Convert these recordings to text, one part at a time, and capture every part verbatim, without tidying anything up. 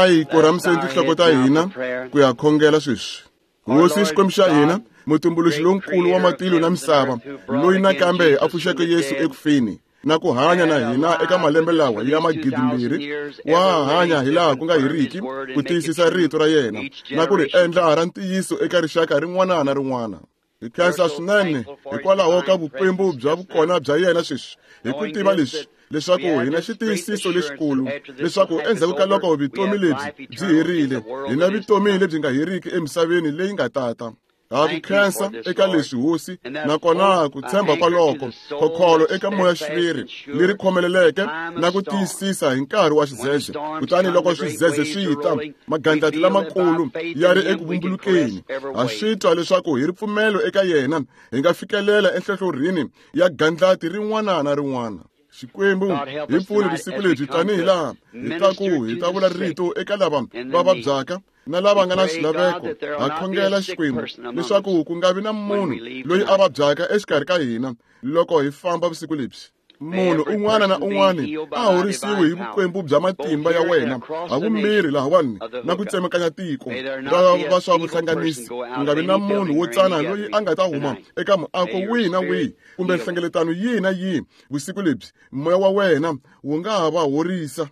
A hi korhamiseni tinhloko ta hina ku ya khongela sweswi. Hosi Xikwembu xa hina, mutumbuluxi lonkulu wa matilo na misava, loyi nakambe a pfuxeke Yesu ekufeni na ku hanya na hina eka malembe lawa ya magidimbirhi, wa hanya hilaha ku nga heriki ku tiyisisa rito ra yena na ku ri endla ra ntiyiso eka rixaka rin'wana na rin'wana. Hi khensa swinene hikwalaho ka vukwembu bya vukona bya yena sweswi, hi ku tiva leswi leswaku hi na xitiyisiso lexikulu leswaku endzhaku ka loko vutomi lebyi byi herile, hi na vutomi lebyi nga heriki emisaveni leyi nga tata. Ha ku khensa eka leswi Hosi, nakona ku tshemba kwaloko khokholo eka moya xiviri leri khomeleleke na ku tiyisisa hi nkarhi wa xidzedze. Kutani loko swidzedze swi ta, magandlati lamakulu ya ri eku vumbulukeni, ha swi twa leswaku hi ripfumelo eka yena hi nga fikelela enhlohlorhini ya gandlati rin'wana na rin'wana. Xikwembu hi pfuni vusiku lebyi tanihi laha hi ta ku hi ta vula rito eka lava va vabyaka na lava nga na swilaveko. Ha khongela Xikwembu leswaku ku nga vi na munhu loyi a vabyaka exikarhi ka hina loko hi famba vusiku lebyi. Munhu un'wana na un'wana a horisiwe hi vukwembu bya matimba ya wena havumbirhi lahawani na ku tsemekanya tiko ra va swa vuhlanganisi. Ku nga vi na munhu wo tsana loyi a nga ta huma eka muako wihi na wihi kumbe nhlengeletano yihi na yihi vusiku lebyi. Moya wa wena wu nga ha va horisa.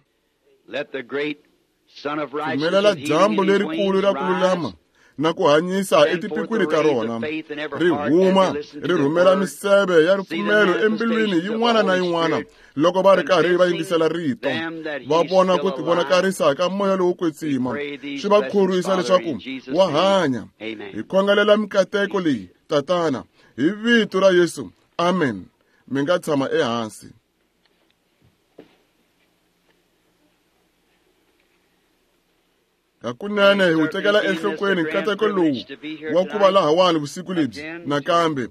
Pfumelela dyambu lerikulu ra ku lulama na ku hanyisa etipikwini ta rona ri huma ri rhumela miseve ya ripfumelo embilwini yin'wana na yin'wana loko va ri karhi va yingisela rito, va vona ku tivonakarisa ka moya lowo kwetsima, swi va khorwisa leswaku wa hanya. Hi khongelela mikateko leyi, Tatana, hi vito ra Yesu. Amen. Mi nga tshama ehansi. Hakunene hi wu tekela enhlokweni nkateko lowu wa ku va lahawani vusiku lebyi nakambe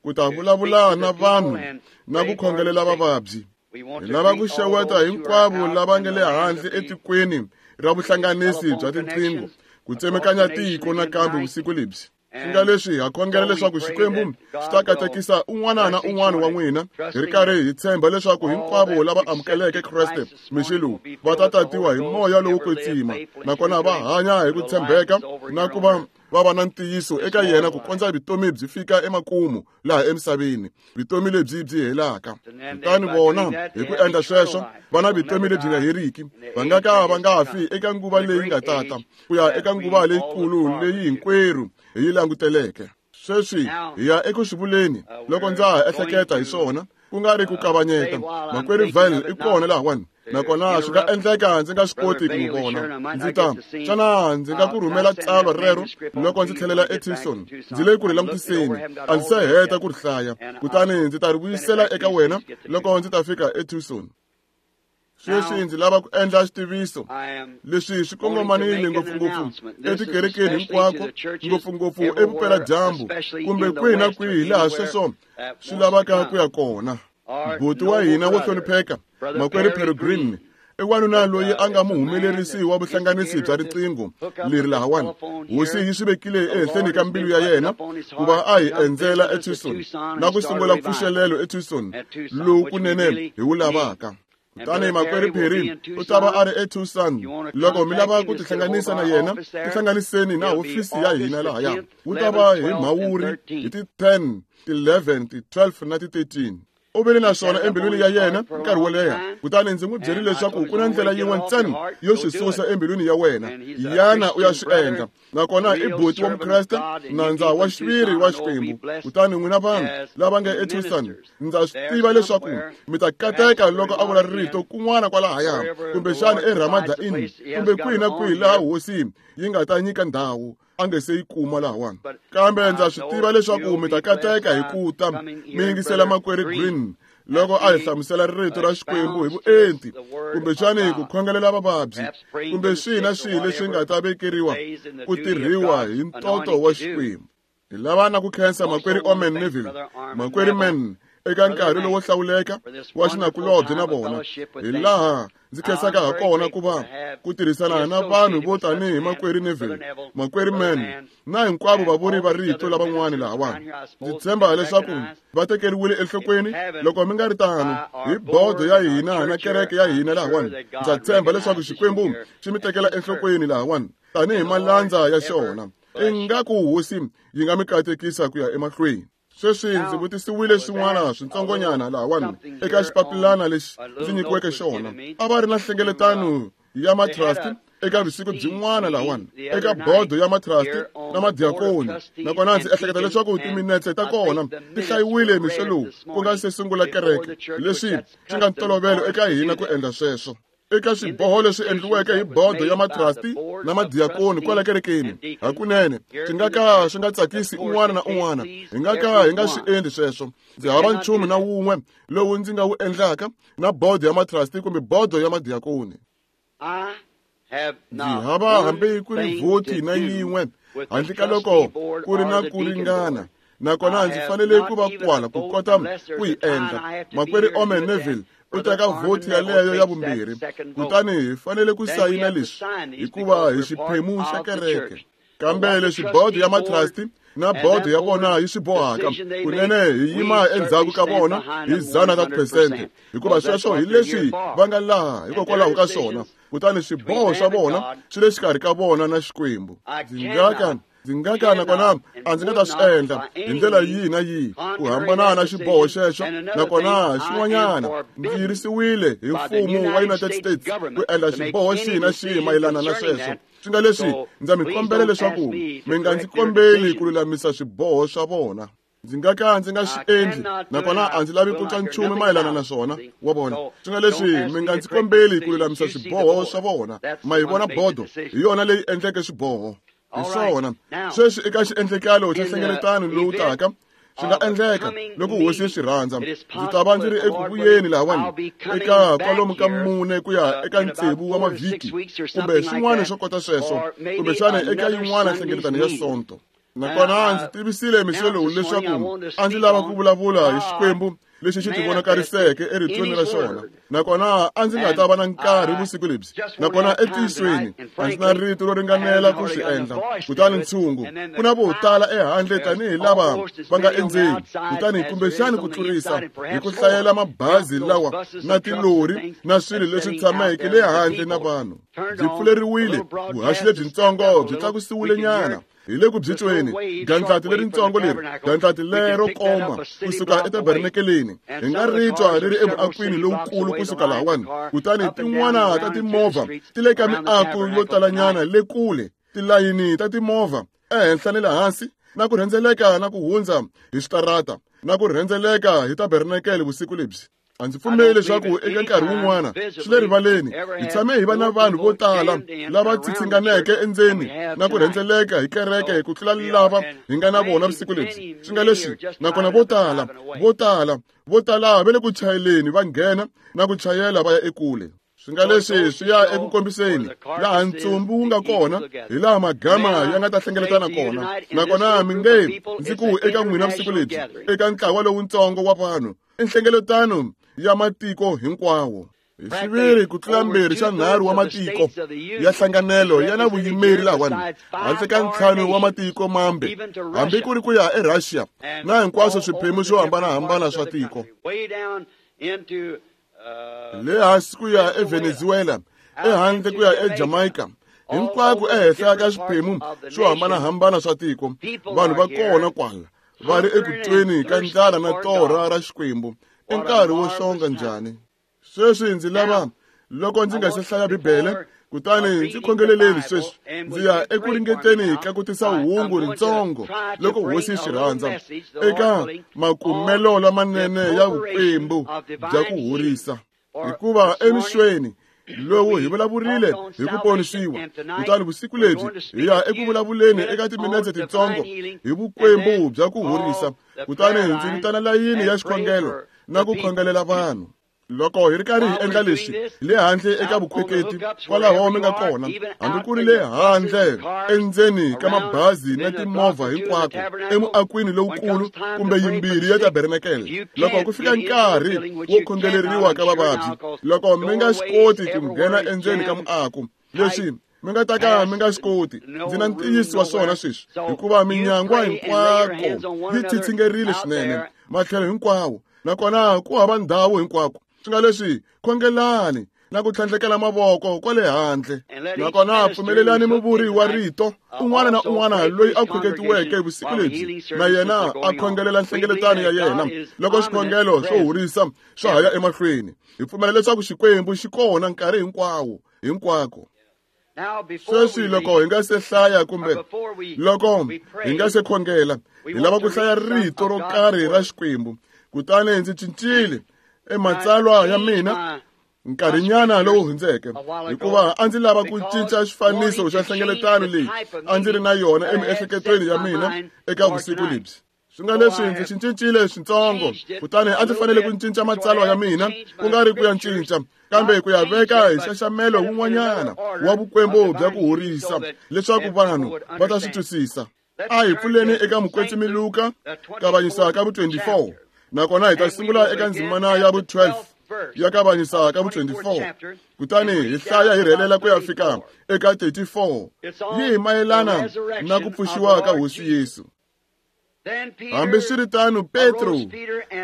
ku ta vulavula na vanhu na ku khongelela vavabyi. Hi lava ku xeweta hinkwavo lava nga le handle etikweni ra vuhlanganisi bya tinqingho ku tsemekanya tiko nakambe vusiku lebyi. Swi nga leswi ha khongela leswaku Xikwembu xi ta katekisa un'wana na un'wana wa n'wina, hi ri karhi hi tshemba leswaku hinkwavo lava amukeleke Kreste mixi lowu va ta tatiwa hi moya lowo kwetsima, nakona va hanya hi ku tshembeka na ku va va va na ntiyiso eka yena ku kondza vutomi byi fika emakumu laha emisaveni, vutomi lebyi byi helaka. Kutani vona hi ku endla sweswo va na vutomi lebyi nga heriki, va nga ka va nga fi eka nguva leyi nga tata ku ya eka nguva leyikulu leyi hinkwerhu hi yi languteleke. Sweswi hi ya eku swi vuleni loko ndza ha ehleketa hi swona, ku nga ri ku kavanyeta. Makwerhu Vail i kona lahawani, nakona swi nga endleka ndzi nga swi koti ku n'wi vona. Ndzi ta xana ndzi nga ku rhumela tsalwa rero loko ndzi tlhelela eTucson? Ndzi le ku ri langutiseni, a ndzi se heta ku ri hlaya, kutani ndzi ta ri vuyisela eka wena loko ndzi ta fika eTucson. Sweswi ndzi lava ku endla xitiviso leswi swi kongomanile ngopfungopfu etikerekeni hinkwako, ngopfungopfu evupeladyambu kumbe kwihi na kwihi laha sweswo swi lavaka ku ya kona. Buti wa hina wo hlonipheka, Makwerhu Peregrine, i wanuna loyi a nga muhumelerisi wa vuhlanganisi bya riqingho leri lahawani. Hosi yi swi vekile ehenhleni ka mbilu ya yena ku va a hi endzela eTucson na ku sungula mpfuxelelo eTucson lowu kunene hi wu lavaka. Kutani Makwerhu Perry u ta va a ri eTucson. Loko mi lava ku tihlanganisa na yena, tihlanganiseni na hofisi ya hina lahaya. Wu ta va hi Mhawuri hi ti ten, ti eleven, ti twelve na ti thirteen. U vile na swona embilwini ya yena nkarhi wo leha, kutani ndzi n'wi byerile leswaku ku na ndlela yin'we ntsena yo swi susa embilwini ya wena, yana u ya swi endla. Nakona i buti wa Mukreste, nandza wa xiviri wa Xikwembu. Kutani n'wina vanhu lava nga eTucson, ndza swi tiva leswaku mi ta kateka loko a vula rito kun'wana kwalahaya, kumbexana eRamada Inn, kumbe kwihi na kwihi laha Hosi yi nga ta nyika ndhawu a nge se yi kuma lahawani. Kambe ndza swi tiva leswaku mi ta kateka hi ku ta mi yingisela Makwerhu Green loko a hi hlamusela rito ra Xikwembu hi vuenti, kumbexani ku khongelela vavabyi, kumbe swihi na swihi leswi nga ta vekeriwa ku tirhiwa hi ntoto wa Xikwembu. Hi lava na ku khensa Makwerhu Orman Neville. Makwerhu Man eka nkarhi lowo hlawuleka wa xinakulobye na vona hi laha ndzi khensaka ha kona ku va ku tirhisana na vanhu vo tanihi makwerhu Neville, makwerhu Mann na hinkwavo vavuri va rito lavan'wana lahawani. Ndzi tshemba leswaku va tekeriwile enhlokweni loko mi nga ri tano hi bodo ya hina na kereke ya hina lahawani. Ndza tshemba leswaku Xikwembu xi mi tekela enhlokweni lahawani tanihi malandza ya xona. Ingaku hosi yi nga mi katekisa ku ya emahlweni. Sweswi ndzi vutisiwile swin'wana switsongonyana lahawani eka xipapilana lexi ndzi nyikiweke xona. A va ri na nhlengeletano ya matrust eka vusiku byin'wana lahawani eka bodo ya matrust na madiakoni, nakona ndzi ehleketa leswaku timinetse ta kona ti hlayiwile mixo lowu ku nga se sungula kereke, leswi swi nga ntolovelo eka hina ku endla sweswo. Eka swiboho leswi endliweke hi bodo ya matrasti na madiakoni kwala kerekeni, hakunene swi nga ka swi nga tsakisi un'wana na un'wana. Hi nga ka hi nga swi endli sweswo. Ndzi hava nchumu na wun'we lowu ndzi nga wu endlaka na bodo ya matrasti kumbe bodo ya madiakoni. Ndzi hava hambi ku ri vhoti na yin'we handle ka loko ku ri na ku ringana, nakona ndzi fanele ku va kwala ku kota ku yi endla. Makwerhu Omen Neville u teka vhoti yaleyo ya vumbirhi, kutani hi fanele ku sayina leswi hikuva hi xiphemu xa kereke. Kambe leswi bodo ya matrasti na bodo ya vona yi swi bohaka, kunene hi yima endzhaku ka vona hi dzana ta phesente, hikuva sweswo hi leswi va nga laha hikokwalaho ka swona. Kutani swiboho swa vona swi le xikarhi ka vona na Xikwembu. Ndzi nga ka ndzi nga ka nakona a ndzi nga ta swi endla hi ndlela yihi na yihi ku hambana na xiboho xexo. Nakona xin'wanyana, ndzi yirisiwile hi mfumo wa United States ku endla xiboho xihi na xihi mayelana na sweswo. Swi nga leswi ndza mi kombela leswaku mi nga ndzi kombeli ku lulamisa swiboho swa vona. Ndzi nga ka ndzi nga swi endli, nakona a ndzi lavi ku twa nchumu mayelana na swona. Wa vona, swi nga leswi mi nga ndzi kombeli ku lulamisa swiboho swa vona. Ma yi vona bodo hi yona leyi endleke swiboho. Hi swona. Sweswi eka xiendlekalo xa nhlengeletano lowu taka, swi nga endleka loko hosi yi swi rhandza, ndzi ta va ndzi ri eku vuyeni lahawani eka kwalomu ka mune ku ya eka tsevu wa mavhiki kumbe swin'wana swo kota sweswo, kumbexana eka yin'wana nhlengeletano ya Sonto. Nakona ndzi tivisile mixo lowu leswaku a ndzi lava ku vulavula hi Xikwembu lexi xi tivonakariseke eritweni ra xona, nakona a ndzi nga ta va na nkarhi vusiku lebyi. Nakona entiyisweni a ndzi na rito ro ringanela ku swi endla. Kutani ntshungu ku na vo tala ehandle tanihi lava va nga endzeni, kutani kumbexani ku tlurisa hi ku hlayela mabazi lawa na tilori na swilo leswi tshameke le handle na vanhu. Byi pfuleriwile, vuhaxi lebyintsongo byi tlakusiwile nyana hi le ku byi tweni. Gandlati leritsongo leri, gandlati lero koma kusuka etabernakeleni, hi nga ri twa ri ri emuakwini lowukulu kusuka lahawani. Kutani tin'wana ta timovha ti le ka miako yo talanyana le kule, tilayini ta timovha ehenhla ni le hansi, na ku rhendzeleka na ku hundza hi switarata na ku rhendzeleka hi tabernakele vusiku lebyi. A ndzi pfumeli leswaku eka nkarhi wun'wana swi le rivaleni hi tshame hi va na vanhu vo tala lava tsitsinganeke endzeni na ku rhendzeleka hi kereke ku tlula lava hi nga na vona vusiku lebyi. Swi nga leswi, nakona vo tala vo tala vo tala va le ku chayeleni va nghena na ku chayela va ya ekule. Swi nga leswi swi ya eku kombiseni laha ntsumbu wu nga kona, hi laha magama ya nga ta hlengeletana kona. Nakona mi nge ndzi ku eka n'wina vusiku lebyi, eka ntlawa lowuntsongo wa vanhu, i nhlengeletano ya matiko hinkwawo. Hi xiviri ku tlula mbirhi xa nharhu wa matiko ya hlanganelo ya na vuyimeri lahawani, handle ka ntlhanu wa matiko mambe, hambi ku ri ku ya eRussia na hinkwaswo swiphemu swo hambanahambana swa tiko. Le hansi ku ya eVenezuela, ehandle ku ya eJamaica, hinkwako ehenhla ka swiphemu swo hambanahambana swa tiko, vanhu va kona kwala va ri eku tweni ka ndlala na torha ra Xikwembu. I nkarhi wo xonga njhani? Sweswi ndzi lava, loko ndzi nga se hlaya Bibele, kutani ndzi khongeleleni sweswi, ndzi ya eku ringeteni ka ku tisa hungu rintsongo loko hosi yi swi rhandza eka makumelo lamanene ya vukwembu bya ku horisa. Hikuva emixweni lowu hi vulavurile hi ku ponisiwa, kutani vusiku lebyi hi ya eku vulavuleni eka timinetse tintsongo hi vukwembu bya ku horisa. Kutani ndzi vitana layini ya xikhongelo na ku khongelela vanhu. Loko hi ri karhi hi endla leswi le handle eka vukhweketi kwalaho mi nga kona, hambi ku ri le handle endzeni ka mabazi na timovha hinkwako emuakwini lowukulu kumbe yimbirhi ya tabernakele, loko ku fika nkarhi wo khongeleriwa ka vavabyi, loko mi nga swi koti ku nghena endzeni ka muako, leswi mi nga ta ka mi nga swi koti, ndzi na ntiyiso wa swona sweswi, hikuva minyangwa hinkwako yi tsitsingerile swinene matlhelo hinkwawo, nakona ku hava ndhawu hinkwako. Swi nga leswi, khongelani na ku tlhandlekela mavoko kwale handle, nakona pfumelelani muvuri wa rito un'wana na un'wana loyi a khweketiweke vusiku lebyi na yena a khongelela nhlengeletano ya yena loko swikhongelo swo horisa swa ha ya emahlweni. Hi pfumela leswaku Xikwembu xi kona nkarhi hinkwawo hinkwako. Sweswi loko hi nga se hlaya kumbe loko hi nga se khongela, hi lava ku hlaya rito ro karhi ra Xikwembu. Kutani ndzi cincile ematsalwa ya mina nkarhinyana lowu hundzeke, hikuva a ndzi lava ku cinca xifaniso xa nhlengeletano leyi a ndzi ri na yona emiehleketweni ya mina eka vusiku lebyi. Swi nga leswi ndzi xi cincile switsongo, kutani a ndzi fanele ku cinca matsalwa ya mina, ku nga ri ku ya cinca, kambe ku ya veka hi nxaxamelo wun'wanyana wa vukwembu bya ku horisa, leswaku vanhu va ta swi twisisa. A hi pfuleni eka Mukwetsimi Luka, kavanyisa ka vu twenty-four, nakona hi ta sungula eka ndzimana ya vu twelve ya kavanyisa ka vu twenty-four, kutani hi hlaya hi rhelela ku ya fika eka thirty-four. Yi hi mayelana na ku pfuxiwa ka Hosi Yesu. Hambiswiritano, Petro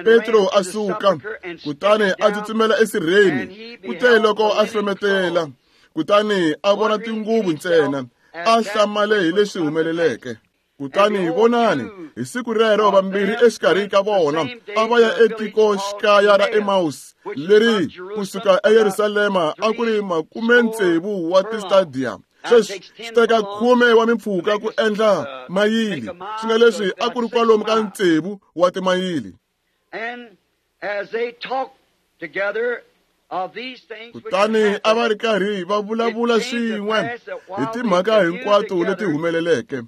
Petro a suka, kutani a tsutsumela esirheni. Kute loko a hlometela, kutani a vona tinguvu ntsena, a hlamale hi leswi humeleleke. Kutani vonani, hi siku rero vambirhi exikarhi ka vona a va ya etikoxikaya ra Emmaus, leri kusuka eYerusalema a ku ri makume tsevu wa tistadiya. Sweswi swi teka khume wa mimpfhuka ku endla mayili, swi nga leswi a ku ri kwalomu ka tsevu wa timayili. Kutani a va ri karhi va vulavula swin'we hi timhaka hinkwato leti humeleleke.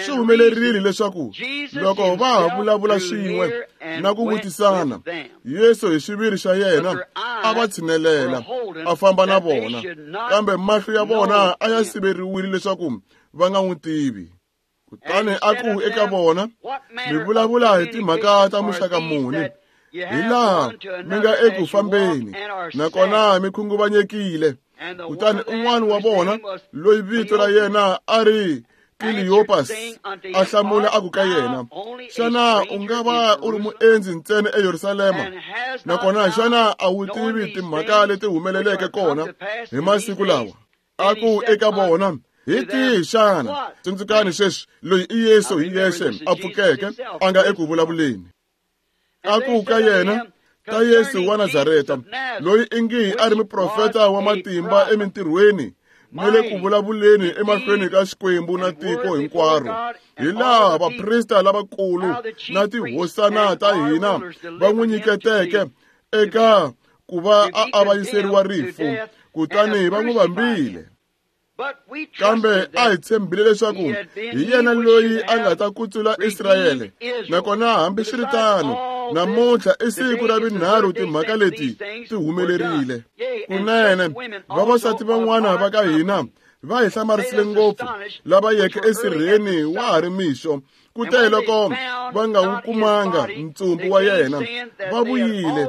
Swi humelerile leswaku loko va ha vulavula swin'we na ku vutisana, Yesu hi xiviri xa yena a va tshinelela, a famba na vona, kambe mahlo ya vona a ya siveriwile leswaku va nga n'wi tivi. Kutani a ku eka vona, mi vulavula hi timhaka ta muxaka muni, hi laha mi nga eku fambeni, nakona mi khunguvanyekile. Kutani un'wana wa vona, loyi vito ra yena a ri Kleopas, a hlamula a ku ka yena, xana u nga va u ri muendzi ntsena eYerusalema, nakona xana a wu tivi timhaka leti humeleleke kona hi masiku lawa? A ku eka vona, hi tihi xana? Tsundzukani sweswi, loyi i Yesu hi yexe a pfukeke, a nga eku vulavuleni. A ku ka yena, ta Yesu wa Nazareta, loyi ingi a ri muprofeta wa matimba emintirhweni na le ku vulavuleni emahlweni ka Xikwembu na tiko hinkwaro, hi laha vaprista lavakulu na tihosana ta hina va n'wi nyiketeke eka ku va a avanyiseriwa rifu, kutani va n'wi vambile. Kambe a hi tshembile leswaku hi yena loyi a nga ta kutsula Israyele, nakona hambiswiritano namuntlha i siku ra vunharhu timhaka leti ti humelerile. Kunene vavasati van'wana va ka hina va hi hlamarisile ngopfu, lava yeke esirheni wa ha ri mixo, kute loko va nga wu kumanga ntsumbu wa yena, va vuyile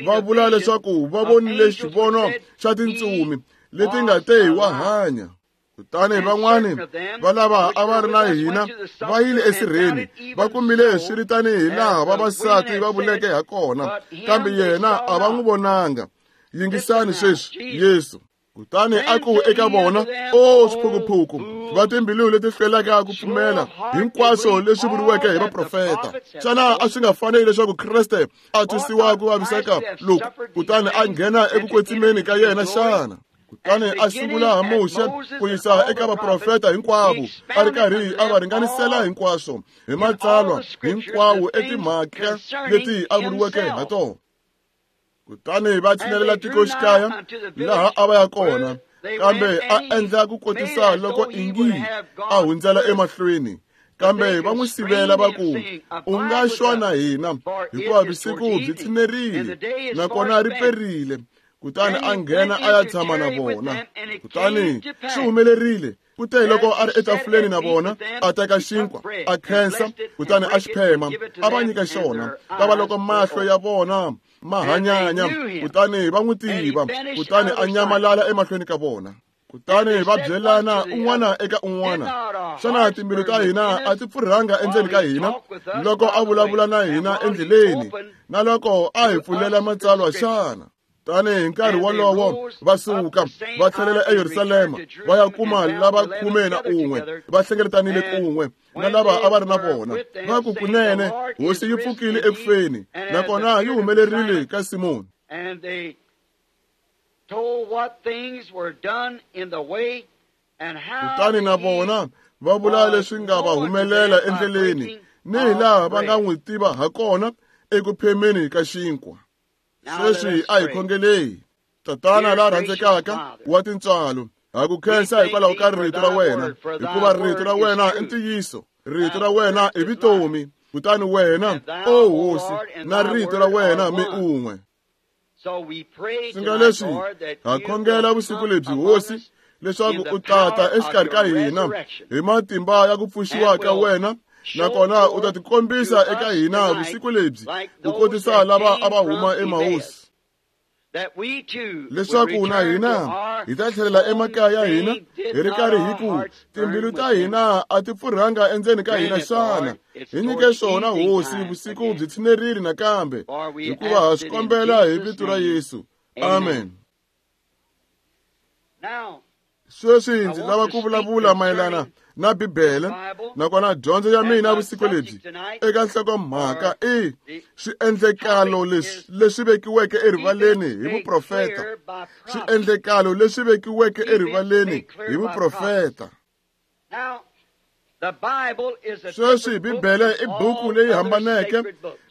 va vula leswaku va vonile xivono xa tintsumi leti nga te wa hanya. Kutani van'wani va lava a va ri na hina va yile esirheni, va kumile swi ri tanihi laha vavasati va vuleke ha kona, kambe yena a va n'wi vonanga. Yingisani sweswi Yesu. Kutani a ku eka vona, o swiphukuphuku va timbilu leti hlwelaka ku pfumela hinkwaswo leswi vuriweke hi vaprofeta, xana a swi nga faneli leswaku Kreste a twisiwa ku vaviseka loku, kutani a nghena eku kwetsimeni ka yena xana? Kutani a sungula ha Muxe ku yisa eka vaprofeta hinkwavo, a ri karhi a va ringanisela hinkwaswo hi matsalwa hinkwawo etimhaka leti a vuriweke ha tona. Kutani va tshinelela tikoxikaya laha a va ya kona, kambe a endla ku kotisa loko ingi a hundzela emahlweni, Kambe va n'wi sivela va ku, u nga xwa na hina, hikuva vusiku byi tshinerile, nakona ri perile. Kutani a nghena a ya tshama na vona. Kutani swi humelerile, kute loko a ri etafuleni na vona, a teka xinkwa, a khensa, kutani a xi phema, a va nyika xona. Kava loko mahlo ya vona ma hanyanya, kutani va n'wi tiva, kutani a nyamalala emahlweni ka vona. Kutani va byelana un'wana eka un'wana, xana timbilu ta hina a ti pfurhanga endzeni ka hina loko a vulavula na hina endleleni, na loko a hi pfulela matsalwa xana? Tani hi nkarhi wolowo va suka va tlhelela eYerusalema, va ya kuma lava khume na un'we va hlengeletanile kun'we na lava a va ri na vona. Va ku, kunene Hosi yi pfukile ekufeni, nakona yi humelerile ka Simoni. Kutani na vona va vula leswi nga va humelela endleleni, ni hi laha va nga n'wi tiva ha kona eku phemeni ka xinkwa. Sweswi a hi khongelei. Tatana la rhandzekaka wa tintswalo, ha ku khensa hikwalaho ka rito ra wena, hikuva rito ra wena i ntiyiso, rito ra wena i vutomi. Kutani wena, o Hosi, na rito ra wena mi un'we. Swi nga leswi ha khongela vusiku lebyi, Hosi, leswaku u tata exikarhi ka hina hi matimba ya ku pfuxiwa ka wena, nakona u ta tikombisa eka hina vusiku lebyi, ku kotisa lava a va huma eMahosi, leswaku na hina hi ta tlhelela emakaya ya hina hi ri karhi hi ku timbilu ta hina a ti pfurhanga endzeni ka hina xana. Hi nyike swona, Hosi, vusiku byi tshinerile nakambe, hikuva ha swi kombela hi vito ra Yesu. Amen. Sweswi ndzi lava ku vulavula mayelana na Bibele, nakona dyondzo ya mina vusiku lebyi eka nhlokomhaka i swiendlekalo leswi leswi vekiweke erivaleni hi vuprofeta. Swiendlekalo leswi vekiweke erivaleni hi vuprofeta. Sweswi Bibele i buku leyi hambaneke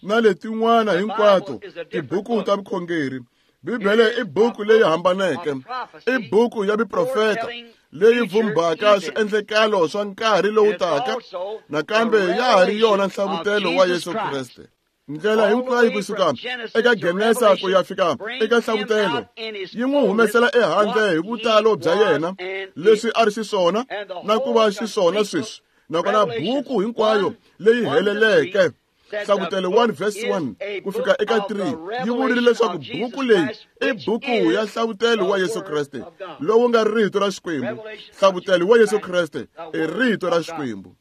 na letin'wana hinkwato tibuku ta vukhongeri. Bibele i buku leyi hambaneke, i buku ya vuprofeta leyi vumbaka swiendlekalo swa nkarhi lowu taka, nakambe ya ha ri yona nhlavutelo wa Yesu Kreste. Ndlela hinkwayo kusuka eka Genesa ku ya fika eka Nhlavutelo yi n'wi humesela ehandle hi vutalo bya yena, leswi a ri xiswona na ku va xiswona sweswi, nakona buku hinkwayo leyi heleleke. Nhlavutelo one verse one ku fika eka three yi vurile leswaku buku leyi i buku ya nhlavutelo wa Yesu Kreste, lowu nga rito ra Xikwembu. Nhlavutelo wa Yesu Kreste i rito ra Xikwembu.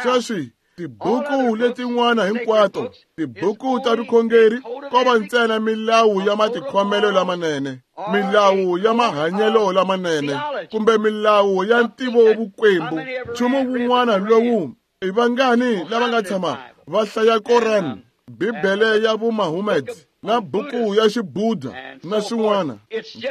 Sweswi tibuku letin'wana hinkwato, tibuku ta vukhongeri, ko va ntsena milawu ya matikhomelo lamanene, milawu ya mahanyelo lamanene, kumbe milawu ya ntivovukwembu. Nchumu wun'wana lowu i vangani lava nga tshama va hlaya Koran, Bibele ya Vumahomed, na buku ya Xibudha na swin'wana.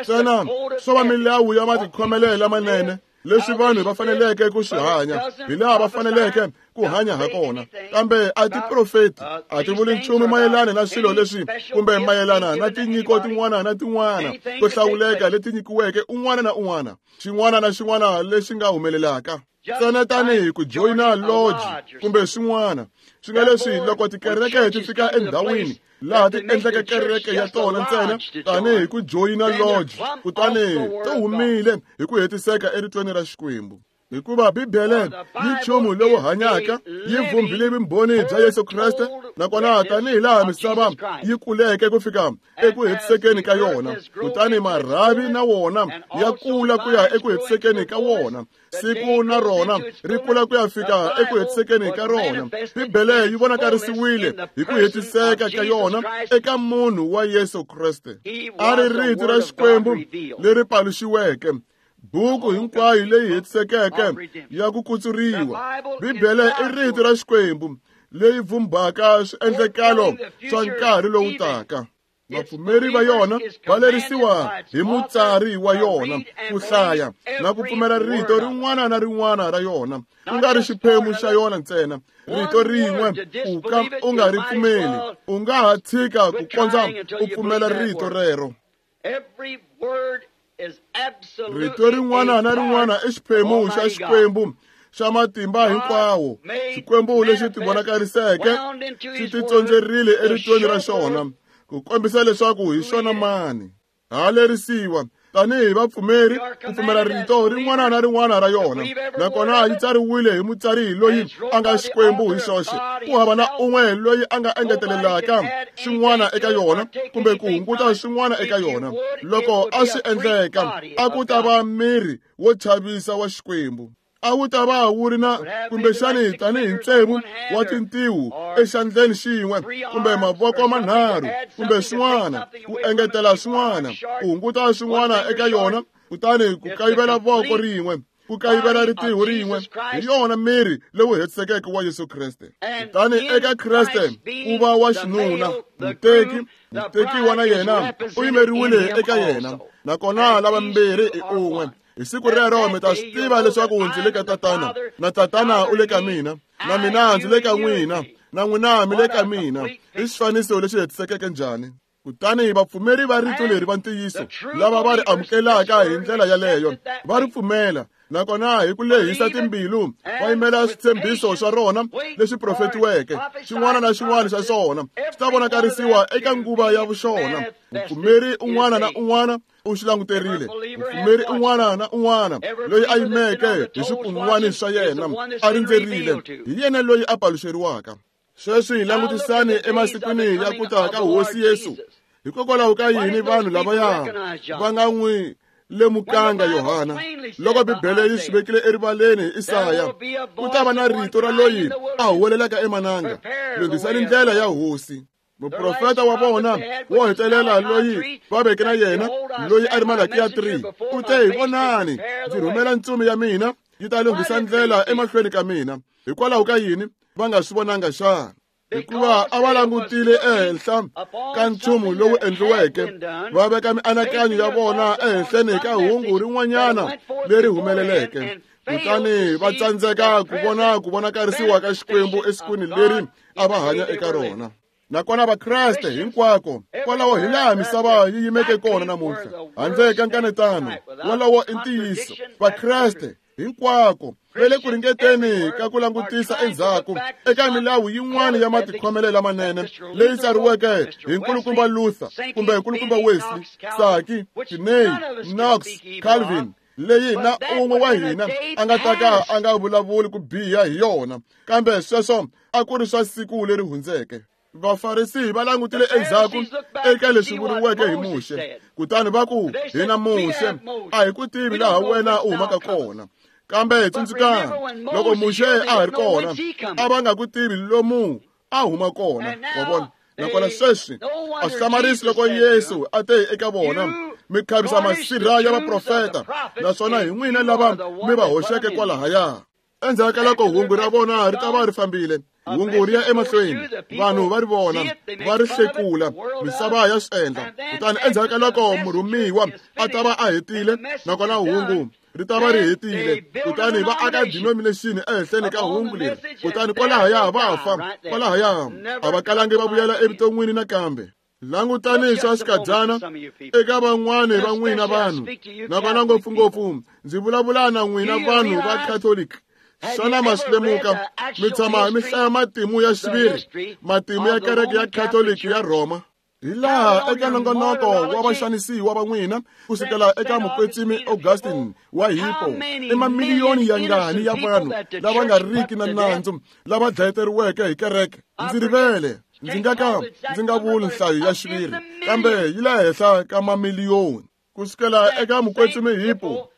Ntsena swo va milawu ya matikhomelo lamanene leswi vanhu va faneleke ku swi hanya, hi laha va faneleke ku hanya ha kona. Kambe a ti profeti, a ti vuli nchumu mayelana na swilo leswi kumbe mayelana na tinyiko tin'wana na tin'wana to hlawuleka leti nyikiweke un'wana na un'wana, xin'wana na xin'wana lexi nga humelelaka. Ntsena tanihi ku joyina lodge kumbe swin'wana. Swi nga leswi loko tikereke ti fika endhawini laha ti endleke kereke ya tona ntsena tanihi ku joyina lodge, kutani to humile hi ku hetiseka eritweni ra Xikwembu. Hikuva Bibele yi nchumu lowu hanyaka, yi vumbile vumbhoni bya Yesu Kreste, nakona tanihi laha misava yi kuleke ku fika eku hetisekeni ka yona, kutani marhavi na wona ya kula ku ya eku hetisekeni ka wona, siku na rona ri kula ku ya fika eku hetisekeni ka rona. Bibele yi vonakarisiwile hi ku hetiseka ka yona eka munhu wa Yesu Kreste. A ri rito ra Xikwembu leri paluxiweke, buku hinkwayo leyi hetisekeke ya ku kutsuriwa. Bibele i rito ra Xikwembu leyi vumbaka swiendlekalo swa nkarhi lowu taka. Vapfumeri va yona va lerisiwa hi mutsari wa yona ku hlaya na ku pfumela rito rin'wana na rin'wana ra yona, ku nga ri xiphemu xa yona ntsena. Rito rin'we u ka u nga ri pfumeli, u nga ha tshika ku kondza u pfumela rito rero. Rito rin'wana na rin'wana i xiphemu xa Xikwembu xa matimba hinkwawo, Xikwembu lexi tivonakariseke xi titsondzerile eritweni ra xona ku kombisa leswaku hi xona mani. Ha lerisiwa tanihi vapfumeri ku pfumela rito rin'wana na rin'wana ra yona, nakona yi tsariwile hi mutsari loyi a nga Xikwembu hi xoxe. Ku hava na un'we loyi a nga engetelelaka xin'wana eka yona kumbe ku hunguta xin'wana eka yona. Loko a swi endleka, a ku ta va miri wo chavisa wa Xikwembu. A wu ta va wu ri na kumbexani tanihi ntsevu wa tintiho exandleni xin'we kumbe mavoko manharhu kumbe swin'wana, ku engetela swin'wana, ku hunguta swin'wana eka yona, kutani ku kayivela voko rin'we, ku kayivela ritiho rin'we. Hi yona miri lowu hetisekeke wa Yesu Kreste. Kutani eka Kreste ku va wa xinuna, muteki, mutekiwa na yena u yimeriwile eka yena, nakona lavambirhi i un'we. Hi siku rero mi ta swi tiva leswaku ndzi le ka Tatana, na Tatana u le ka mina, na mina ndzi le ka n'wina, na n'wina mi le ka mina. I xifaniso lexi hetisekeke njhani? Kutani vapfumeri va rito leri va ntiyiso lava va ri amukelaka hi ndlela yaleyo va ri pfumela, nakona hi ku lehisa timbilu va yimela switshembiso swa rona leswi profetiweke. Xin'wana na xin'wana xa swona swi ta vonakarisiwa eka nguva ya vuxona. Mupfumeri un'wana na un'wana u xi languterile. Mupfumeri un'wana na un'wana loyi a yimeke hi swikun'wani swa yena a rindzerile, hi yena loyi a paluxeriwaka. Sweswi hi langutisani emasikwini ya ku ta ka Hosi Yesu. Hikokwalaho ka yini vanhu lavaya va nga n'wi lemukanga Yohana? Loko Bibele yi swi vekile erivaleni hi Isaya, ku ta va na rito ra loyi a huwelelaka emananga, lunghisani ndlela ya Hosi. Muprofeta wa vona wo hetelela loyi va veke na yena, loyi a ri Malakiya three, u te, vonani, ndzi rhumela ntsumi ya mina yi ta lunghisa ndlela emahlweni ka mina. Hikwalaho ka yini va nga swi vonanga xana? Hikuva a va langutile ehenhla ka nchumu lowu endliweke, va veka mianakanyo ya vona ehenhleni ka hungu rin'wanyana leri humeleleke, kutani va tsandzeka ku vona ku vonakarisiwa ka Xikwembu esikwini leri a va hanya eka rona. Nakona Vakreste hinkwako kwalaho hi laha misava yi yimeke kona namuntlha, handle ka nkanetano, wolowo i ntiyiso. Vakreste hinkwako va le ku ringeteni ka ku langutisa endzhaku eka milawu yin'wana ya matikhomelo lamanene leyi tsariweke hi nkulukumba Luther kumbe nkulukumba Wesley, Saki, Finney, Knox, Calvin, leyi na un'we wa hina a nga ta ka a nga vulavuli ku biha hi yona, kambe sweswo a ku ri swa siku leri hundzeke. Vafarisi va langutile endzhaku eka leswi vuriweke hi Muxe, kutani va ku, hina Muxe a hi ku tivi laha wena u humaka kona. Kambe tsundzukani, loko Muxe a ha ri kona, a va nga ku tivi lomu a huma kona. Wa vona? Nakona sweswi a swi hlamarisi loko Yesu a te eka vona, mi khavisa masirha ya vaprofeta, naswona hi n'wina lava mi va hoxeke kwalahaya. Endzhaku ka loko hungu ra vona ri ta va ri fambile, hungu ri ya emahlweni, vanhu va ri vona, va ri hlekula, misava ya swi endla. Kutani endzhaku ka loko murhumiwa a ta va a hetile, nakona hungu ri ta va ri hetile, kutani va aka denomination ehenhleni ka hungu leri, kutani kwalahaya va fa, kwalahaya a va kalangi va vuyela evuton'wini nakambe. Langutani swa xikadyana eka van'wani va n'wina vanhu, nakona ngopfungopfu ndzi vulavula na n'wina vanhu va Catholic. Xana ma swi lemuka? Mi tshama mi hlaya matimu ya xiviri, matimu ya kereke ya Catholic ya Rhoma. Hi laha eka nongonoko wa vaxanisiwa va n'wina kusukela eka mukwetsimi Augustine wa Hippo, i mamiliyoni ya ngani ya vanhu lava nga riki na nandzu lava dlayeteriweke hi kereke. Ndzi rivele, ndzi nga ka ndzi nga vuli nhlayo ya xiviri, kambe yi le henhla ka mamiliyoni. Kusukela eka mukwetsimi Hippo,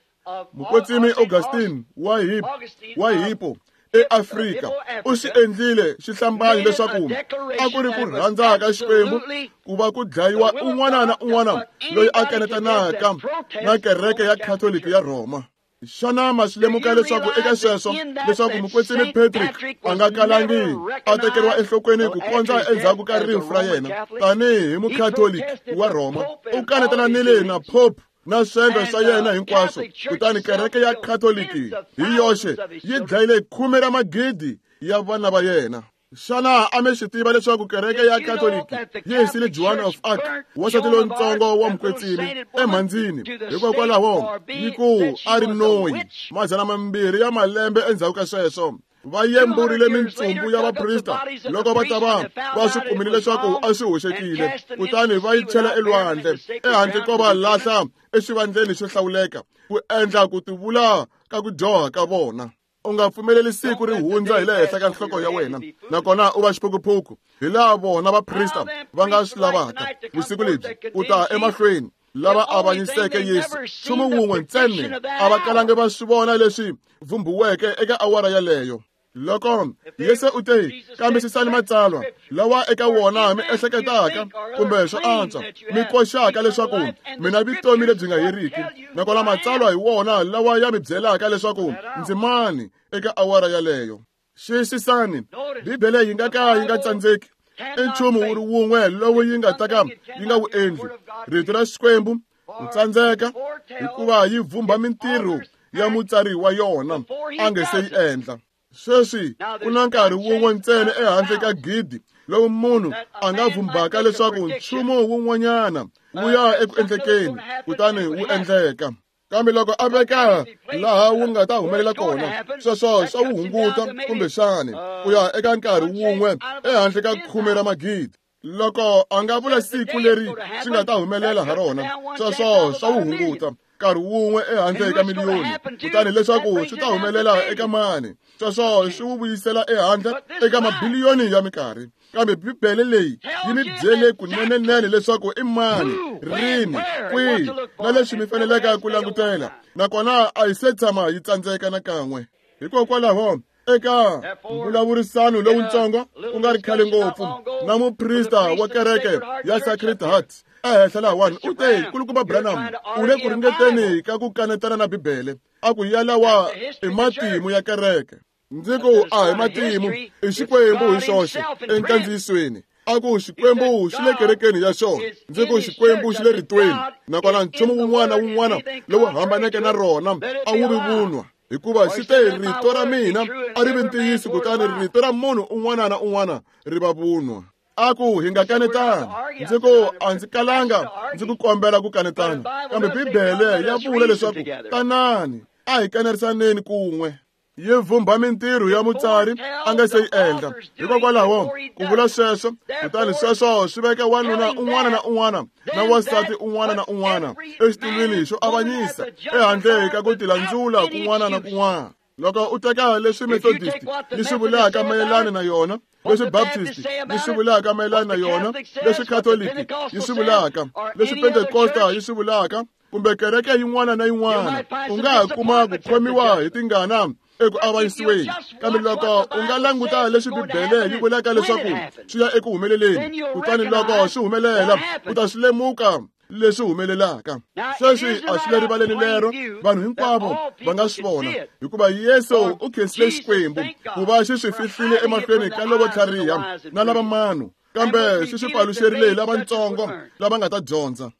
mukwetsimi Augustine wa Hippo, wa Hippo eAfrika, u swi endlile xihlambanyo leswaku a ku ri ku rhandza ka Xikwembu ku va ku dlayiwa un'wana na un'wana loyi a kanetanaka na kereke ya Catholic ya Rhoma. Xana ma swi lemuka leswaku eka sweswo leswaku mukwetsimi Patrick a nga kalangi a tekeriwa enhlokweni ku kondza endzhaku ka rifu ra yena tanihi hi mucatholic wa Rhoma? U kanetananile na Pope na swendlo swa yena hinkwaswo, kutani kereke ya Catholic hi yoxe yi dlayile khume ra magidi ya vana va yena. Xana a mi swi tiva leswaku kereke ya Katoliki yi hisile Joan of Arc, wansati lontsongo wa mukwetsimi, emhandzini hikokwalaho yi ku a ri noyi? Madzana mambirhi ya malembe endzhaku ka sweswo, va yemburile mintsumbu ya vaprista loko va ta va va swi kumile leswaku a swi hoxekile, kutani va yi chela elwandle ehandle ko va lahla exivandleni xo hlawuleka ku endla ku tivula ka ku dyoha ka vona. U nga pfumeleli siku ri hundza hi le henhla ka nhloko ya wena, nakona u va xiphukuphuku hi laha vona vaprista va nga swi lavaka vusiku lebyi ku ta emahlweni lava avanyiseke Yesu. Nchumu wun'we ntsena a va kalangi va swi vona leswi vhumbiweke eka awara yaleyo. Loko Yesu u te, kambisisani matsalwa lawa eka wona mi ehleketaka kumbe swo antswa mi koxaka leswaku mina vutomi lebyi nga heriki, nakona matsalwa hi wona lawa ya mi byelaka leswaku ndzi mani eka awara yaleyo. Xiyisisani, Bibele yi nga ka yi nga tsandzeki. I nchumu wu ri wun'we lowu yi nga ta ka yi nga wu endli, rito ra Xikwembu ku tsandzeka, hikuva yi vhumba mintirho ya mutsari wa yona a nge se yi endla. Sweswi ku na nkarhi wun'we ntsena ehandle ka gidi lowu munhu a nga vhumbaka leswaku nchumu wun'wanyana wu ya eku endlekeni, kutani wu endleka. Kambe loko a veka laha wu nga ta humelela kona, sweswo swa wu hunguta kumbexani ku ya eka nkarhi wun'we ehandle ka khume ra magidi. Loko a nga vula siku leri swi nga ta humelela ha rona, sweswo swa wu hunguta nkarhi wun'we ehandle ka miliyoni, kutani leswaku swi ta humelela eka mani, sweswo swi wu vuyisela ehandle eka mabiliyoni ya minkarhi. Kambe Bibele leyi yi mi byele kunenenene leswaku i mani, rini, kwihi na leswi mi faneleke ku langutela, nakona a yi se tshama yi tsandzeka nakan'we. Hikokwalaho eka mbulavurisano lowuntsongo ku nga ri khale ngopfu na muprista wa kereke ya Sacred Heart ehenhla lahawani, u te, Kulukumba Branham, u le ku ringeteni ka ku kanetana na Bibele, a ku yalawa i matimu ya kereke. Ndzi ku a hi matimu, i Xikwembu hi xoxe enkandziyisweni. A ku Xikwembu xi le kerekeni ya xona, ndzi ku Xikwembu xi le ritweni, nakona nchumu wun'wana na wun'wana lowu hambaneke na rona a wu vi vunwa, hikuva xi te rito ra mina a ri vi ntiyiso, kutani rito ra munhu un'wana na un'wana ri va vunwa. A ku hi nga kanetani. Ndzi ku a ndzi kalanga ndzi ku kombela ku kanetana, kambe Bibele ya vula leswaku tanani a hi kanerisaneni kun'we. Yi vhumba mintirho ya mutsari a nga se yi endla. Hikokwalaho ku vula sweswo, kutani sweswo swi veka wanuna un'wana na un'wana na wansati un'wana na un'wana exitulwini xo avanyisa ehandle ka ku tilandzula kun'wana na kun'wana. Loko u teka leswi Methodist yi swi vulaka mayelana na yona, leswi Baptist yi swi vulaka mayelana na yona, leswi Catholic yi swi vulaka, leswi Pentecosta yi swi vulaka, kumbe kereke yin'wana na yin'wana, u nga ha kuma ku khomiwa hi tingana eku avanyisiweni. Kambe loko u nga languta leswi Bibele yi vulaka leswaku swi ya eku humeleleni, kutani loko swi humelela u ta swi lemuka leswi humelelaka. Sweswi a swi le rivaleni lero vanhu hinkwavo va nga swi vona, hikuva Yesu u khensile Xikwembu ku va xi swi fihlile emahlweni ka lavo tlhariha na lava mano, kambe xi swi paluxerile hi lavatsongo lava nga ta dyondza.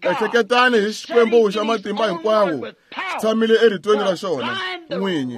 Ehleketani hi Xikwembu xa matimba hinkwawo xi tshamile eritweni ra xona n'winyi,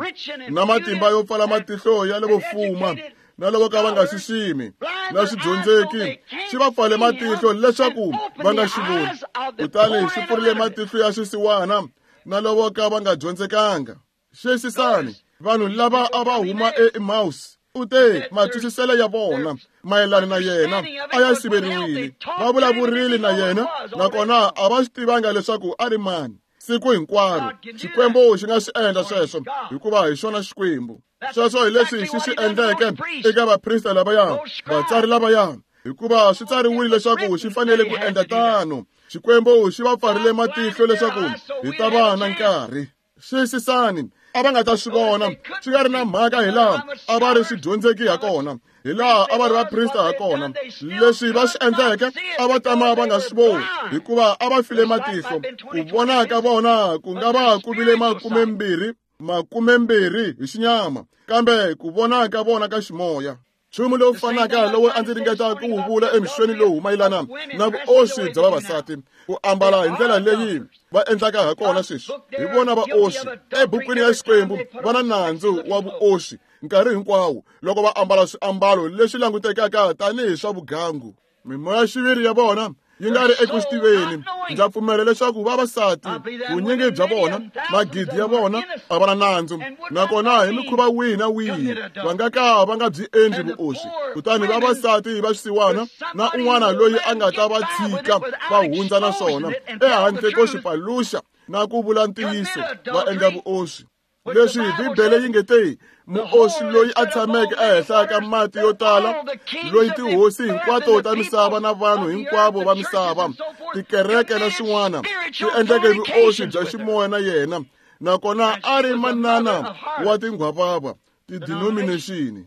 na matimba yo pfala matihlo ya lavo fuma na lavo ka va nga xiximi na swidyondzeki, xi va pfale matihlo leswaku va nga xi voni, kutani xi pfurile matihlo ya swisiwana na lavo ka va nga dyondzekanga. Xiyisisani, vanhu lava a va huma eEmmaus, u te matwisiselo ya vona mayelana na yena a ya siveriwile. Va vulavurile na yena, nakona a va swi tivanga leswaku a ri mani. Siku hinkwaro Xikwembu xi nga swi endla sweswo, hikuva hi xona Xikwembu. Sweswo hi leswi xi swi endleke eka vaprista lavaya, vatsari lavaya, hikuva swi tsariwile leswaku xi fanele ku endla tano. Xikwembu xi va pfarile matihlo leswaku hi ta va na nkarhi. Xiyisisani, a va nga ta swi vona swi nga ri na mhaka hi laha a va ri swidyondzeki ha kona, hi laha a va ri vaprista ha kona. Leswi va swi endleke a va tama va nga swi voni, hikuva a va file matihlo. Ku vona ka vona ku nga va ku vile makumembirhi makumembirhi hi xinyama, kambe ku vona ka vona ka ximoya. Nchumu lowu fanaka lowu a ndzi ringeta ku wu vula emixweni lowu mayelana na vuoswi bya vavasati ku ambala hi ndlela leyi va endlaka ha kona sweswi hi vona vaoswi ebukwini ya Xikwembu va na nandzu wa vuoswi nkarhi hinkwawo loko va ambala swiambalo leswi langutekaka tanihi swa vugangu. Mimoya xiviri ya vona yi nga ri eku swi tiveni. Ndza pfumela leswaku vavasati vunyingi bya vona magidi ya vona a va na nandzu nakona hi mikhuva wihi na wihi va nga ka va nga byi endli vuoswi. Kutani vavasati va xisiwana na un'wana loyi a nga ta va tshika va hundza na swona ehandle ko swi paluxa na ku vula ntiyiso va endla vuoswi. Leswi Bibele yi nge te muoswi loyi a tshameke ehenhla ka mati yo tala loyi tihosi hinkwato ta misava na vanhu hinkwavo va misava tikereke na swin'wana ti endleke vuoswi bya ximoya na yena nakona a ri manana wa tinghwavava ti-denomination.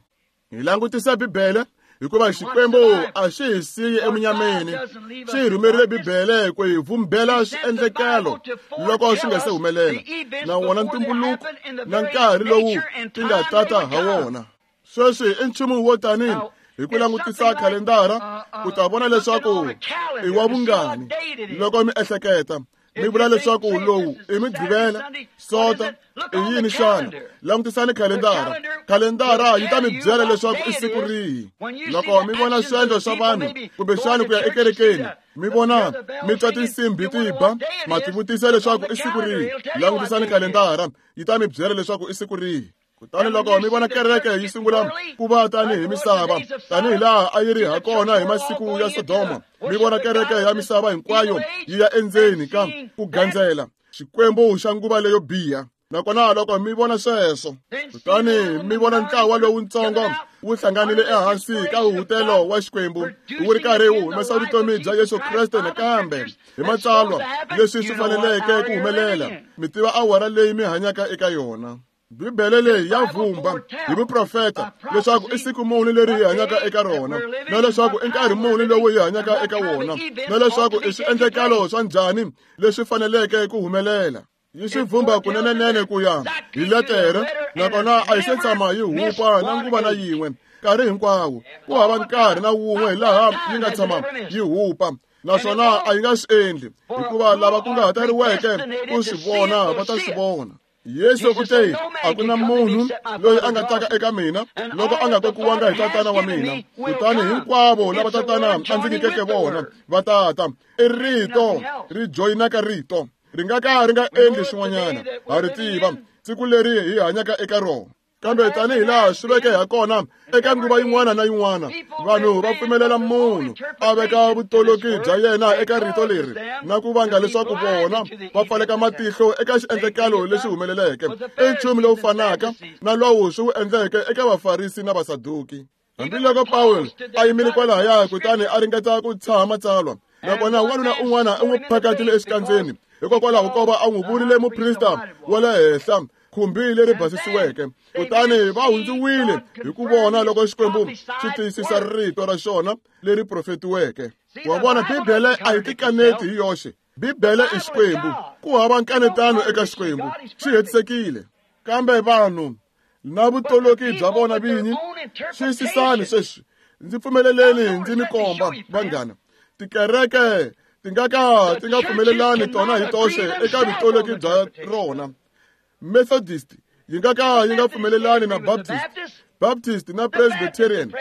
Hi langutisa Bibele hikuva Xikwembu a xi hi siyi emunyameni, xi hi rhumerile Bibele ku hi vumbela swiendlekelo loko swi nga se humelela na wona ntumbuluko na nkarhi lowu ti nga tata ha wona. Sweswi i nchumu wo tani hi ku langutisa khalendara u ta vona leswaku i wa vungani loko mi ehleketa mi vula leswaku lowu i Mugqivela, Sonto, i yini xana? Langutisani khalendara. Khalendara yi ta mi byela leswaku i siku rihi. Loko mi vona swiendlo swa vanhu kumbexani ku ya ekerekeni mi vona mi twa tinsimbhi ti ba ma tivutisa leswaku i siku rihi. Langutisani khalendara yi ta mi byela leswaku i siku rihi. Kutani loko mi vona kereke yi sungula ku va tanihi misava tanihi laha a yi ri ha kona hi masiku ya Sodoma, mi vona kereke ya misava hinkwayo yi ya endzeni ka ku gandzela Xikwembu xa nguva leyo biha. Nakona loko mi vona sweswo, kutani mi vona ntlawa lowutsongo wu hlanganile ehansi ka huhutelo wa Xikwembu wu ri karhi wu humesa vutomi bya Yesu Kreste nakambe hi matsalwa leswi swi faneleke ku humelela, mi tiva awara leyi mi hanyaka eka yona. Bibele leyi ya vumba hi vuprofeta leswaku i siku muni leri hi hanyaka eka rona na leswaku i nkarhi muni lowu hi hanyaka eka wona na leswaku i swiendlekalo swa njhani leswi faneleke ku humelela. Yi swi vumba kunenenene ku ya hi letere nakona a yi se tshama yi hupa na nguva na yin'we nkarhi hinkwawo. Ku hava nkarhi na wun'we hi laha yi nga tshama yi hupa naswona a yi nga swi endli hikuva lava kunguhateriweke ku swi vona va ta swi vona. Yesu u te a ku na munhu loyi a nga taka eka mina loko a nga kokiwanga hi tatana wa mina, kutani hinkwavo lava tatana a ndzi nyikeke vona va tata. I rito ri joyinaka rito ri nga ka ri nga endli swin'wanyana. Ha ri tiva siku leri hi hanyaka eka rona. Kambe tanihi laha swi veke ha kona eka nguva yin'wana na yin'wana, vanhu va pfumelela munhu a veka vutoloki bya yena eka rito leri na ku vanga leswaku vona va pfaleka matihlo eka xiendlekalo lexi humeleleke. I nchumu lowu fanaka na lowu swi wu endleke eka Vafarisi na Vasaduki. Hambiloko Pawulo a yimile kwalahaya kutani a ringeta ku tshaha matsalwa, nakona wanuna un'wana u n'wi phakatile exikandzeni hikokwalaho ko va a n'wi vurile muprista wa le henhla khumbi leri basisiweke. Kutani va hundziwile hi ku vona loko Xikwembu xi tiyisisa rito ra xona leri profetiweke. Wa vona, Bibele a yi tikaneti hi yoxe. Bibele i Xikwembu. Ku hava nkanetano eka Xikwembu, xi hetisekile. Kambe vanhu na vutoloki bya vona vinyi, xiyisisani sweswi, ndzi pfumeleleni ndzi mi komba vanghana. Tikereke ti nga ka ti nga pfumelelani tona hi toxe eka vutoloki bya rona. Methodist yi nga ka yi nga pfumelelani na Baptist, Baptist na Presbyterian,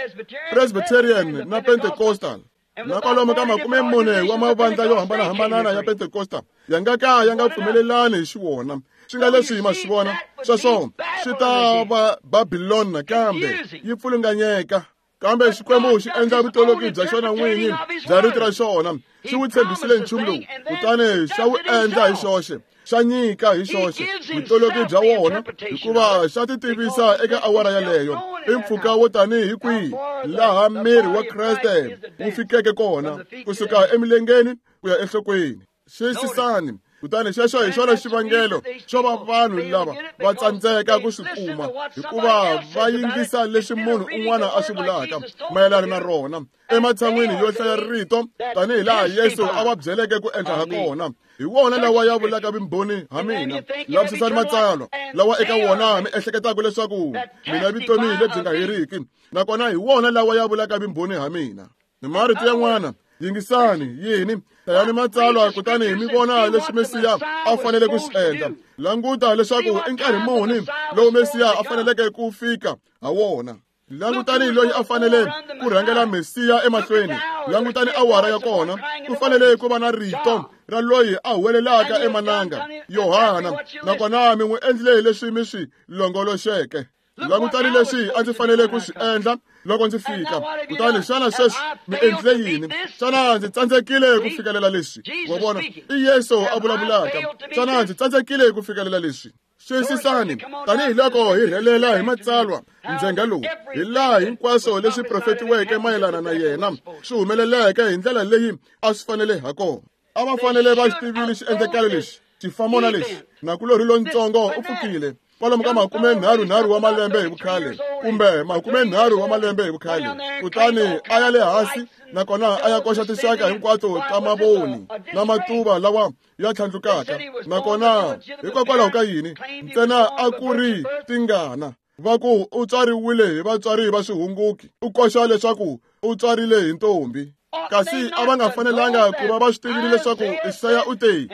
Presbyterian na Pentecostal. Na kwalomu ka makume mune wa mavandla yo hambanahambana ya Pentecostal ya nga ka ya nga pfumelelani hi xiwona. Swi nga leswi hi ma swi vona sweswo swi ta va Babilon nakambe yi pfulunganyeka. Kambe Xikwembu xi endla vutoloki bya xona n'winyi bya rito ra xona. Xi wu tshembisile nchumu lowu kutani xa wu endla hi xoxe, xa nyika hi xoxe vutoloki bya wona hikuva xa ti tivisa eka awara yaleyo. I mpfhuka wo tanihi kwihi laha miri wa Kreste wu fikeke kona kusuka emilengeni ku ya enhlokweni. Xiyisisani, Kutani xexo hi xona xivangelo xo va vanhu lava va tsandzeka ku swi kuma, hikuva va yingisa leswi munhu un'wana a swi vulaka mayelana na rona ematshan'wini yo hlaya rito tanihi laha Yesu a va byeleke ku endla ha kona. Hi wona lawa ya vulaka vumbhoni ha mina. Lavisisani matsalwa lawa eka wona mi ehleketaka leswaku mina vutomi lebyi nga heriki, nakona hi wona lawa ya vulaka vumbhoni ha mina. Hi marito yan'wana, yingisani yini, hlayani matsalwa kutani mi vona leswi Mesiya a fanele ku swi endla. Languta leswaku i nkarhi muni lowu Mesiya a faneleke ku fika ha wona. Langutani loyi a fanele ku rhangela Mesiya emahlweni. Langutani awara ya kona. Ku fanele ku va na rito ra loyi a huwelelaka emananga, Yohana, nakona mi n'wi endlile leswi mi swi longoloxeke. Langutani leswi a ndzi fanele ku swi endla loko ndzi fika. Kutani xana sweswi mi endlile yini? Xana ndzi tsandzekile ku fikelela leswi? Wa vona, i Yesu a vulavulaka. Xana ndzi tsandzekile ku fikelela leswi? Xiyisisani, tanihiloko hi rhelela hi matsalwa ndzhenga lowu, hi laha hinkwaswo leswi profetiweke mayelana na yena swi humeleleke hi ndlela leyi a swi fanele ha kona. A va fanele va xi tivile xiendlakalo lexi, xifamona lexi. Nakulorhi lontsongo u pfukile kwalomu ka makume nharhu nharhu wa malembe hi vukhale, kumbe makume nharhu wa malembe hi vukhale. Kutani a ya le hansi, nakona a ya koxa tinxaka hinkwato ta mavoni na matuva lawa ya tlhandlukaka. Nakona hikokwalaho ka yini? Ntsena a ku ri tingana. Va ku u tswariwile hi vatswari va swihunguki, u koxa leswaku u tswarile hi ntombi. Kasi a va nga fanelanga ku va va swi tivile leswaku Isaya u te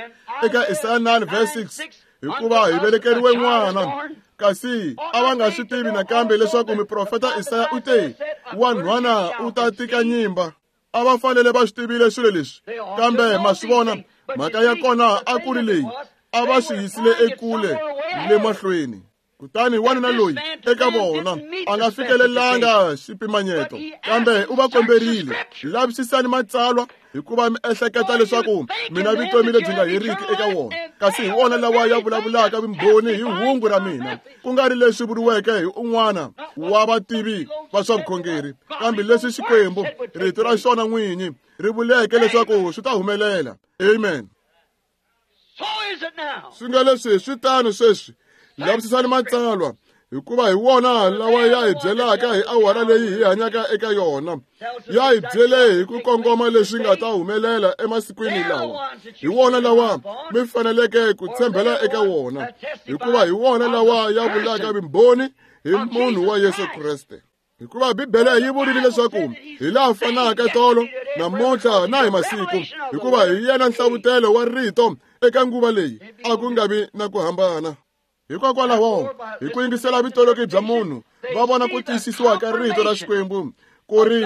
eka Isaya nine verse six, hikuva hi velekeriwe n'wana. Kasi a va nga swi tivi nakambe leswaku muprofeta Isaya u te wanhwana u ta tika nyimba. A va fanele va swi tivile swilo leswi, kambe ma swi vona mhaka ya kona a ku ri leyi, a va swi yisile ekule le mahlweni. Kutani wanuna loyi eka vona a nga fikelelanga xipimanyeto, kambe u va komberile, lavisisani matsalwa hikuva mi ehleketa leswaku mina vutomi lebyi nga heriki eka wona, kasi hi wona lawa ya vulavulaka vumbhoni hi hungu ra mina, ku nga ri leswi vuriweke hi un'wana wa vativi va swa vukhongeri, kambe leswi Xikwembu rito ra xona n'winyi ri vuleke leswaku swi ta humelela. Amen. Swi nga leswi swi tano sweswi. Lavisisani matsalwa, hikuva hi wona lawa ya hi byelaka hi awara leyi hi hanyaka eka yona. Ya hi byele hi ku kongoma leswi nga ta humelela emasikwini lawa. Hi wona lawa mi faneleke ku tshembela eka wona, hikuva hi wona lawa ya vulaka vumbhoni hi munhu wa Yesu Kreste. Hikuva Bibele yi vurile leswaku hi laha fanaka tolo, namuntlha na hi masiku, hikuva hi yena nhlavutelo wa rito eka nguva leyi, a ku nga vi na ku hambana. Hikokwalaho, hi ku yingisela vutoloki bya munhu, va vona ku tiyisisiwa ka rito ra Xikwembu ku ri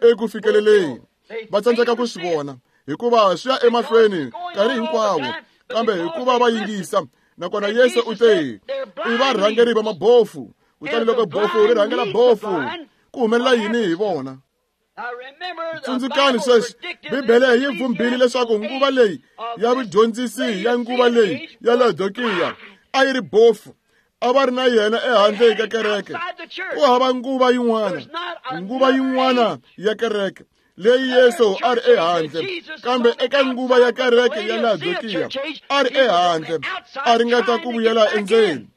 eku fikeleleni. Va tsandzeka ku swi vona, hikuva swi ya emahlweni nkarhi hinkwawo, kambe hikuva va yingisa. Nakona Yesu u te, i varhangeri va mabofu. Kutani loko bofu ri rhangela bofu, ku humelela yini hi vona? Tsundzukani sweswi, Bibele yi vhumbile leswaku nguva leyi ya vudyondzisi ya nguva leyi ya Laodikiya a yi ri bofu. A va ri na yena ehandle ka kereke. Ku hava nguva yin'wana, nguva yin'wana ya kereke leyi Yesu a ri ehandle, kambe eka nguva ya kereke ya Laodikiya a ri ehandle, a ringeta ku vuyela endzeni.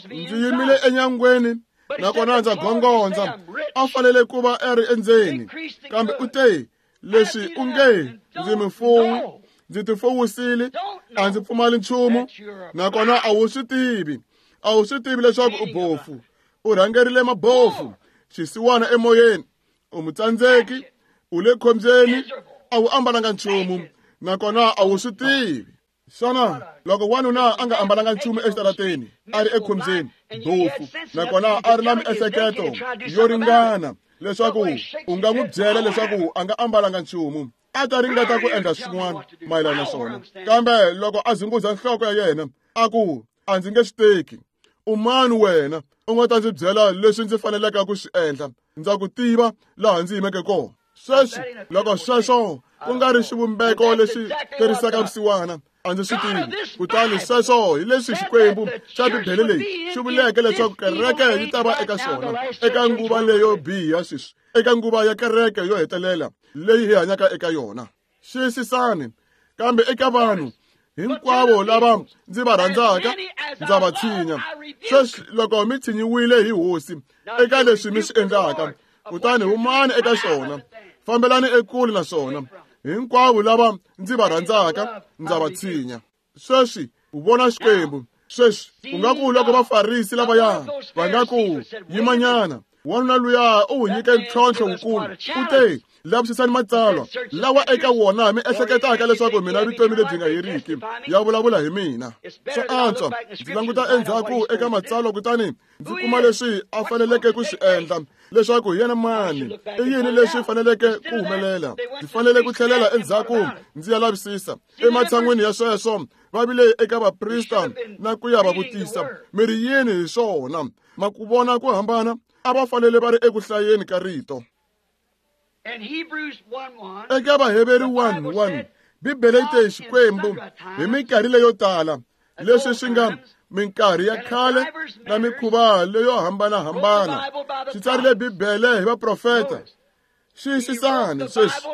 Ndzi yimile enyangweni nakona ndza gongondza. A fanele ku va a ri endzeni, kambe u te, leswi u nge ndzi mufuwi, ndzi tifuwisile, a ndzi pfumali nchumu, nakona a wu swi tivi, a wu swi tivi leswaku u bofu. U rhangerile mabofu, xisiwana emoyeni, u mutsandzeki, u le khombyeni, a wu ambalanga nchumu, nakona a wu swi tivi. Xana loko wanuna a nga ambalanga nchumu exitarateni, a ri ekhombyeni, bofu, nakona a ri na miehleketo yo ringana leswaku u nga n'wi byela leswaku a nga ambalanga nchumu, a ta ringeta ku endla swin'wana mayelana na swona. Kambe loko a zunguza nhloko ya yena, a ku, a ndzi nge swi teki. U mani wena u nga ta ndzi byela leswi ndzi faneleke ku swi endla? Ndza ku tiva laha ndzi yimeke kona. Sweswi loko sweswo ku nga ri xivumbeko lexi terisaka vusiwana, a ndzi swi tivi. Kutani sweswo hi leswi Xikwembu xa Bibele leyi xi vuleke leswaku kereke yi ta va eka swona eka nguva leyo biha sweswi, eka nguva ya kereke yo hetelela. leyi hi hanyaka eka yona. Xiyisisani, kambe eka vanhu hinkwavo lava ndzi va rhandzaka ndza va tshinya. Sweswi loko mi tshinyiwile hi Hosi eka leswi mi swi endlaka, kutani humani eka swona, fambelani ekule na swona. Hinkwavo lava ndzi va rhandzaka ndza va tshinya. Sweswi u vona Xikwembu. Sweswi u nga ku loko Vafarisi lavaya va nga ku yimanyana, wanuna luya u wu nyike ntlhontlho wukulu. U te, lavisisani matsalwa lawa eka wona mi ehleketaka leswaku mina vutomi lebyi nga heriki ya vulavula hi mina. Swa antswa ndzi languta endzhaku eka matsalwa kutani ndzi kuma leswi a faneleke ku swi endla, leswaku hi yena mani, i yini leswi faneleke ku humelela. Ndzi fanele ku tlhelela endzhaku ndzi ya lavisisa. Ematshan'wini ya sweswo va vile eka vaprista na ku ya va vutisa, mi ri yini hi swona? Ma ku vona ku hambana? A va fanele va ri eku hlayeni ka rito. Eka Vaheveri one one, Bibele yi te Xikwembu hi minkarhi leyo tala, leswi swi nga minkarhi ya khale na mikhuva leyo hambanahambana, xi tsarile Bibele hi vaprofeta. Xiyisisani sweswi,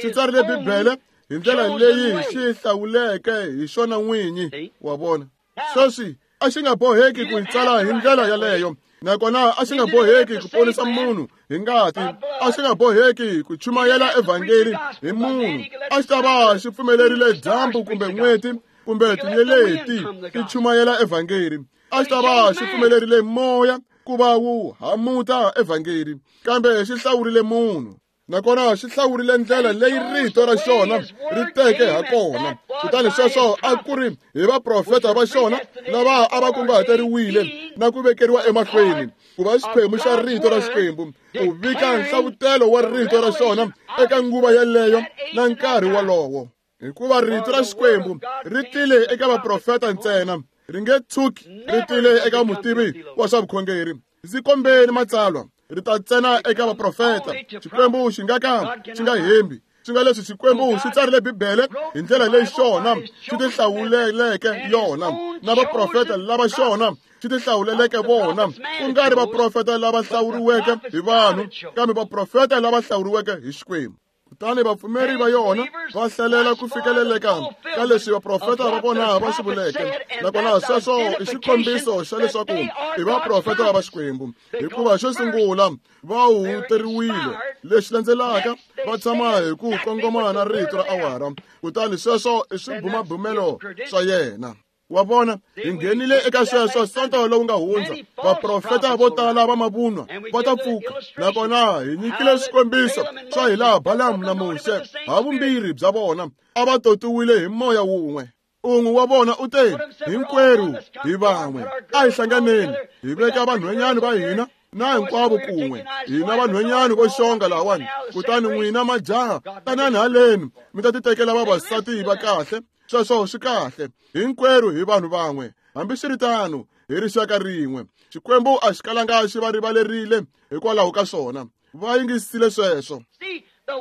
xi tsarile Bibele hi ndlela leyi xi hlawuleke hi xona n'winyi. Wa vona? Sweswi a xi nga boheki ku yi tsala hi ndlela yaleyo, nakona a xi nga boheki ku ponisa munhu hi ngati, a xi nga boheki ku chumayela evhangeli hi munhu. A xi ta va xi pfumelerile dyambu kumbe n'weti kumbe tinyeleti ti chumayela evhangeli. A xi ta va xi pfumelerile moya ku va wu hamuta evhangeli, kambe xi hlawurile munhu. Nakona xi hlawurile ndlela leyi rito ra xona ri teke ha kona. Kutani sweswo a ku ri hi vaprofeta va xona lava a va kunguhateriwile na ku vekeriwa emahlweni ku va xiphemu xa rito ra Xikwembu, ku vika nhlavutelo wa rito ra xona eka nguva yeleyo na nkarhi wolowo. Hikuva rito ra Xikwembu ri tile eka vaprofeta ntsena, ri nge tshuki ri tile eka mutivi wa swa vukhongeri. Ndzi kombeni matsalwa, ri ta ntsena eka vaprofeta. Xikwembu xi nga ka xi nga hembi. Swi nga leswi Xikwembu xi tsarile Bibele hi ndlela leyi xona xi tihlawuleleke yona, na vaprofeta lava xona xi tihlawuleleke vona, ku nga ri vaprofeta lava hlawuriweke hi vanhu, kambe vaprofeta lava hlawuriweke hi Xikwembu. Kutani vapfumeri va yona va hlalela ku fikeleleka ka leswi vaprofeta va vona va swi vuleke. Nakona sweswo i xikombiso xa leswaku i vaprofeta va Xikwembu, hikuva xo sungula va huhuteriwile, lexi landzelaka va tshama hi ku kongoma na rito ra awara. Kutani sweswo i swibumabumelo swa yena. Wa vona, hi nghenile eka sweswo sonto lowu nga hundza. Vaprofeta vo tala va mavunwa va ta pfuka, nakona hi nyikile swikombiso swa hilaha Balamu na Muxe havumbirhi bya vona a va totiwile hi moya wun'we. Un'we wa vona u te, hinkwerhu hi van'we, a hi hlanganeni, hi veka vanhwanyana va hina na hinkwavo kun'we, hina vanhwanyana vo xonga lahawani, kutani n'wina majaha tanani haleni mi ta titekela vavasati va kahle. Sweswo swi kahle, hinkwerhu hi vanhu van'we, hambiswiritano hi rixaka rin'we. Xikwembu a xi kalanga xi va rivalerile hikwalaho ka swona. Va yingisile sweswo.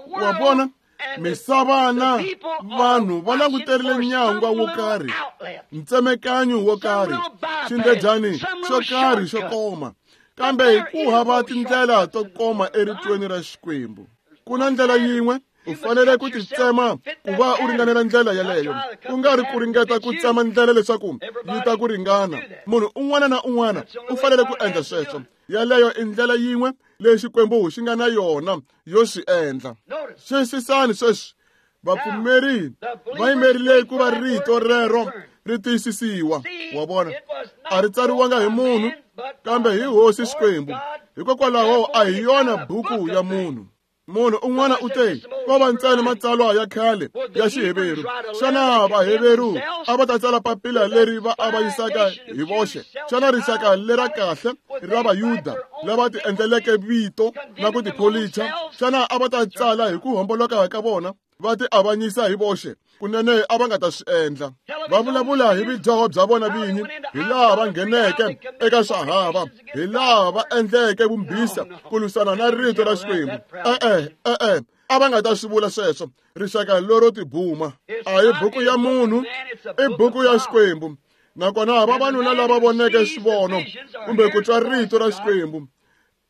Wa vona, misava na vanhu va languterile nyangwa wo karhi, ntsemekanyo wo karhi, xindledyani xo karhi xo koma, kambe ku hava tindlela to koma eritweni ra Xikwembu. Ku na ndlela yin'we, u fanele ku titsema ku va u ringanela ndlela yeleyo, ku nga ri ku ringeta ku tsema ndlela leswaku yi ta ku ringana. Munhu un'wana na un'wana u fanele ku endla sweswo. Yeleyo i ndlela yin'we leyi Xikwembu xi nga na yona yo swi endla. Xiyisisani sweswi, vapfumeri va yimerile ku va rito rero ri tiyisisiwa. Wa vona, a ri tsariwanga hi munhu, kambe hi Hosi Xikwembu. Hikokwalaho a hi yona buku ya munhu. Munhu un'wana u te, ko va ntsena matsalwa ya khale ya Xiheveru. Xana Vaheveru a va ta tsala papila leri va avanyisaka hi voxe? Xana rixaka lera kahle ra Vayuda lava tiendleleke vito na ku tipholicha, xana a va ta tsala hi ku homboloka ka vona va ti avanyisa hi voxe? Kunene a va nga ta swi endla. Va vulavula hi vudyoho bya vona vinyi, hi laha va ngheneke eka swahava, hi laha va endleke vumbhisa ku lwisana na rito ra Xikwembu. E-e, e-e, a va nga ta swi vula sweswo. Rixaka lero tibuma a hi buku ya munhu, i buku ya Xikwembu. Nakona vavanuna lava voneke swivono kumbe ku twa rito ra Xikwembu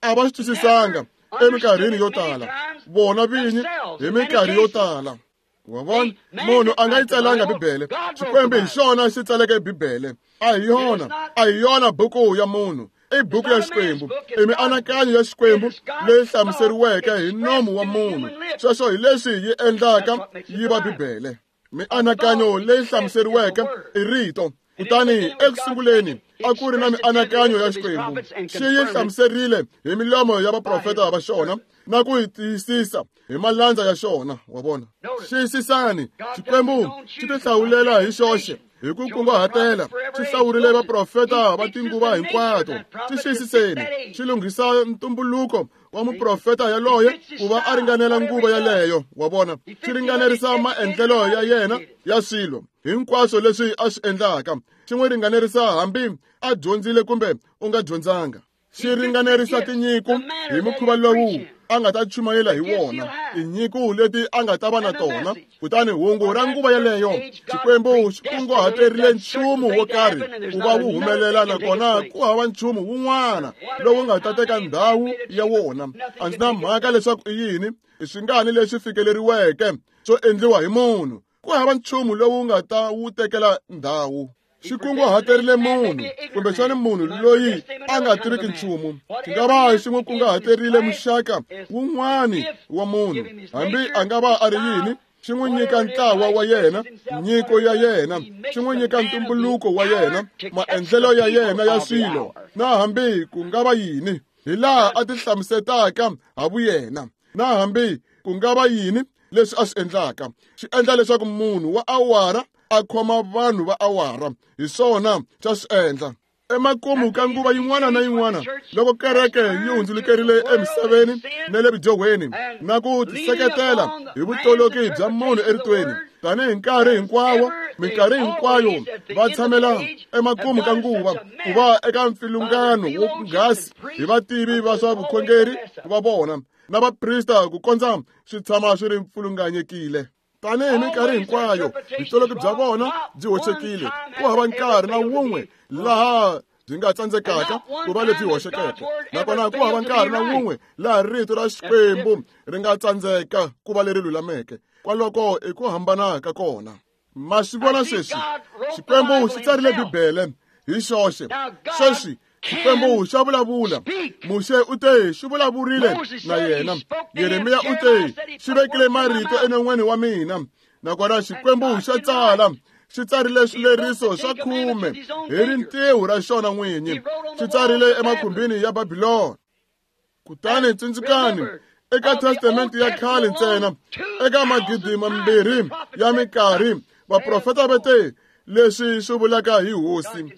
a va swi twisisanga eminkarhini yo tala. vona vinyi hi minkarhi yo tala. Wa vona, munhu a nga yi tsalanga Bibele. Xikwembu hi xona xi tsaleke Bibele. A hi yona, a hi yona buku ya munhu. I buku ya Xikwembu, i mianakanyo ya Xikwembu leyi hlamuseriweke hi nomu wa munhu. Sweswo hi leswi yi endlaka yi va Bibele. Mianakanyo leyi hlamuseriweke i rito. Kutani ekusunguleni a ku ri na mianakanyo ya Xikwembu. Xi yi hlamuserile hi milomo ya vaprofeta va xona na ku yi tiyisisa hi malandza ya xona. Wa vona, xiyisisani, Xikwembu xi tihlawulela hi xoxe hi ku kunguhatela. Xi hlawurile vaprofeta va tinguva hinkwato. Xi xiyisiseni, xi lunghisa ntumbuluko wa muprofeta yaloye ku va a ringanela nguva yaleyo. Wa vona, xi ringanerisa maendlelo ya yena ya swilo hinkwaswo leswi a swi endlaka. Xi n'wi ringanerisa hambi a dyondzile kumbe u nga dyondzanga. Xi ringanerisa tinyiko hi mukhuva lowu a nga ta chumayela hi wona, tinyiko leti a nga ta va na tona. Kutani hungu ra nguva yaleyo, Xikwembu xi kunguhaterile nchumu wo karhi ku va wu humelela, nakona ku hava nchumu wun'wana lowu nga ta teka ndhawu ya wona. A ndzi na mhaka leswaku i yini, i swingani leswi fikeleriweke swo endliwa hi munhu, ku hava nchumu lowu nga ta wu tekela ndhawu. Xi kunguhaterile munhu, kumbexana munhu loyi a nga tiriki nchumu. Xi nga va xi n'wi kunguhaterile muxaka wun'wani wa munhu, hambi a nga va a ri yini. Xi n'wi nyika ntlawa wa yena, nyiko ya yena. Xi n'wi nyika ntumbuluko wa yena, maendlelo ya yena ya swilo, na hambi ku nga va yini, hi laha a tihlamusetaka ha vuyena, na hambi ku nga va yini leswi a swi endlaka. Xi endla leswaku munhu wa awara a khoma vanhu va awara. Hi swona xa swi endla. Emakumu ka nguva yin'wana na yin'wana, loko kereke yi hundzulukerile emisaveni na le vudyohweni na ku tiseketela hi vutoloki bya munhu eritweni, tanihi nkarhi hinkwawo, minkarhi hinkwayo va tshamela emakumu ka nguva ku va eka mpfilungano wo nghasi hi vativi va swa vukhongeri va vona na vaprista ku kondza swi tshama swi ri pfilunganyekile. Tanihi minkarhi hinkwayo vutoloki bya vona byi hoxekile. Ku hava nkarhi na wun'we laha byi nga tsandzekaka ku va lebyi hoxekeke, nakona ku hava nkarhi na wun'we laha rito ra Xikwembu ri nga tsandzeka ku va leri lulameke. Kwaloko i ku hambana ka kona. Ma swi vona sweswi, Xikwembu xi tsarile Bibele hi xoxe. Sweswi Xikwembu xa vulavula. Muxe u te xi vulavurile na yena. Yeremiya u te xi vekile marito enon'weni wa mina. Nakona Xikwembu xa tsala. Xi tsarile swileriso swa khume hi rintiho ra xona n'winyi. Xi tsarile emakhumbini ya Babilona. Kutani tsundzukani, eka Testamente ya khale ntsena, eka magidi mambirhi ya minkarhi, vaprofeta va te leswi swi vulaka hi Hosi.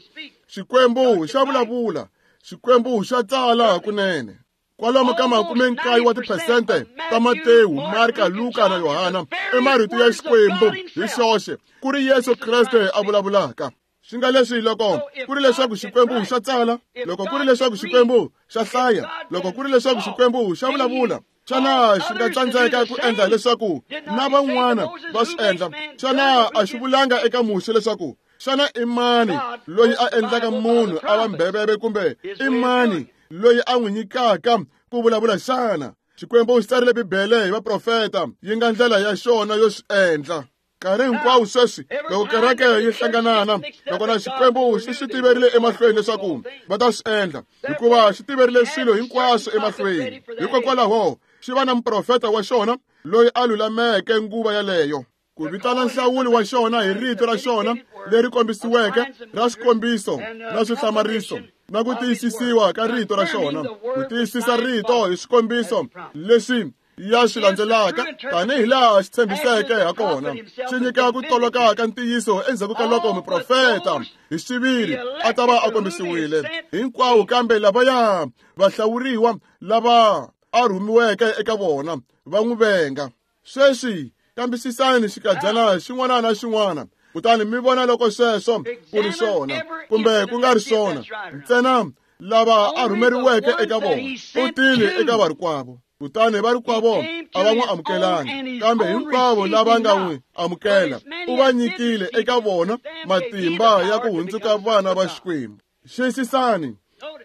Xikwembu xa vulavula, Xikwembu xa tsala hakunene. Kwalomu ka makume nkaye wa tiphesente ta Matewu, Marka, Luka na Yohana i marito ya Xikwembu hi xoxe, ku ri Yesu Kreste a vulavulaka. Swi nga leswi loko ku ri leswaku Xikwembu xa tsala, loko ku ri leswaku Xikwembu xa hlaya, loko ku ri leswaku Xikwembu xa vulavula, xana xi nga tsandzeka ku endla leswaku na van'wana va swi endla? Xana a xi vulanga eka Muxe leswaku xana i mani loyi a endlaka munhu a va mbheveve, kumbe i mani loyi a n'wi nyikaka ku vulavula xana? Xikwembu xi tsarile Bibele hi vaprofeta, yi nga ndlela ya xona yo swi endla. Nkarhi hinkwawo sweswi loko kereke yi hlanganana, nakona Xikwembu xi swi tiverile emahlweni leswaku va ta swi endla, hikuva xi tiverile swilo hinkwaswo emahlweni. Hikokwalaho xi va na muprofeta wa xona loyi a lulameke nguva yaleyo, ku vitana nhlawuli wa xona hi rito ra xona leri kombisiweke ra swikombiso na swihlamariso, na ku tiyisisiwa ka rito ra xona, ku tiyisisa rito hi swikombiso leswi ya swi landzelaka tanihi laha xi tshembiseke ha kona. Xi nyika ku toloka ka ntiyiso endzhaku ka loko muprofeta hi xiviri a ta va a kombisiwile hinkwawo, kambe lavaya vahlawuriwa lava a rhumiweke eka vona va n'wi venga. Sweswi kambisisani xikadyana xin'wana na xin'wana, kutani mi vona loko sweswo ku ri swona kumbe ku nga ri swona. Ntsena lava a rhumeriweke eka vona u tile eka varikwavo, kutani varikwavo a va n'wi amukelanga, kambe hinkwavo lava nga n'wi amukela u va nyikile eka vona matimba ya ku hundzuka vana va Xikwembu. Xiyisisani,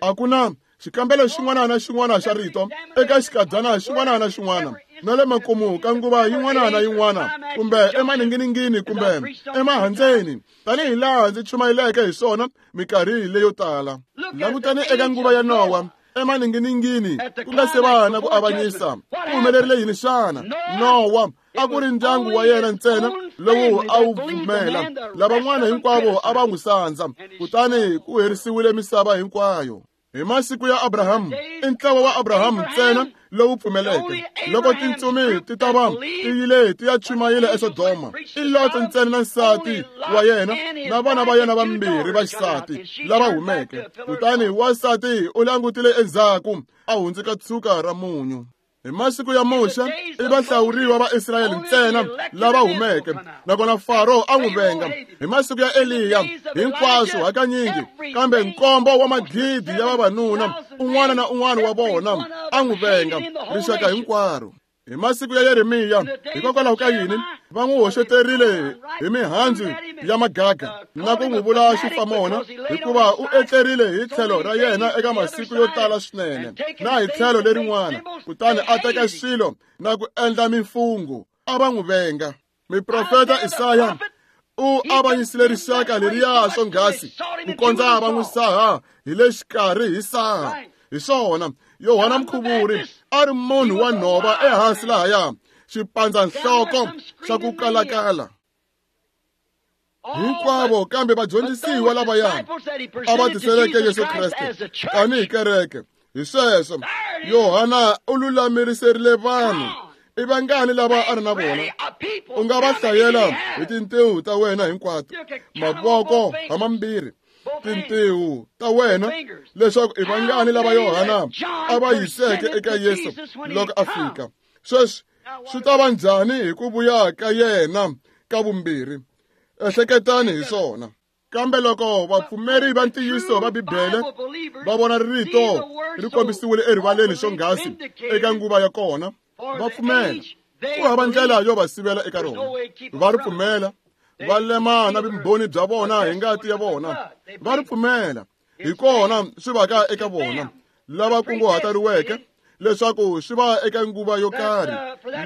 a ku na xikambelo xin'wana na xin'wana xa rito eka xikadyana xin'wana na xin'wana na le makumu ka nguva yin'wana na yin'wana kumbe emaninginingini kumbe emahandzeni tanihi laha ndzi chumayeleke hi swona minkarhi leyo tala. Langutani eka nguva ya Nowa emaninginingini ku nga se va na ku avanyisa ku humelerile yini xana? Nowa a ku ri ndyangu wa yena ntsena lowu a wu pfumela, lavan'wana hinkwavo a va n'wi sandza, kutani ku herisiwile misava hinkwayo. Hi masiku ya Abrahamu, i ntlawa wa Abrahamu ntsena lowu pfumeleke. Loko tintsumi ti ta va ti yile ti ya chumayela eSodoma, i Lota ntsena na nsati wa yena na vana va yena vambirhi va xisati lava humeke. Kutani wansati u langutile endzhaku a hundzuka tshuka ra munyu. Hi masiku ya Muxe, i vahlawuriwa va Israyele ntsena lava humeke, nakona Faro a n'wi venga. Hi masiku ya Eliya, hinkwaswo hakanyingi, kambe nkombo wa magidi ya vavanuna, un'wana na un'wana wa vona a n'wi venga, rixaka hinkwaro. Hi masiku ya Yeremiya, hikokwalaho ka yini va n'wi hoxeterile hi mihandzu ya magaga na ku n'wi vula xifamona, hikuva u etlerile hi tlhelo ra yena eka masiku yo tala swinene na hi tlhelo lerin'wana, kutani a teka swilo na ku endla mimfungho, a va n'wi venga. Miprofeta Isaya u avanyisile rixaka leriya swonghasi ku kondza va n'wi saha hi le xikarhi hi saha. Hi swona, Yohana Mukhuvuri a ri munhu wa nhova ehansi lahaya, xipandza-nhloko xa ku kalakala. Hinkwavo kambe vadyondzisiwa lavaya a va tiseleke Yesu Kreste tanihi kereke. Hi sweswo, Yohana u lulamiserile vanhu. I vangani lava a ri na vona? U nga va hlayela hi tintiho ta wena hinkwato, mavoko hamambirhi, tintiho ta wena, leswaku i vangani lava Yohana a va yiseke eka Yesu loko a fika. Sweswi swi ta va njhani hi ku vuya ka yena ka vumbirhi? Ehleketani hi swona. Kambe loko vapfumeri va ntiyiso va Bibele va vona rito ri kombisiwile erivaleni swonghasi eka nguva ya kona, va pfumela. Ku hava ndlela yo va sivela eka rona. Va ri pfumela, va lema na vumbhoni bya vona hi ngati ya vona. Va ri pfumela, hi kona swi vaka eka vona lava kunguhateriweke leswaku swi va eka nguva yo karhi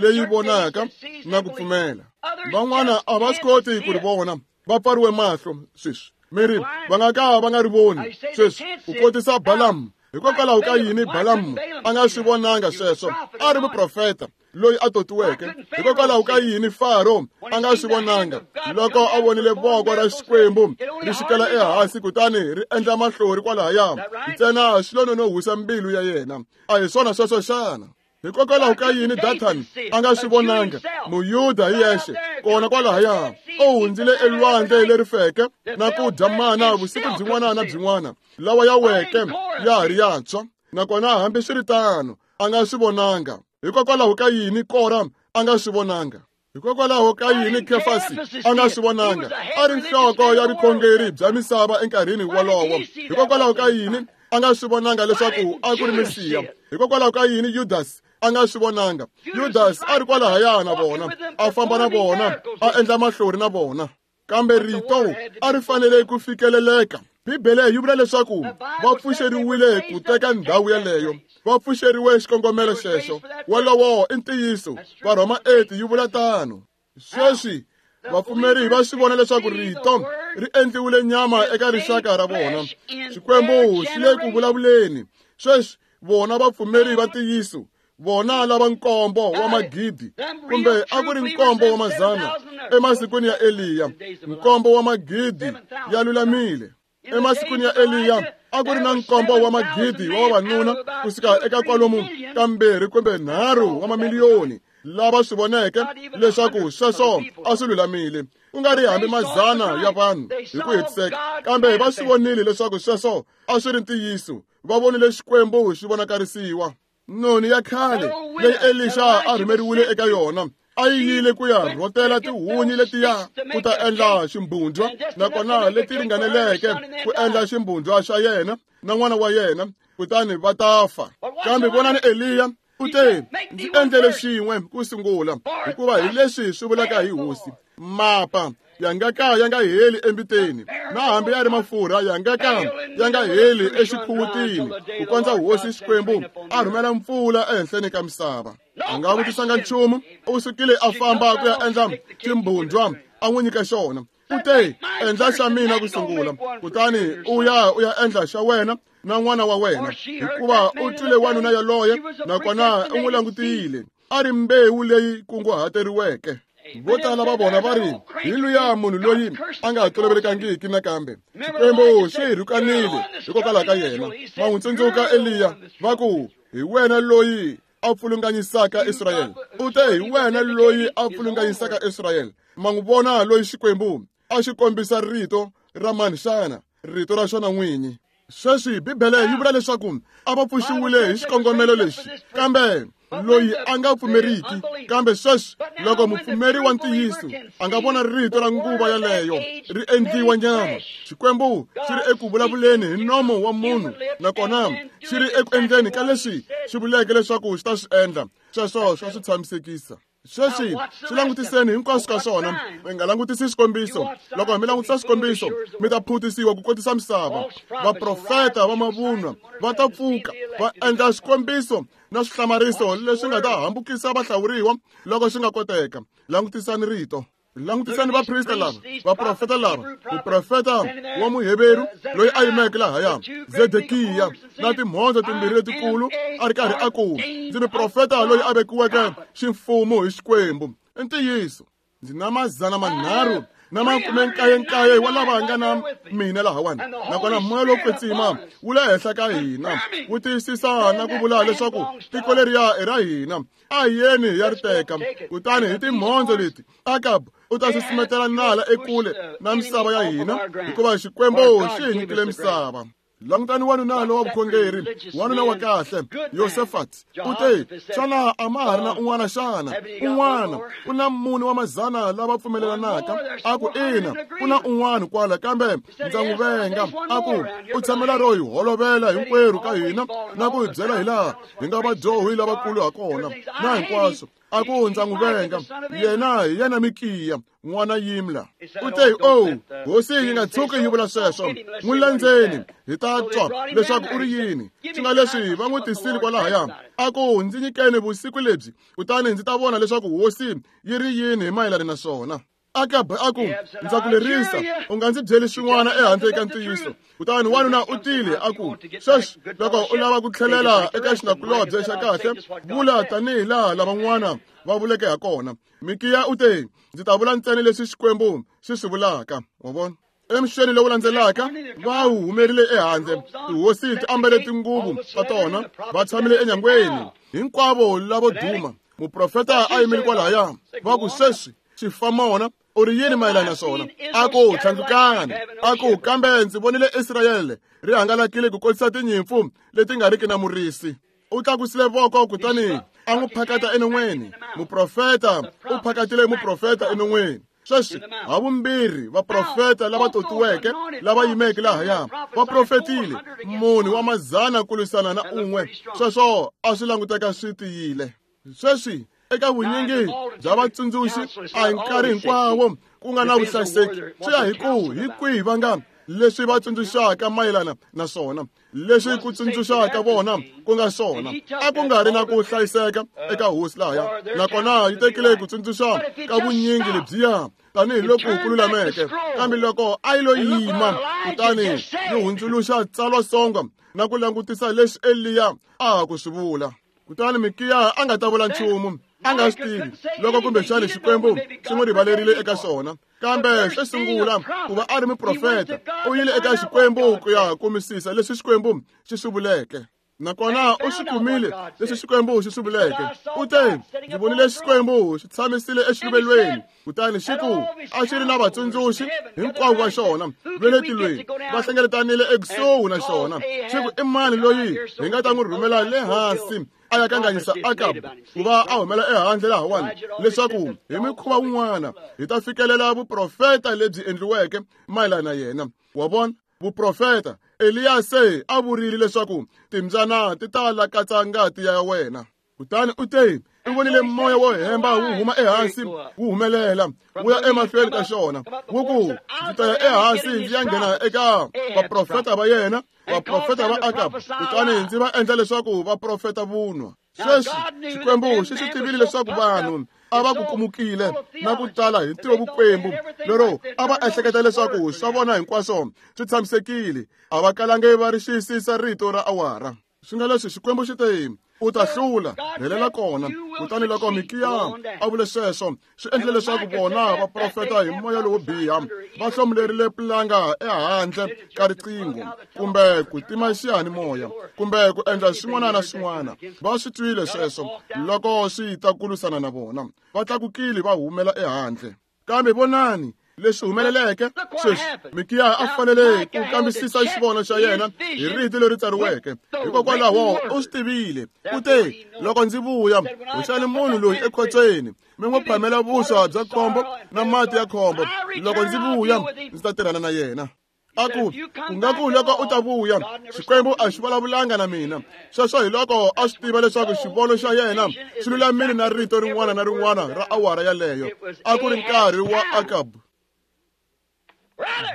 leyi vonaka na ku pfumela. Van'wana a va swi koti ku ri vona, va pfariwe mahlo sweswi. Mi ri va nga ka va nga ri voni sweswi, ku kotisa Balamu. Hikokwalaho ka yini Balamu a nga swi vonanga sweswo? A ri muprofeta loyi a totiweke. Hikokwalaho ka yini Faro a nga swi vonanga loko a vonile voko ra Xikwembu ri xikela ehansi kutani ri endla mahlori kwalahaya? Ntsena swi lo nonohisa mbilu ya yena. A hi swona sweswo xana? Hikokwalaho ka yini Dathani a nga swi vonanga? Muyuda hi yexe kona kwalahaya u hundzile elwandle leri feke na ku dya mana vusiku byin'wana na byin'wana lawa ya weke ya ha ri yantshwa, nakona hambiswiritano a nga swi vonanga. Hikokwalaho ka yini Kora a nga swi vonanga? Hikokwalaho ka yini Kefasi a nga swi vonanga? A ri nhloko ya vukhongeri bya misava enkarhini wolowo. Hikokwalaho ka yini a nga swi vonanga leswaku a ku ri Mesiya? Hikokwalaho ka yini Yudasi a nga swi vonanga? Yudasi a ri kwalahaya na vona, a famba na vona, a endla mahlori na vona. Kambe rito a ri fanele ku fikeleleka. Bibele yi vula leswaku va pfuxeriwile ku teka ndhawu yeleyo, va pfuxeriwe xikongomelo xexo. Wolowo i ntiyiso. Varhoma eight yi vula tano. Sweswi vapfumeri va swi vona leswaku rito ri endliwile nyama eka rixaka ra vona. Xikwembu xi le ku vulavuleni. Sweswi vona vapfumeri va ntiyiso, vona lava nkombo wa magidi kumbe a ku ri nkombo wa mazana emasikwini ya Eliya, nkombo wa magidi ya lulamile. Emasikwini ya Eliya a ku ri na nkombo wa magidi wa vavanuna kusuka eka kwalomu ka mbirhi kumbe nharhu wa mamiliyoni lava swi voneke leswaku sweswo a swi lulamile, ku nga ri hambi mazana ya vanhu hi ku hetiseka, kambe va swi vonile leswaku sweswo a swi ri ntiyiso. Va vonile Xikwembu xi vonakarisiwa. Noni ya khale leyi Elisha a rhumeriwile eka yona a yi yile ku ya rhotela tihunyi letiya ku ta endla ximbhundzwa, nakona leti ringaneleke ku endla ximbhundzwa xa yena na n'wana wa yena, kutani va ta fa. Kambe vonani Eliya U te, ndzi endlele xin'we ku sungula, hikuva hi leswi swi vulaka hi hosi. Mapa ya nga ka ya nga heli embiteni, na hambi ya ri mafurha ya nga ka ya nga heli exikhuwutini, ku kondza hosi Xikwembu a rhumela mpfula ehenhleni ka misava. A nga vutisanga nchumu, u sukile a famba ku ya endla ximbhundzwa a n'wi nyika xona. U te, endla xa mina ku sungula, kutani u ya u ya endla xa wena na n'wana wa wena, hikuva u twile wanuna yaloye, nakona u n'wi langutile a ri mbewu leyi kunguhateriweke. Vo tala va vona va ri, hi luya munhu loyi a nga tolovelekangiki nakambe. Xikwembu xi hi rhukanile hikokwalaho ka yena. Ma n'wi tsundzuka Eliya, va ku, hi wena loyi a pfulunganyisaka Israyele. U te, hi wena loyi a pfulunganyisaka Israyele. Ma n'wi vona loyi Xikwembu a xi kombisa rito ra mani xana? Rito ra xona n'winyi. Sweswi Bibele yi vula leswaku a va pfuxiwile hi xikongomelo lexi, kambe loyi a nga pfumeriki. Kambe sweswi loko mupfumeri wa ntiyiso a nga vona rito ra nguva yaleyo ri endliwa nyama, Xikwembu xi ri eku vulavuleni hi nomo wa munhu, nakona xi ri eku endleni ka leswi xi vuleke leswaku xi ta swi endla. Sweswo swa swi tshamisekisa. Sweswi swi langutiseni hinkwaswo ka swona, mi nga langutisi swikombiso. Loko mi langutisa swikombiso, mi ta phutisiwa ku kotisa misava. Vaprofeta va mavunwa va ta pfuka va endla swikombiso na swihlamariso leswi nga ta hambukisa vahlawuriwa loko swi nga koteka. Langutisani rito. Langutisani vaprista lava, vaprofeta lava, muprofeta wa Muheveru loyi a yimeke lahaya, Zedekiya, na timhondzo timbirhi letikulu, a ri karhi a ku, ndzi muprofeta loyi a vekiweke ximfumo hi Xikwembu. I ntiyiso, ndzi na mazana manharhu na makume nkaye nkaye wa lava nga na mina lahawani, nakona moya lowo kwetsima wu le henhla ka hina, wu tiyisisa na ku vula leswaku tiko leriya i ra hina. A hi yeni hi ya ri teka. Kutani hi timhondzo leti, Akabu u ta susumetela nala ekule na misava ya hina, hikuva Xikwembu xi hi nyikile misava. Langutani wanuna lowa vukhongeri, wanuna wa kahle, Yosefat, u te, xana a ma ha ri na un'wana xana? Un'wana, ku na mune wa mazana lava pfumelelanaka. A ku, ina, ku na un'wana kwala, kambe ndza n'wi venga. A ku, u tshamela ro hi holovela hinkwerhu ka hina na ku hi byela hi laha hi nga vadyohi lavakulu ha kona na hinkwaswo. A ku, ndza n'wi venga. Yena hi yena Mikiya, n'wana Yimla. U te, oh, hosi yi nga tshuki yi vula sweswo. N'wi landzeni, hi ta twa leswaku u ri yini. Swi nga leswi va n'wi tisile kwalahaya. A ku, ndzi nyikeni vusiku lebyi, kutani ndzi ta vona leswaku hosi yi ri yini hi mayelana na swona. Akabu a ku, ndza ku lerisa, u nga ndzi byeli swin'wana ehandle ka ntiyiso. Kutani wanuna u tile a ku, sweswi loko u lava ku tlhelela eka xinakulobye xa kahle, vula tanihi laha lavan'wana va vuleke ha kona. Mikiya u te, ndzi ta vula ntsena leswi Xikwembu xi swi vulaka. Wa vona? Emixeni lowu landzelaka, va humerile ehandle. Tihosi ti ambele tinguvu ta tona, va tshamile enyangweni. Hinkwavo lavo duma, muprofeta a yimile kwalahaya. Va ku, sweswi xifamona u ri yini mayelana na swona? A ku, tlhandlukani. A ku, kambe ndzi vonile Israyele ri hangalakile ku kotisa tinyimpfu leti nga riki na murisi. U tlakusile voko kutani a n'wi phakata enon'weni. Muprofeta u phakatile muprofeta enon'weni. Sweswi havumbirhi vaprofeta lava totiweke lava yimeke lahaya va profetile munhu wa mazana ku lwisana na un'we. Sweswo a swi languteka swi tiyile. Sweswi eka vunyingi bya vatsundzuxi a hi nkarhi hinkwawo ku nga na vuhlayiseki. Swi ya hi ku hi kwihi va nga leswi va tsundzuxaka mayelana na swona, leswi ku tsundzuxaka vona ku nga swona. A ku nga ri na ku hlayiseka eka hosi lahaya, nakona yi tekile ku tsundzuxa ka vunyingi lebyiya tanihiloko ku lulameke. Kambe loko a yi lo yima kutani yi hundzuluxa tsalwasongo na ku langutisa leswi Eliya a ha ku swi vula, kutani Mikiya a nga ta vula nchumu, a nga swi tivi loko kumbexana Xikwembu xi n'wi rivalerile eka swona. Kambe xo sungula, ku va a ri muprofeta, u yile eka Xikwembu ku ya kumisisa leswi Xikwembu xi swi vuleke. Nakona u swi kumile leswi Xikwembu xi swi vuleke. U te, ndzi vonile Xikwembu xi tshamisile exiluvelweni, kutani xi ku a xi ri na vatsundzuxi hinkwavo va xona va le tilweni, va hlengeletanile ekusuhi na xona. Xi ku, i mani loyi hi nga ta n'wi rhumela le hansi a ya kanganyisa Akabu ku va a humela ehandle lahawani, leswaku hi mikhuva wun'wana hi ta fikelela vuprofeta lebyi endliweke mayelana na yena. Wa vona? Vuprofeta Eliya se a vurile leswaku timbyana ti ta lakatsa ngati ya wena. Kutani u te i vonile moya wo hemba wu huma ehansi wu humelela wu ya emahlweni ka xona wu ku ndzi ta ya ehansi ndzi ya nghena eka vaprofeta va yena vaprofeta va Akab kutani ndzi va endla leswaku va profeta vunwa. Sweswi Xikwembu xi swi tivile leswaku vanhu a va kukumukile na ku tala hi ntirho vukwembu lero a va ehleketa leswaku swa vona hinkwaswo swi tshamisekile a va kalange va ri xiyisisa rito ra awara. Swi nga leswi Xikwembu xi te u ta hlula helela kona. Kutani loko Mikiya a vule sweswo swi endle leswaku vona va profeta hi moya lowo biha va hlomulerile pulanga ehandle ka riqingho kumbe ku tima xiyanimoya kumbe ku endla swin'wana na swin'wana. Va swi twile sweswo loko swi ta kulusana na vona va tlakukile va humela ehandle. Kambe vonani leswi humeleleke sweswi Mikiya a fanele ku kambisisa xivono xa yena hi rito leri tsariweke hikokwalaho u swi tivile u te loko ndzi vuya hoxani munhu loyi ekhotsweni mi n'wi phamela vuswa bya khombo na mati ya khombo loko ndzi vuya ndzi ta tirhana na yena. A ku ku nga ku loko u ta vuya Xikwembu a xi vulavulanga na mina. Sweswo hi loko a swi tiva leswaku xivono xa yena xi lulamile na rito rin'wana na rin'wana ra awara yaleyo. A ku ri nkarhi wa Akab.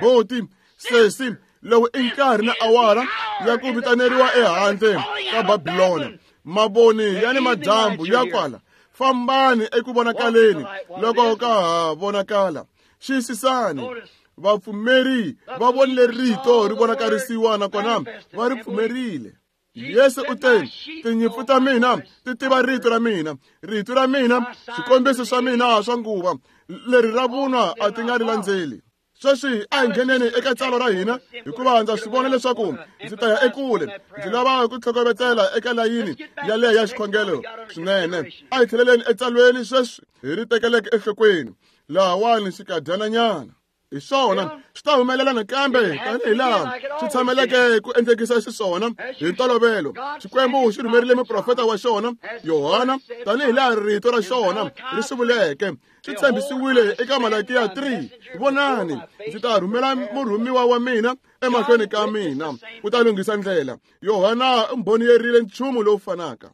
Boti sesi lowu i nkarhi na awara ya ku vitaneriwa ehandle ka Babilona. Mavoni ya ni madyambu ya kwala fambani eku vonakaleni loko ka ha vonakala. Xiyisisani vapfumeri va vonile rito ri vonakarisiwa nakona va ri pfumerile. Yesu u te tinyimpfu ta mina ti tiva rito ra mina rito ra mina swikombiso swa mina swa nguva leri ra vunwa a ti nga ri landzeli. Sweswi a hi ngheneni eka tsalwa ra hina hikuva ndza swi vona leswaku ndzi ta ya ekule ndzi lava ku tlhokovetsela eka layini yaleyo ya xikhongelo swinene. A hi tlheleleni etsalweni sweswi hi ri tekeleke enhlokweni lahawani xikadyananyana. Hi swona swi ta humelela nakambe tanihi laha swi tshameleke ku endlekisa xiswona hi ntolovelo. Xikwembu xi rhumerile muprofeta wa xona Yohana tanihi laha rito ra xona ri swi vuleke. Swi tshembisiwile eka Malakiya three vonani ndzi ta rhumela murhumiwa wa mina emahlweni ka mina ku ta lunghisa ndlela. Yohana u mbhoniyerile nchumu lowu fanaka.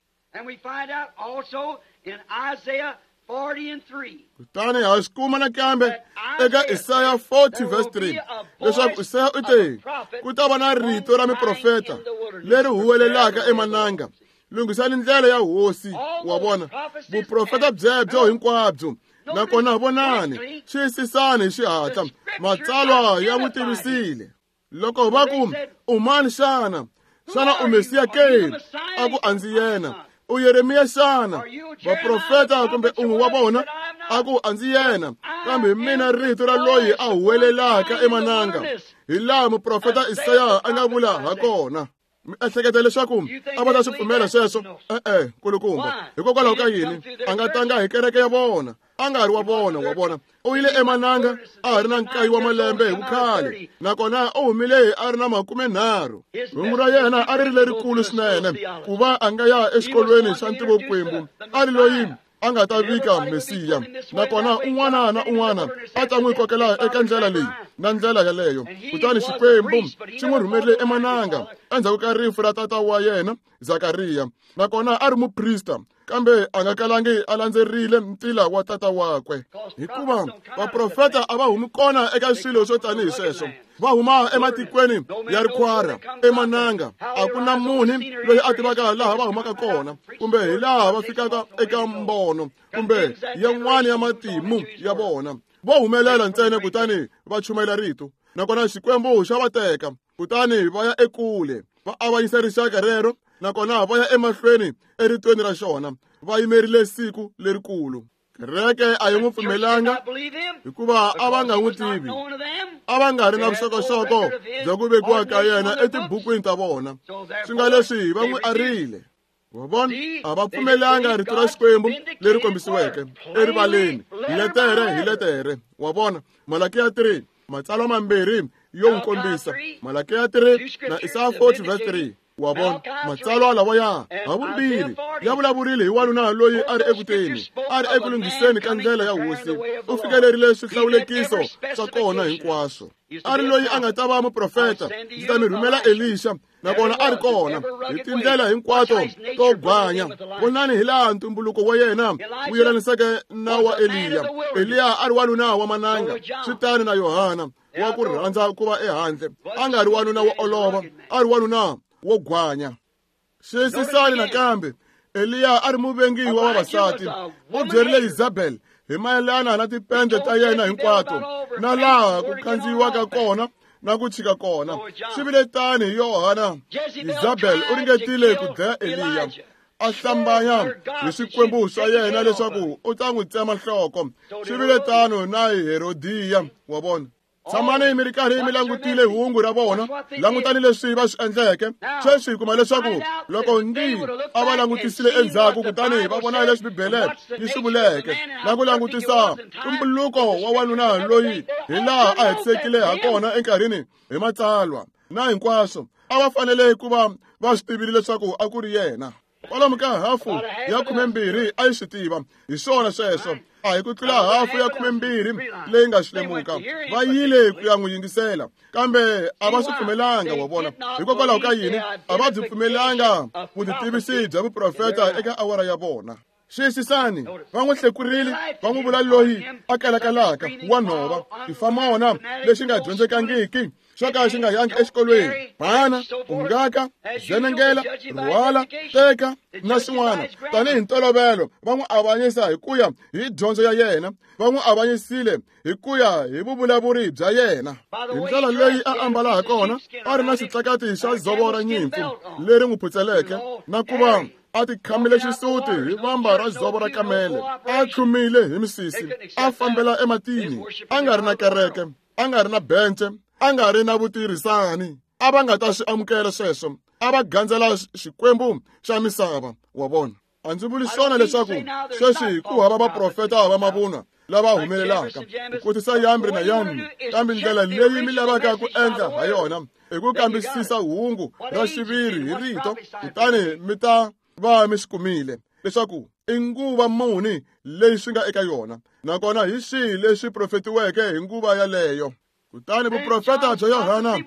Kutani ha swi kuma nakambe eka Isaya forty verse three leswaku Isaya u te ku ta va na rito ra miprofeta leri huwelelaka emananga lunghisani ndlela ya hosi. Wa vona vuprofeta byebyo hinkwabyo nakona vonani xiyisisani hi xihatla matsalwa ya n'wi tivisile. Loko va ku u mani xana xana u Mesiya ke? A ku a ndzi yena. U Yeremiya xana? Vaprofeta kumbe un'we wa vona? A ku a ndzi yena kambe hi mina rito ra loyi a huwelelaka emananga hi laha muprofeta Isaya a nga vula ha kona. Mi ehleketa leswaku a va ta swi pfumela sweswo? E-e nkulukumba. Hikokwalaho ka yini a nga tanga hi kereke ya vona? A nga ri wa vona wa vona u yile emananga a ha ri na nkaye wa malembe hi vukhale nakona u humile a ri na makumenharhu. Hungu ra yena a ri ri lerikulu swinene ku va a nga ya exikolweni xa ntivokwembu a ri loyi a nga ta vika Mesiya nakona un'wana na un'wana a ta n'wi kokela eka ndlela leyi na ndlela yaleyo. Kutani Xikwembu xi n'wi rhumerile emananga endzhaku ka rifu ra tata wa yena Zakariya nakona a ri muprista kambe a nga kalangi a landzerile ntila wa tata wakwe hikuva vaprofeta a va humi kona eka swilo swo tanihi sweswo. Va huma ematikweni ya rikhwara emananga a ku na munhu loyi a tivaka laha va humaka kona kumbe hi laha va fikaka eka mbono kumbe yan'wana ya matimu ya vona. Vo humelela ntsena kutani va chumayela rito nakona Xikwembu xa va teka kutani va ya ekule va avanyisa rixaka rero nakona va ya emahlweni eritweni ra xona va yimerile siku lerikulu. Kereke a yi n'wi pfumelanga hikuva a va nga n'wi tivi a va nga ri na vuxokoxoko bya ku vekiwa ka yena etibukwini ta vona. Swi nga leswi va n'wi arile. Wa vona a va pfumelanga rito ra Xikwembu leri kombisiweke erivaleni hi letere hi letere. Wa vona Malakiya three matsalwa mambirhi yo n'wi kombisa Malakiya three na Isaya forty verse three. Wa vona matsalwa lawaya ha vumbirhi ya vulavurile hi wanuna loyi a ri ekuteni, a ri eku lunghiseni ka ndlela ya hosi. U fikelerile swihlawulekiso swa kona hinkwaswo. A ri loyi a nga ta va muprofeta, ndzi ta mi rhumela Elisha, nakona a ri kona hi tindlela hinkwato to gwanya. Vonani hi laha ntumbuluko wa yena wu yelaniseke na wa Eliya. Eliya a ri wanuna wa mananga, swi tani na Yohana wa ku rhandza ku va ehandle. A nga ri wanuna wo olova, a ri wanuna wo gwanya. Xiyisisani nakambe, Eliya a ri muvengi wa vavasati. U byerile Isabel hi mayelana na tipende ta yena hinkwato, na laha ku khandziyiwaka kona na ku chika kona. Swi vile tani hi Yohana. Isabel u ringetile ku dlaya Eliya, a hlambanya hi swikwembu swa yena leswaku u ta n'wi tsema nhloko. Swi vile tano na hi Herodiya, wa vona. Tshamani mi ri karhi mi langutile hungu ra vona, langutani leswi va swi endleke. Sweswi hi kuma leswaku loko ngi a va langutisile endzhaku, kutani va vona leswi Bibele yi swi vuleke, na ku langutisa ntumbuluko wa wanuna loyi hi laha a hetisekile ha kona enkarhini hi matsalwa na hinkwaswo, a va fanele ku va va swi tivile leswaku a ku ri yena. Kwalomu ka hafu ya khumembirhi a yi swi tiva, hi swona sweswo. A hi ku tlula hafu ya khumembirhi leyi nga swi lemuka. Va yile ku ya n'wi yingisela, kambe a va swi pfumelanga, wa vona. Hikokwalaho ka yini? A va byi pfumelanga vutitivisi bya vuprofeta eka awara ya vona. Xiyisisani, va n'wi hlekurile, va n'wi vula loyi a kalakalaka wa nhova, xifamona lexi nga dyondzekangiki, xo ka xi nga yangi exikolweni, bana, ungaka, zenengela, rhwala, teka na swin'wana. Tanihi ntolovelo va n'wi avanyisa hi ku ya hi dyondzo ya yena, va n'wi avanyisile hi ku ya hi vuvulavuri bya yena. Hi ndlela leyi a ambala ha kona, a ri na xitlakati xa dzovo ra nyimpfu leri n'wi phutseleke, na ku va a tikhamile xisuti hi vamba ra dzovo ra kamele, a tlhumile hi misisi, a fambela ematini, a nga ri na kereke, a nga ri na bence, a nga ri na vutirhisani. A va nga ta swi amukela sweswo, a va gandzela xikwembu xa misava, wa vona. A ndzi vuli swona leswaku sweswi ku hava vaprofeta va mavunwa lava humelelaka ku kotisa Yambri na Yamni, kambe ndlela leyi mi lavaka ku endla ha yona i ku kambisisa hungu ra xiviri hi rito, kutani mi ta va mi swi kumile leswaku i nguva muni leyi swi nga eka yona, nakona hi swihi leswi profetiweke hi nguva yaleyo. Kutani vuprofeta bya Yohana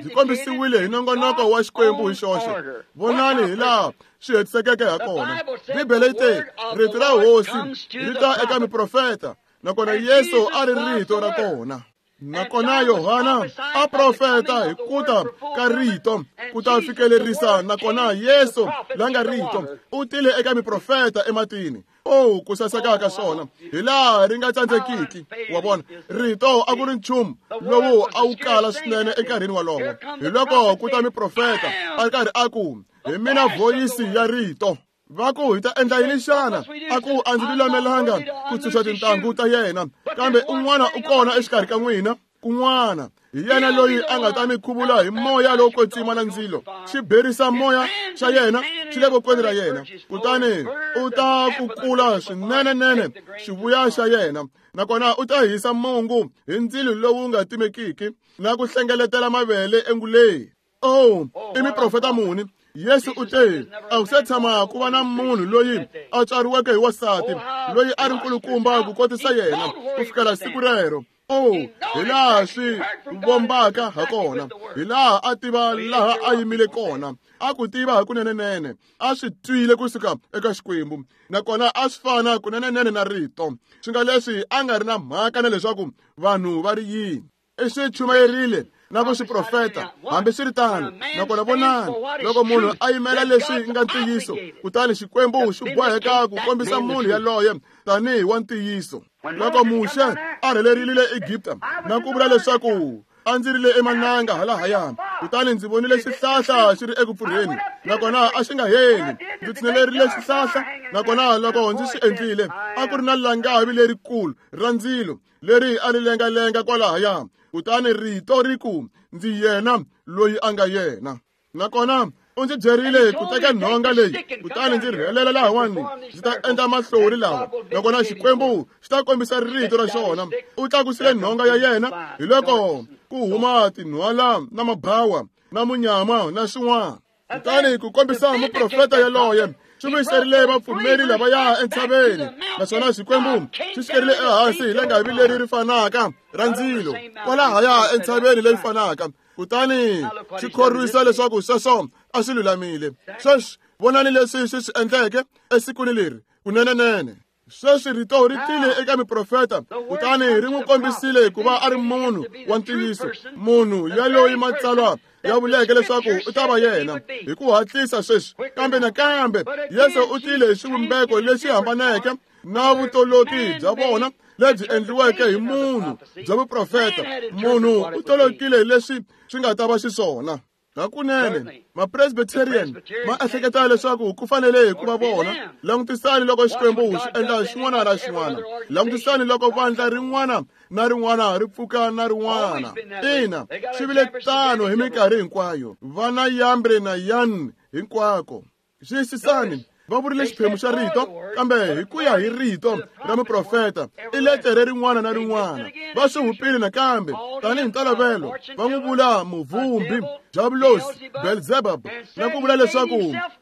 byi kombisiwile hi nongonoko wa Xikwembu hi xoxe. Vonani hi laha swi hetisekeke ha kona. Bibele yi te, rito ra hosi ri ta eka miprofeta, nakona Yesu a ri rito ra kona. Nakona Yohana a profeta hi ku ta ka rito ku ta fikelerisa, nakona Yesu la nga rito u tile eka miprofeta ematini. Oh, ku saseka ka swona hi laha ri nga tsandzekiki, wa vona. Rito a ku ri nchumu lowu a wu kala swinene enkarhini wolowo. Hi loko ku ta miprofeta a ri karhi a ku, hi mina voyisi ya rito. Va ku, hi ta endla yini xana? A ku, a ndzi lulamelanga ku tshunxa tintangu ta yena, kambe un'wana u kona exikarhi ka n'wina, kun'wana hi yena loyi a nga ta mi khuvula hi moya lowo kwetsima na ndzilo. Xi berisa moya xa yena xi le vokweni ra yena, kutani u ta kukula swinenenene xivuya xa yena, nakona u ta hisa mungu hi ndzilo lowu nga timekiki na ku hlengeletela mavele enguleni. Oh, i miprofeta muni? Yesu u te, a ku se tshama ku va na munhu loyi a tswariweke hi wasati loyi a ri nkulukumba ku kotisa yena ku fikela siku rero. Oh, hi laha swi vombaka ha kona, hi laha a tiva laha a yimile kona, a ku tiva hakunenenene, a swi twile kusuka eka Xikwembu, nakona a swi fana kunenenene na rito. Swi nga leswi a nga ri na mhaka na leswaku vanhu va ri yini. I swi chumayerile na ku swi profeta, hambi swi ri tano. Nakona vonani, loko munhu a yimela leswi nga ntiyiso, kutani Xikwembu xi boheka ku kombisa munhu yaloye tanihi wa ntiyiso. Loko Muxe a rhelerile Egipta na ku vula leswaku a ndzi rile emananga halahaya, kutani ndzi vonile xihlahla xi ri eku pfurheni, nakona a xi nga heli. Ndzi tshinelerile xihlahla, nakona loko ndzi swi endlile, a ku ri na langavi lerikulu ra ndzilo leri a ri lengalenga kwalahaya, kutani rito ri ku, ndzi yena loyi a nga yena. Nakona u ndzi byerile ku teka nhonga leyi, kutani ndzi rhelela lahawani, ndzi ta endla mahlori lawa, nakona Xikwembu xi ta kombisa rito ra xona. U tlakusile nhonga ya yena, hi loko ku huma tinhwala na mabawa na munyama na swin'wana. Kutani ku kombisa muprofeta yaloye Xi vuyiserile vapfumeri lavaya entshaveni, naswona Xikwembu xi xikerile ehansi hi langavi leri ri fanaka ra ndzilo kwalahaya entshaveni leyi fanaka, kutani xi khorwisa leswaku sweswo a swi lulamile. Sweswi vonani leswi xi swi endleke esikwini leri kunenenene. Sweswi rito ri tile eka miprofeta, kutani ri n'wi kombisile ku va a ri munhu wa ntiyiso, munhu yaloyi matsalwa ya vuleke leswaku u ta va yena hi ku hatlisa sweswi. Kambe nakambe Yesu u tile hi xivumbeko lexi hambaneke na vutoloki bya vona lebyi endliweke hi munhu bya vuprofeta. Munhu u tolokile leswi swi nga ta va xiswona. Hakunene ma-Presbyterian ma ehleketa leswaku ku fanele ku va vona. Langutisani loko Xikwembu xi endla xin'wana na xin'wana. Langutisani loko vandla rin'wana na rin'wana ri pfuka na rin'wana. Ina, swi vile tano hi minkarhi hinkwayo. Vana Yambre na Yan hinkwako. Xiyisisani, va vurile xiphemu xa rito, kambe hi ku ya hi rito ra muprofeta i letere rin'wana na rin'wana. Va swi hupile nakambe tanihi ntolovelo, va n'wi vula muvumbi, Diabulosi, Belzebub, na ku vula leswaku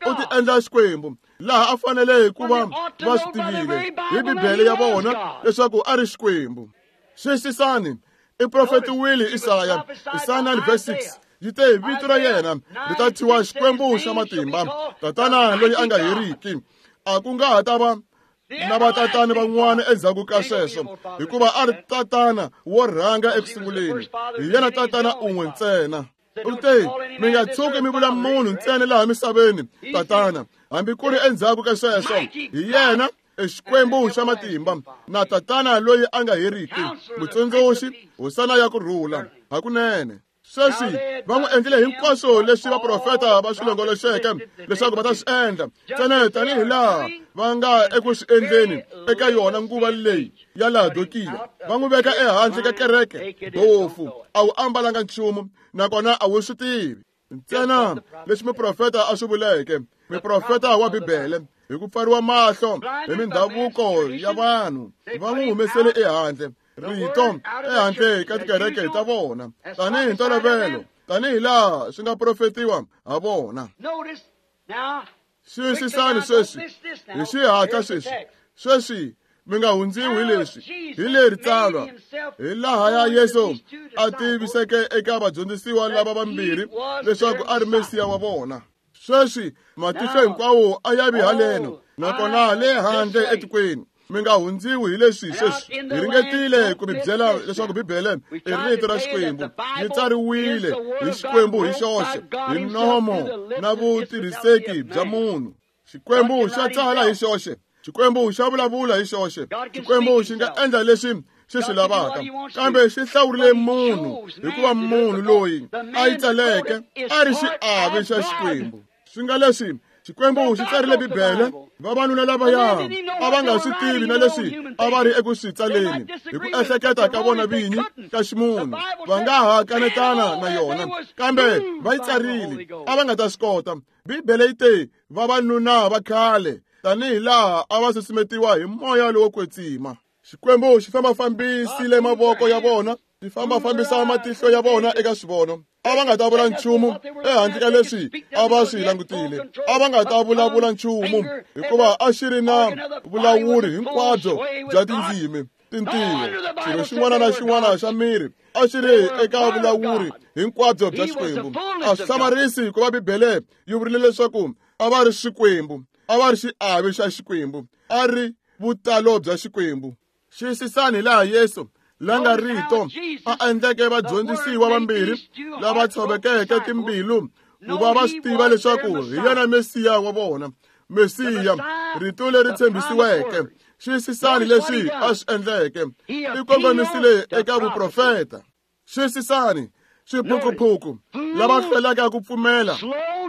u ti endla Xikwembu, laha a fanele ku va va swi tivile hi Bibele ya vona leswaku a ri Xikwembu. Xiyisisani, i profetiwile Isaya, Isaya nine verse six. Yi te vito ra yena ri ta thyiwa Xikwembu xa matimba, Tatana loyi a nga heriki. A ku nga ha ta va na vatatana van'wana endzhaku ka sweswo, hikuva a ri tatana wo rhanga eku sunguleni, hi yena tatana un'we ntsena. U te, mi nga tshuki mi vula munhu ntsena laha misaveni tatana, hambi ku ri endzhaku ka sweswo, hi yena Xikwembu xa matimba na tatana loyi a nga heriki, mutsundzuxi, hosana ya ku rhula. Hakunene sweswi va n'wi endlile hinkwaswo leswi vaprofeta va swi longoloxeke leswaku va ta swi endla, ntsena tanihi laha va nga eku swi endleni eka yona nguva leyi ya Laodikiya. Va n'wi veka ehandle ka kereke, bofu, a wu ambalanga nchumu nakona a wu swi tivi. Ntsena leswi muprofeta a swi vuleke, muprofeta wa Bibele, hi ku pfariwa mahlo hi mindhavuko ya vanhu, va n'wi humesele ehandle rito ehandle ka tikereke ta vona tanihi ntolovelo, tanihi laha swi nga profetiwa ha vona. Xiyisisani sweswi hi xihatla sweswi. Sweswi mi nga hundziwi hi leswi, hi leri tsalwa, hi laha ya Yesu a tiviseke eka vadyondzisiwa lava vambirhi leswaku a ri Mesiya wa vona. Sweswi matihlo hinkwawo a ya vi haleno nakona le handle etikweni. Mi nga hundziwi hi leswi sweswi. Hi ringetile ku mi byela leswaku Bibele i rito ra Xikwembu, yi tsariwile hi Xikwembu hi xoxe, hi nomo na vutirhiseki bya munhu. Xikwembu xa tsala hi xoxe, Xikwembu xa vulavula hi xoxe, Xikwembu xi nga endla leswi xi swi lavaka, kambe xi hlawurile munhu hikuva munhu loyi a yi tsaleke a ri xiave xa Xikwembu. Swi nga leswi Xikwembu xi tsarile Bibele, vavanuna lavaya a va nga swi tivi na leswi a va ri eku swi tsaleni hi ku ehleketa ka vona vinyi ka ximunhu, va nga ha kanetana na yona, kambe va yi tsarile, a va nga ta swi kota. Bibele yi te vavanuna va khale tanihi laha a va susumetiwa hi moya lowo kwetsima. Xikwembu xi fambafambisile mavoko ya vona, xi fambafambisa matihlo ya vona eka swivono. A va nga ta vula nchumu ehandle ka leswi a va swi langutile. A va nga ta vulavula nchumu hikuva a xi ri na vulawuri hinkwabyo bya tindzimi, tintiho, xilo xin'wana na xin'wana xa miri a xi ri eka vulawuri hinkwabyo bya Xikwembu. A swi hlamarisi hikuva Bibele yi vurile leswaku a va ri Xikwembu, a va ri xiave xa Xikwembu, a ri vutalo bya Xikwembu. Xiyisisani laha Yesu la nga rito a endleke vadyondzisiwa vambirhi lava tshovekeke timbilu ku va va swi tiva leswaku hi yena Mesiya wa vona, Mesiya, rito leri tshembisiweke. Xiyisisani leswi a swi endleke, i kongomisile eka vuprofeta. Xiyisisani swiphukuphuku lava hlwelaka ku pfumela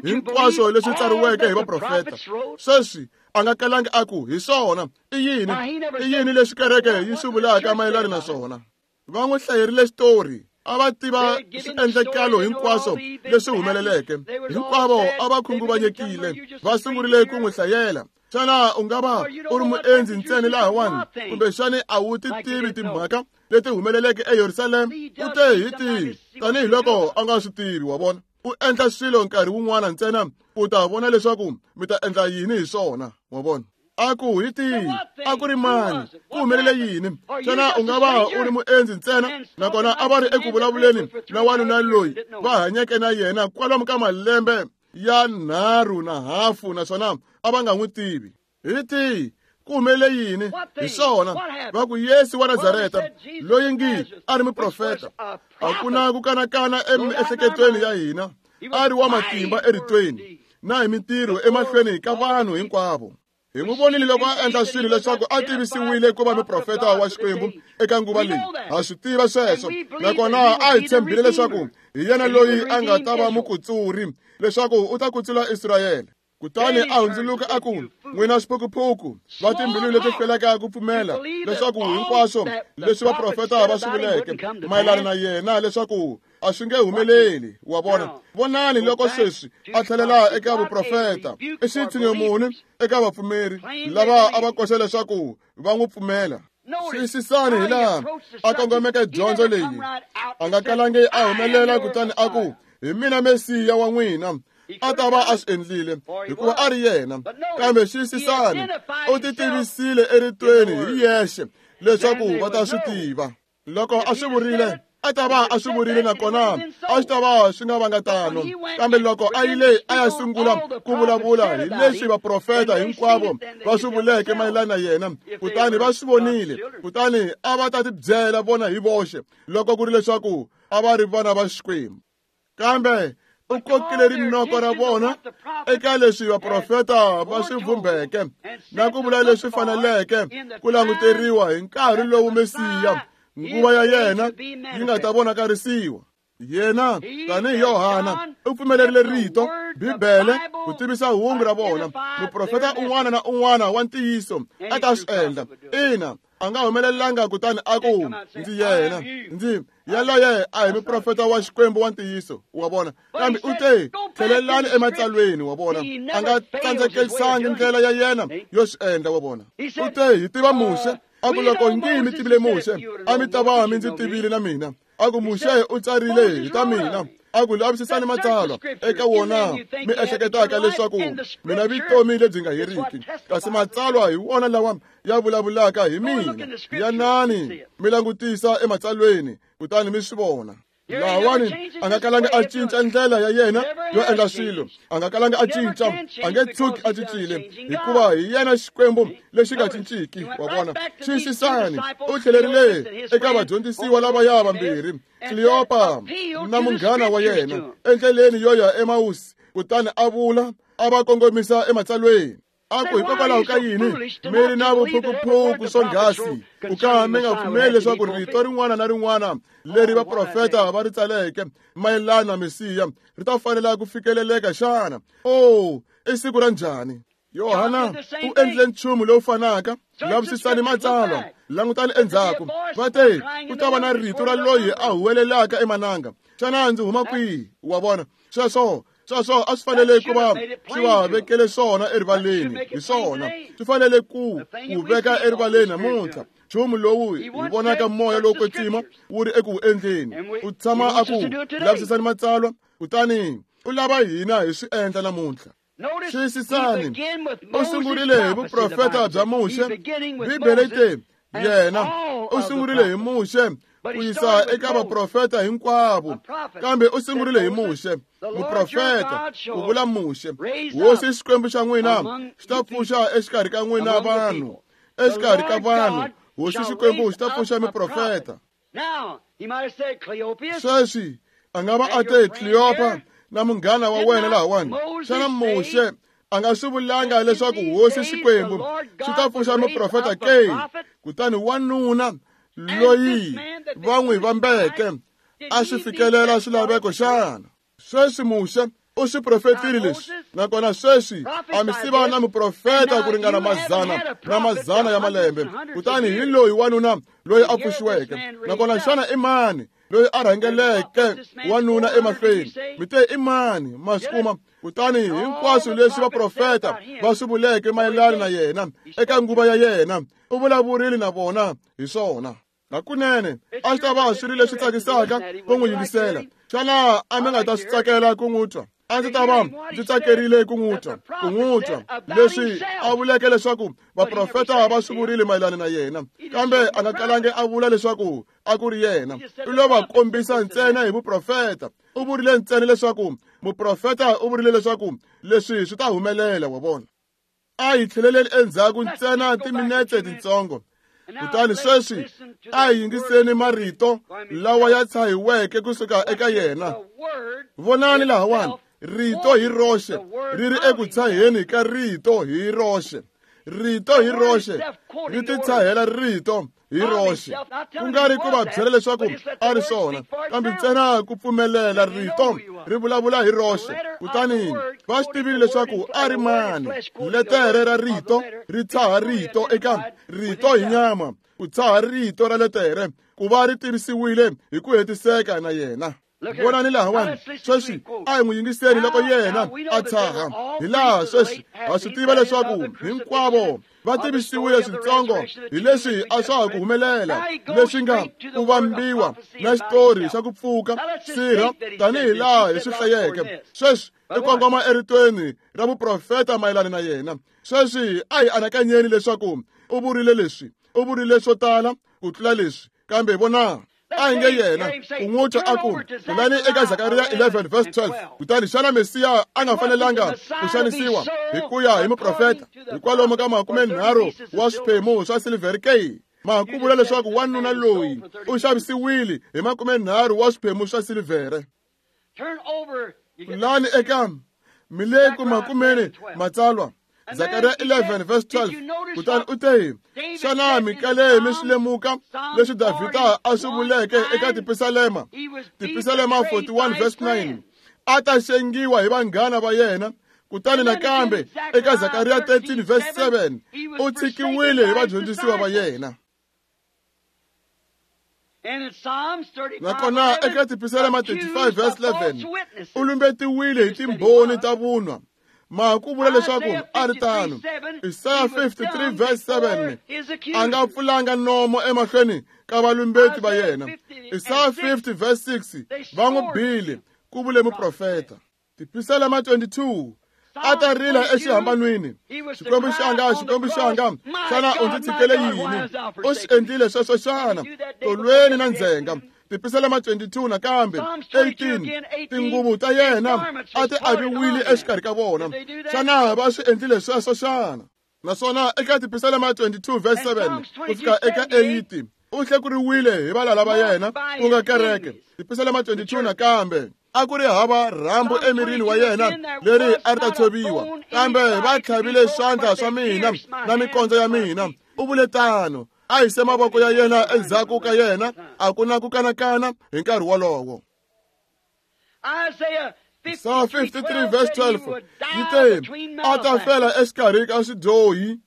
hinkwaswo leswi tsariweke hi vaprofeta. Sweswi a nga kalangi a ku hi swona. I yini? I yini leswi kereke yi swi vulaka mayelana na swona? Va n'wi hlayerile xitori, a va tiva swiendlekalo hinkwaswo leswi humeleleke. Hinkwavo a va khunguvanyekile, va sungurile ku n'wi hlayela. Xana u nga va u ri muendzi ntsena lahawani, kumbexani a wu ti tivi timhaka leti humeleleke eYerusalema? U te hi tihi, tanihiloko a nga swi tivi, wa vona. U endla swilo nkarhi wun'wana ntsena u ta vona leswaku mi ta endla yini hi swona, wa vona. A ku hi tihi, a ku ri mani, ku humelele yini? Xana u nga va u ri muendzi ntsena? Nakona a va ri eku vulavuleni na wanuna loyi va hanyeke na yena kwalomu ka malembe ya nharhu na hafu, naswona a va nga n'wi tivi. Hi tihi, ku humelele yini? Hi swona va ku Yesu wa Nazareta loyi ngi a ri muprofeta, a ku na ku kanakana emiehleketweni ya hina, a ri wa matimba eritweni na hi mintirho emahlweni ka vanhu hinkwavo. Hi n'wi vonile loko a endla swilo leswaku a tivisiwile ku va muprofeta wa Xikwembu eka nguva leyi. Ha swi tiva sweswo, nakona a hi tshembile leswaku hi yena loyi a nga ta va mukutsuri, leswaku u ta kutsula Israyele. Kutani a hundzuluka a ku, n'wina swiphukuphuku va timbilu leti hlwelaka ku pfumela leswaku hinkwaswo leswi vaprofeta va swi vuleke mayelana na yena leswaku a swi nge humeleli, wa vona. Vonani loko sweswi a tlhelela eka vuprofeta, i xitshinyo muni eka vapfumeri lava a va koxa leswaku va n'wi pfumela. Xiyisisani hi laha a kongomeke dyondzo leyi. A nga kalangi a humelela kutani a ku, hi mina Mesiya wa n'wina. A ta va a swi endlile hikuva a ri yena. Kambe xiyisisani, u ti tivisile eritweni hi yexe leswaku va ta swi tiva. Loko a swi vurile, a ta va a swi vurile, nakona a swi ta va swi nga vanga tano. Kambe loko a yile a ya sungula ku vulavula hi leswi vaprofeta hinkwavo va swi vuleke mayelana na yena, kutani va swi vonile, kutani a va ta tibyela vona hi voxe loko ku ri leswaku a va ri vana va Xikwembu. Kambe u kokile rinoko ra vona eka leswi vaprofeta va swi vumbeke na ku vula leswi faneleke ku languteriwa hi nkarhi lowu Mesiya nguva ya yena yi nga ta vonakarisiwa. Yena tanihi Yohana u pfumelerile rito Bibele ku tivisa hungu ra vona. Muprofeta un'wana na un'wana wa ntiyiso a ta swi endla. Ina, a nga humelelanga kutani a ku ndzi yena, ndzi yaloye a hi muprofeta wa Xikwembu wa ntiyiso, wa vona. Kambe u te tlhelelani ematsalweni, wa vona. A nga tsandzekelisangi ndlela ya yena yo swi endla, wa vona. U te hi tiva Muxe, a ku loko ngi mi tivile Muxe a mi ta va mi ndzi tivile na mina. A ku Muxe u tsarile hi ta mina. A ku lavisisani matsalwa eka wona mi ehleketaka leswaku mina vutomi lebyi nga heriki, kasi matsalwa hi wona lawa ya vulavulaka hi mina. Yanani mi langutisa ematsalweni kutani mi swi vona. Lahawani a nga kalanga a cinca ndlela ya yena yo endla swilo, a nga kalanga a cinca, a nge tshuki a cincile, hikuva hi yena Xikwembu lexi nga cinciki, wa vona. Xiyisisani, u tlhelerile eka vadyondzisiwa lavaya vambirhi, Kleopa na munghana wa yena, endleleni yo ya Emawusi, kutani a vula a va kongomisa ematsalweni. A ku hikokwalaho ka yini mi ri na vuphukuphuku swonghasi ku ka mi nga pfumeli leswaku rito rin'wana na rin'wana leri vaprofeta va ri tsaleke mayelana na Mesiya ri ta fanela ku fikeleleka xana? Oh, i siku ra njhani? Yohana u endlile nchumu lowu fanaka. Lavisisani matsalwa, langutani endzhaku. Va te ku ta va na rito ra loyi a huwelelaka emananga. Xana ndzi huma kwihi? Wa vona sweswo sweswo a swi fanele ku va swi va vekele swona erivaleni. Hi swona swi fanele ku ku veka erivaleni namuntlha. Nchumu lowu hi vonaka moya lowo kwetsima wu ri eku wu endleni. U tshama a ku lavisisani matsalwa, kutani u lava hina hi swi endla namuntlha. Xiyisisani, u sungurile hi vuprofeta bya Muxe. Bibele yi te yena u sungurile hi Muxe ku yisa eka vaprofeta hinkwavo, kambe u sungurile hi Muxe muprofeta, ku vula Muxe. Hosi Xikwembu xa n'wina xi ta pfuxa exikarhi ka n'wina vanhu, exikarhi ka vanhu Hosi Xikwembu xi ta pfuxa miprofeta. Sweswi a nga va a te Kleopa na munghana wa wena lahawani, xana Muxe a nga swi vulanga leswaku Hosi Xikwembu xi ta pfuxa muprofeta ke? Kutani wanuna loyi va n'wi vambeke a swi fikelela swilaveko xana? Sweswi Muxe u swi profetile leswi, nakona sweswi a mi siva na muprofeta ku ringana mazana na mazana ya malembe. Kutani hi loyi wanuna loyi a pfuxiweke. Nakona xana i mani loyi a rhangeleke wanuna emahlweni? Mi te i mani? Ma swi kuma. Kutani hinkwaswo leswi vaprofeta va swi vuleke mayelana na yena eka nguva ya yena, u vulavurile na vona hi swona. Hakunene a swi ta va swi ri leswi tsakisaka ku n'wi yingisela. Xana a mi nga ta swi tsakela ku n'wi twa? A ndzi ta va ndzi tsakerile ku n'wi twa, ku n'wi twa leswi a vuleke leswaku vaprofeta va swi vurile mayelana na yena, kambe a nga kalangi a vula leswaku a ku ri yena. U lo va kombisa ntsena hi vuprofeta. U vurile ntsena leswaku muprofeta u vurile leswaku leswi swi ta humelela, wa vona. A hi tlheleleni endzhaku ntsena timinetse tintsongo. Kutani sweswi a hi yingiseni marito lawa ya tshahiweke kusuka eka yena. Vonani lahawani, rito hi roxe ri ri eku tshaheni ka rito hi roxe. Rito hi roxe ri titshahela rito hi roxe. Ku nga ri ku va byela leswaku a ri swona, kambe ntsena ku pfumelela rito ri vulavula hi roxe. Kutani va swi tivile leswaku a ri mani. Letere ra rito ri tshaha rito eka rito hi nyama, ku tshaha rito ra letere ku va ri tirhisiwile hi ku hetiseka na yena. Vonani lahawani, sweswi a hi n'wi yingiseni loko yena a tshaha. Hi laha sweswi ha swi tiva leswaku hinkwavo va tivisiwile swintsongo hi leswi a swa ha ku humelela, leswi nga ku vambiwa na xitori xa ku pfuka sirha tanihi laha hi swi hlayeke. Sweswi i kongoma eritweni ra vuprofeta mayelana na yena. Sweswi a hi anakanyeni leswaku u vurile leswi, u vurile swo tala ku tlula leswi, kambe vona a hi nge yena u n'wi twa a ku kulani eka Zakariya eleven verse twelve. Kutani xana Mesiya a nga fanelanga ku xanisiwa hi ku ya hi muprofeta hi kwalomu ka makumenharhu wa swiphemu swa silivhere ke? Ma ku vula leswaku wanuna loyi u xavisiwile hi makumenharhu wa swiphemu swa silivhere. Kulani eka mileku makumeni matsalwa Zakariya eleven verse twelve. Kutani u te, xana mi kale mi swi lemuka leswi Davhida a swi vuleke eka Tipisalema? Tipisalema forty-one verse nine. A ta xengiwa hi vanghana va yena. Kutani nakambe eka Zakariya thirteen verse seven, u tshikiwile hi vadyondzisiwa va yena. Nakona eka Tipisalema thirty-five verse eleven, u lumbetiwile hi timbhoni ta vunwa. Ma ku vula leswaku a ri tano. Isaya fifty-three verse seven, a nga pfulanga nomo emahlweni ka valumbeti va yena. Isaya fifty verse six, va n'wi bile, ku vule muprofeta. Tipisalema twenty-two, a ta rila exihambanweni. Xikwembu xanga, Xikwembu xanga, xana u ndzi tshikele yini? U swi endlile sweswo xana? Tolweni na ndzhenga. Tipisalema twenty-two nakambe eighteen, tinguvu ta yena a ti aviwile exikarhi ka vona. Xana va swi endlile sweswo xana? Naswona eka Tipisalema twenty-two verse seven ku fika eka eight, u hlekuriwile hi valala va yena ku nga kereke. Tipisalema twenty-two nakambe, a ku ri hava rhambu emirini wa yena leri a ri ta tshoviwa, kambe va tlhavile swandla swa mina na mikondzo ya mina. U vule tano, a hise mavoko ya yena endzhaku ka yena, a ku na ku kanakana hi nkarhi wolowo. Isaya fifty-three verse twelve yi te, a ta fela exikarhi ka swidyohi.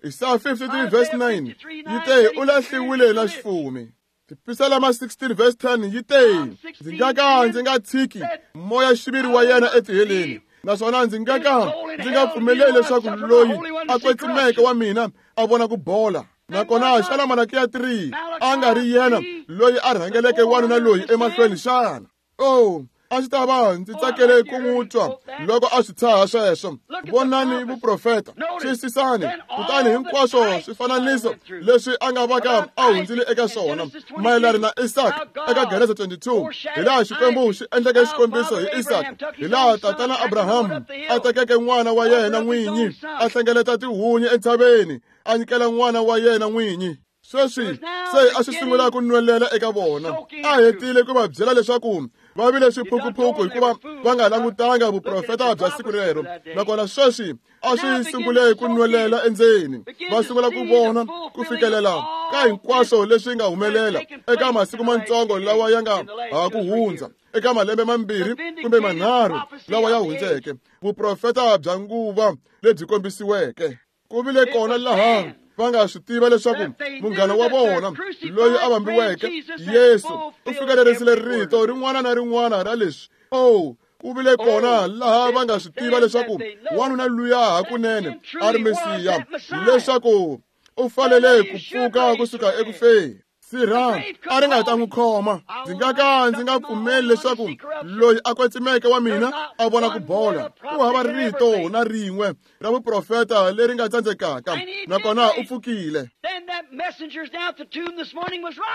Isaya fifty-three verse nine yi te, u lahliwile na xifumi. Tipisalema sixteen verse ten yi te, ndzi nga ka ndzi nga tshiki moya xiviri wa yena etiheleni, naswona ndzi nga ka ndzi nga pfumeleli leswaku loyi a kwetsimeke wa mina a vona ku bola. Nakona xana Malakiya three a nga ri yena loyi a rhangeleke wanuna loyi emahlweni xana? Oh, a ndzi ta va ndzi tsakele ku n'wi twa loko a swi tshaha sweswo. Vonani vuprofeta, twisisani, kutani hinkwaswo swifananiso leswi a nga vaka a hundzile eka swona mayelana na Isaka eka Genesa twenty-two, hi laha Xikwembu xi endleke xikombiso hi Isaka, hi laha tatana Abrahamu a tekeke n'wana wa yena n'winyi, a hlengeleta tihunyi entshaveni, a nyikela n'wana wa yena n'winyi. Sweswi se a swi sungula ku nwelela eka vona. A hetile ku va byela leswaku va vile swiphukuphuku hikuva va nga langutanga vuprofeta bya siku rero. Nakona sweswi a swi sungule ku nwelela endzeni, va sungula ku vona ku fikelela ka hinkwaswo leswi nga humelela eka masiku matsongo lawa ya nga ha ku hundza, eka malembe mambirhi kumbe manharhu lawa ya hundzeke, vuprofeta bya nguva lebyi kombisiweke. Ku vile kona laha va nga swi tiva leswaku munghana wa vona loyi a vambiweke Yesu u fikelerisile rito rin'wana na rin'wana ra leswi. Oh, ku vile kona laha va nga swi tiva leswaku wanuna luya hakunene a ri Mesiya, leswaku u fanele ku pfuka kusuka ekufeni. Sirha a ri nga ta n'wi khoma. Ndzi nga ka ndzi nga pfumeli leswaku loyi a kwetsimeke wa mina a vona ku bola. Ku hava rito na rin'we ra vuprofeta leri nga tsandzekaka, nakona u pfukile.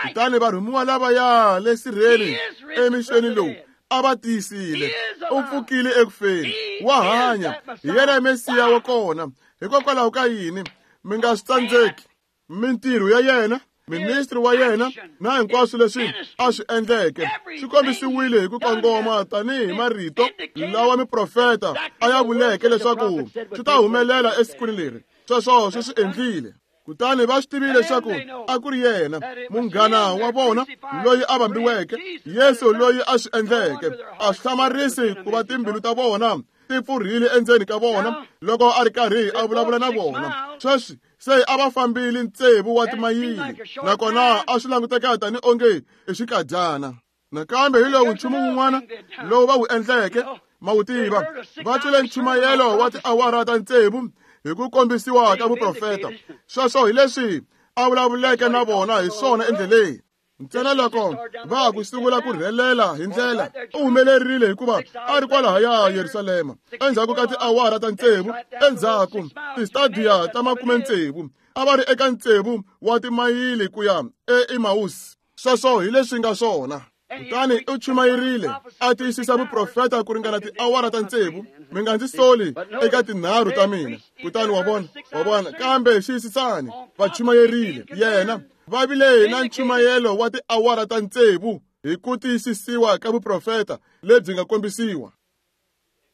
Kutani varhumiwa lavaya le sirheni emixeni lowu a va tiyisile. U pfukile ekufeni, wa hanya, hi yena Mesiya wa kona. Hikokwalaho ka yini mi nga swi tsandzeki? Mintirho ya yena, ministri wa yena na hinkwaswo leswi a swi endleke swi kombisiwile hi ku kongoma tanihi marito lawa miprofeta a ya vuleke leswaku swi ta humelela esikwini leri. Sweswo swi swi endlile. Kutani va swi tivile leswaku a ku ri yena munghana wa vona loyi a vambiweke, Yesu loyi a swi endleke. A swi hlamarisi ku va timbilu ta vona ti pfurhile endzeni ka vona loko a ri karhi a vulavula na vona. Sweswi se a va fambile ntsevu wa timayili, nakona a swi languteka tani onge i xikadyana. Nakambe hi lowu nchumu wun'wana lowu va wu endleke, ma wu tiva, va twile nchumayelo wa tiawara ta ntsevu hi ku kombisiwa ka vuprofeta. Sweswo hi leswi a vulavuleke na vona hi swona endleleni. Ntsena loko va ku sungula ku rhelela hi ndlela, u humelerile hikuva a ri kwalahaya Yerusalema. Endzhaku ka tiawara ta ntsevu, endzhaku tistadiya ta makume ntsevu, a va ri eka ntsevu wa timayili ku ya eEmausi. Sweswo hi leswi nga swona. Kutani u chumayerile a tiyisisa vuprofeta ku ringana tiawara ta ntsevu. Mi nga ndzi soli eka tinharhu ta mina. Kutani wa vona, wa vona, kambe xiyisisani, va chumayerile yena. Va vile na nchumayelo wa tiawara ta ntsevu hi ku tiyisisiwa ka vuprofeta lebyi nga kombisiwa.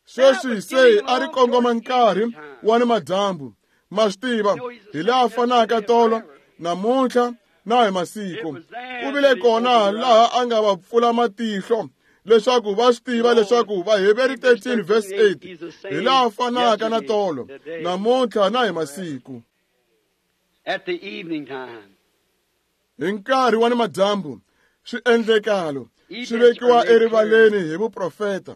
Sweswi se a ri kongoma nkarhi wa ni madyambu. Ma swi tiva, hi laha fanaka tolo, namuntlha na hi masiku. Ku vile kona laha a nga va pfula matihlo leswaku va swi tiva leswaku Vaheberi thirteen verse eight hi laha fanaka na tolo, namuntlha na hi masiku. At the evening time. Hi nkarhi wa ni madyambu, swiendlekalo swi vekiwa erivaleni hi vuprofeta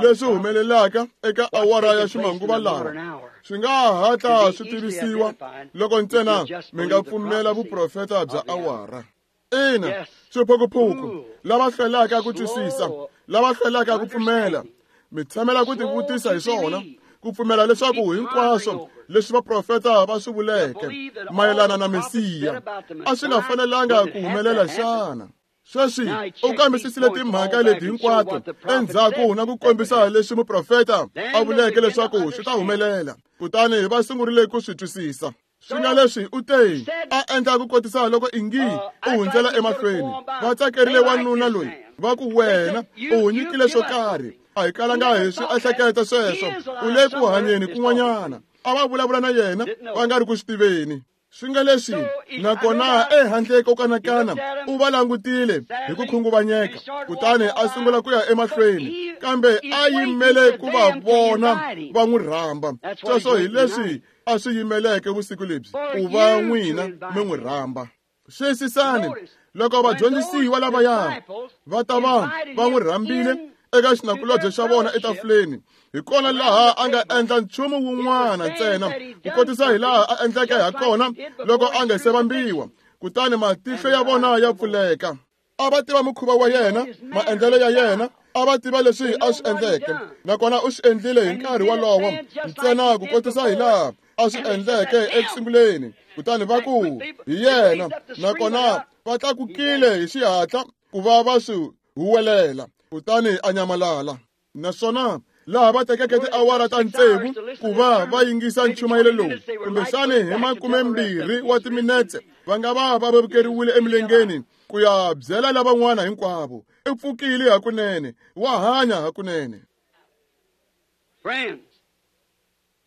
leswi humelelaka eka awara ya ximanguva lawa swi nga hatla swi tivisiwa loko ntsena mi nga pfumela vuprofeta bya awara. Ina, swiphukuphuku lava hlwelaka ku twisisa, lava hlwelaka ku pfumela, mi tshamela ku tivutisa hi swona, ku pfumela leswaku hinkwaswo leswi vaprofeta va swi vuleke mayelana na Mesiya a swi nga fanelanga ku humelela xana. Sweswi u kambisisile timhaka leti hinkwato endzhaku na ku kombisa leswi muprofeta a vuleke leswaku swi ta humelela. Kutani va sungurile ku swi twisisa. Swi nga leswi u te a endla ku kotisa loko ingi u hundzela emahlweni. Va tsakerile wanuna loyi, va ku wena u nyikile swo karhi. A hi kalanga hi swi ehleketa sweswo, u le ku hanyeni kun'wanyana. A va vulavula na yena va nga ri ku swi tiveni. Swi nga leswi, nakona ehandle ko kanakana u va langutile hi ku khunguvanyeka, kutani a sungula ku ya emahlweni, kambe a yimele ku va vona va n'wi rhamba. Sweswo hi leswi a swi yimeleke vusiku lebyi, ku va n'wina mi n'wi rhamba. Xiyisisani, loko vadyondzisiwa lavaya va ta va va n'wi rhambile eka xinakulobye xa vona etafuleni, hi kona laha a nga endla nchumu wun'wana ntsena ku kotisa hi laha a endleke ha kona loko a nga se vambiwa. Kutani matihlo ya vona ya pfuleka. A va tiva mukhuva wa yena, maendlelo ya yena, a va tiva leswi a swi endleke, nakona u swi endlile hi nkarhi wolowo ntsena ku kotisa hi laha a swi endleke ekusunguleni. Kutani va ku hi yena, nakona va tlakukile hi xihatla ku va va swi huwelela. Kutani a nyamalala. Naswona laha va tekeke tiawara ta ntsevu ku va va yingisa nchumayelo lowu, kumbexani hi makumembirhi wa timinetse va nga va va vevukeriwile emilengeni ku ya byela lavan'wana hinkwavo. I pfukile hakunene, wa hanya hakunene.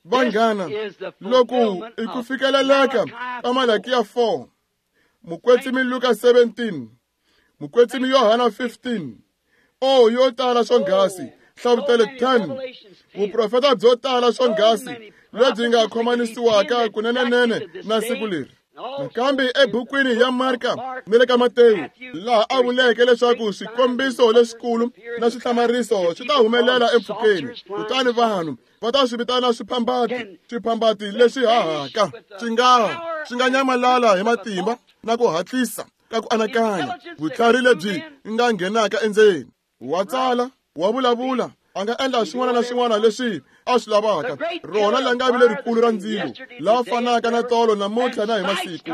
Vanghana, loko i ku fikeleleka ka Malakiya four, Mukwetsimi Luka seventeen, Mukwetsimi Yohana fifteen, oh yo tala swonghasi, Hlavutelo ten, vuprofeta byo tala swonghasi lebyi nga khomanisiwaka kunenenene na siku leri. Nakambe ebukwini ya Marka ni le ka Matewu, laha a vuleke leswaku swikombiso leswikulu na swihlamariso swi ta humelela empfhukeni, kutani vanhu va ta swi vitana swiphambati, swiphambati leswi hahaka, swi nga swi nga nyamalala hi matimba na ku hatlisa ka ku anakanya, vutlhari lebyi nga nghenaka endzeni. Wa tsala, wa vulavula, a nga endla swin'wana na swin'wana leswi a swi lavaka. Rona langavi lerikulu ra ndzilo, la fanaka na tolo namuntlha na hi masiku,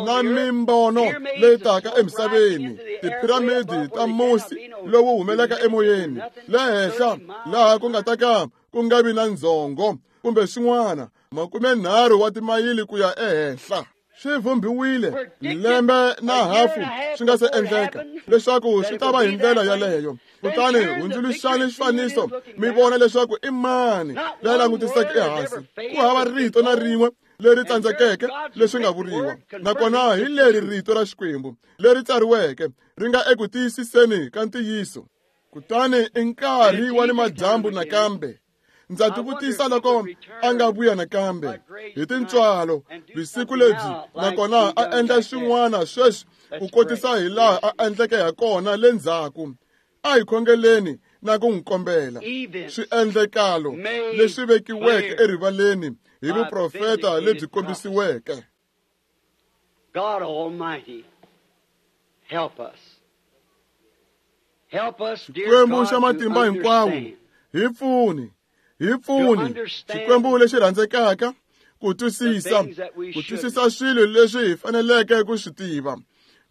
na mimbono leyi taka emisaveni, tiphiramidi ta musi lowu humelaka emoyeni, le henhla laha ku nga ta ka ku nga vi na ndzhongo kumbe swin'wana, makumenharhu wa timayili ku ya ehenhla. Swi vhumbiwile lembe na hafu swi nga se endleka leswaku swi ta va hi ndlela yaleyo. Kutani hundzuluxani xifaniso mi vona leswaku i mani la langutiseke ehansi. Ku hava rito na rin'we leri tsandzekeke leswi nga vuriwa, nakona hi leri rito ra Xikwembu leri tsariweke ri nga eku tiyisiseni ka ntiyiso. Kutani i nkarhi wa ni madyambu nakambe. Ndza tivutisa loko a nga vuya nakambe hi tintswalo vusiku lebyi, nakona a endla swin'wana sweswi ku kotisa hi laha a endleke ha kona le ndzhaku. A hi khongeleni na ku n'wi kombela swiendlekalo leswi vekiweke erivaleni hi vuprofeta lebyi kombisiweke. God Almighty, help us. Help us, dear Xikwembu xa God, to matimba hinkwawo, understand. hi pfuni, hi pfuni, Xikwembu lexi rhandzekaka, ku twisisa, ku twisisa swilo leswi hi faneleke ku swi tiva,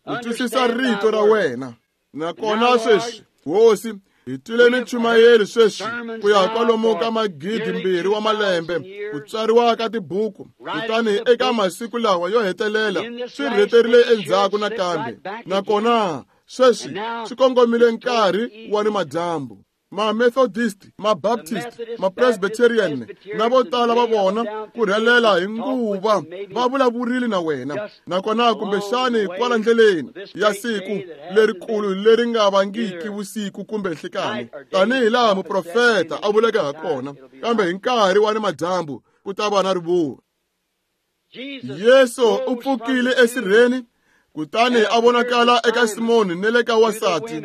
ku twisisa rito ra wena. Nakona sweswi, Hosi, hi twile minchumayeli sweswi ku ya kwalomu ka magidi mbirhi wa malembe, ku tsariwa ka tibuku, kutani eka masiku lawa yo hetelela swi rheterile endzhaku nakambe. Nakona sweswi swi kongomile nkarhi wa ni madyambu. Ma-Methodist, ma-Baptist, ma-Presbyterian na vo tala va vona ku rhelela hi nguva va vulavurile na wena. Nakona kumbexani kwala ndleleni ya siku lerikulu leri nga vangiki vusiku kumbe nhlikani, tanihi laha muprofeta a vuleke ha kona, kambe hi nkarhi wa ni madyambu ku ta va na rivuva. Yesu u pfukile esirheni, kutani a vonakala eka Simoni ne le ka wansati,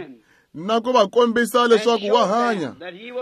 na ku va kombisa leswaku wa hanya.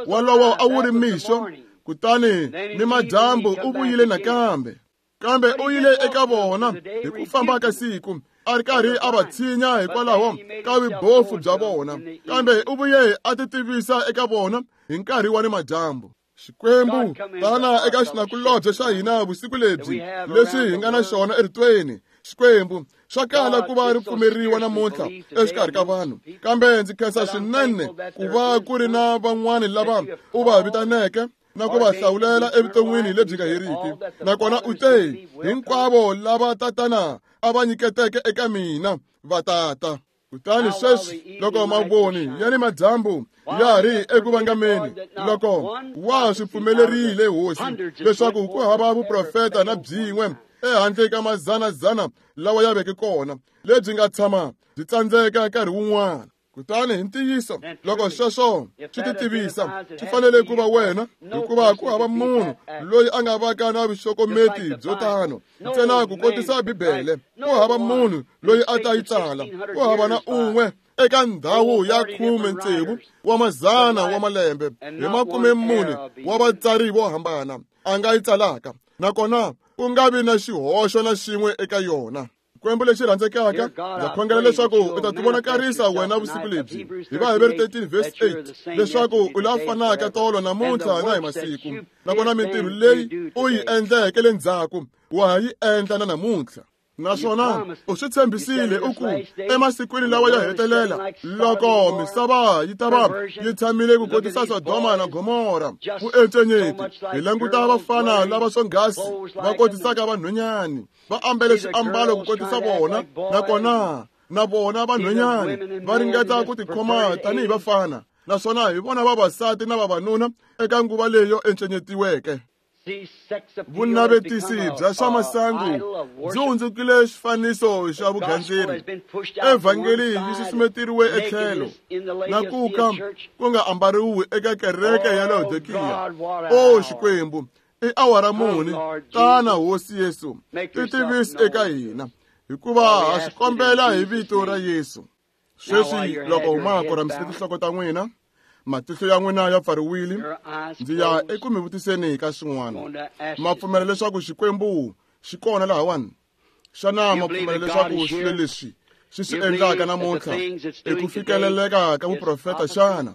Walowo a wu ri mixo, kutani ni madyambu u vuyile nakambe. Kambe u yile eka vona hi ku famba ka siku, a ri karhi a va tshinya hikwalaho ka vubofu bya vona, kambe u vuye a ti tivisa eka vona hi nkarhi wa ni madyambu. Xikwembu, tana eka xinakulobye xa hina vusiku lebyi leswi hi nga na xona eritweni. Xikwembu, swa kala ku va ri pfumeriwa namuntlha exikarhi ka vanhu, kambe ndzi khensa swinene ku va ku ri na van'wani lava u va vitaneke na ku va hlawulela evuton'wini lebyi nga heriki. Nakona u te, hinkwavo lava tatana a va nyiketeke eka mina va tata. Kutani sweswi loko mavoni ya ni madyambu ya ri eku vangameni, loko wa swi pfumelerile Hosi leswaku ku hava vuprofeta na byin'we ehandle ka mazanazana lawa ya veke kona lebyi nga tshama byi tsandzeka nkarhi wun'wana. Kutani hi ntiyiso loko sweswo swi ti tivisa, swi fanele ku va wena, hikuva ku hava munhu loyi a nga vaka na vuxokometi byo tano ntsena ku kotisa Bibele. Ku hava munhu loyi a ta yi tsala, ku hava na un'we eka ndhawu ya khume tsevu wa mazana wa malembe hi makume mune wa vatsari vo hambana a nga yi tsalaka, nakona ku nga vi na xihoxo na xin'we eka yona. Xikwembu lexi rhandzekaka, ndza khongela leswaku u ta tivonakarisa wena vusiku lebyi hi Vaheberi thirteen verse eight, leswaku u la fanaka tolo namuntlha na hi masiku, nakona mintirho leyi u yi endleke le ndzhaku wa ha yi endla na namuntlha. Naswona u swi tshembisile u ku emasikwini lawa yo hetelela, loko misava yi ta va yi tshamile ku kotisa Sodoma na Gomora, vuencenyeti, hi languta vafana lava swonghasi va kotisaka vanhwanyani, va ambele swiambalo ku kotisa vona, nakona na vona vanhwanyani va ringeta ku tikhoma tanihi vafana, naswona hi vona vavasati na vavanuna eka nguva leyo encenyetiweke. Vunavetisi bya swa masangu byi hundzukile xifaniso xa vugandzeri. Evhangeli yi susumeteriwe etlhelo na ku ka ku nga ambariwi eka kereke ya Laodikiya. O Xikwembu, i awara muni? Tana Hosi Yesu, ti tivisi eka hina, hikuva ha swi kombela hi vito ra Yesu. Sweswi loko ma koramisile tinhloko ta n'wina, matihlo ya n'wina ya pfariwile, ndzi ya eku mi vutiseni ka swin'wana. Ma pfumela leswaku Xikwembu xi kona lahawani? Xana ma pfumela leswaku swilo leswi swi swi endlaka namuntlha i ku fikeleleka ka vuprofeta xana?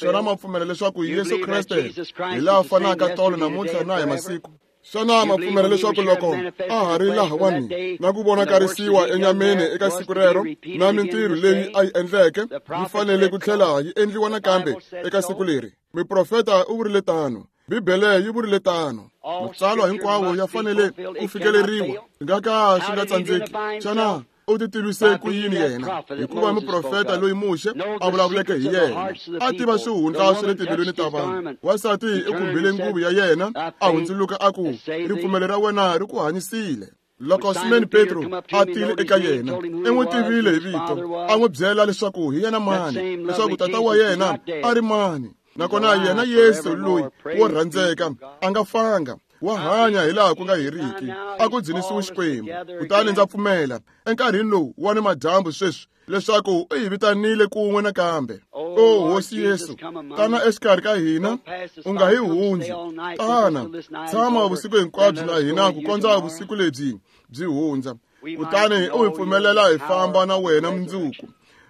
Xana ma pfumela leswaku Yesu Kreste hi laha fanaka tolo namuntlha na hi masiku? Xana ma pfumela leswaku loko a ha ri lahawani na ku vonakarisiwa enyameni eka siku rero na mintirho leyi a yi endleke yi fanele ku tlhela yi endliwa nakambe eka siku leri? Miprofeta u vurile tano, Bibele yi vurile tano. Matsalwa hinkwawo ya fanele ku fikeleriwa, swi nga ka swi nga tsandzeki. Xana u ti tivise ku yini yena? Hikuva muprofeta loyi Muxe a vulavuleke hi yena a tiva swihundla swa le timbilwini ta vanhu. Wansati u khumbile nguvu ya yena, a hundzuluka a ku, ripfumelo ra wena ri ku hanyisile. Loko Simoni Petro a tile eka yena, i n'wi tivile hi vito, a n'wi byela leswaku hi yena mani, leswaku tata wa yena a ri mani. Nakona yena Yesu loyi wo rhandzeka a nga fanga, wa hanya hi laha ku nga heriki, a ku dzunisiwe Xikwembu. Kutani ndza pfumela enkarhini lowu wa ni madyambu sweswi leswaku u hi vitanile kun'we nakambe. O Hosi Yesu, tana exikarhi ka hina, u nga hi hundzi. Tana, tshama vusiku hinkwabyo na hina ku kondza vusiku lebyi byi hundza. Kutani u hi pfumelela hi famba na wena mundzuku.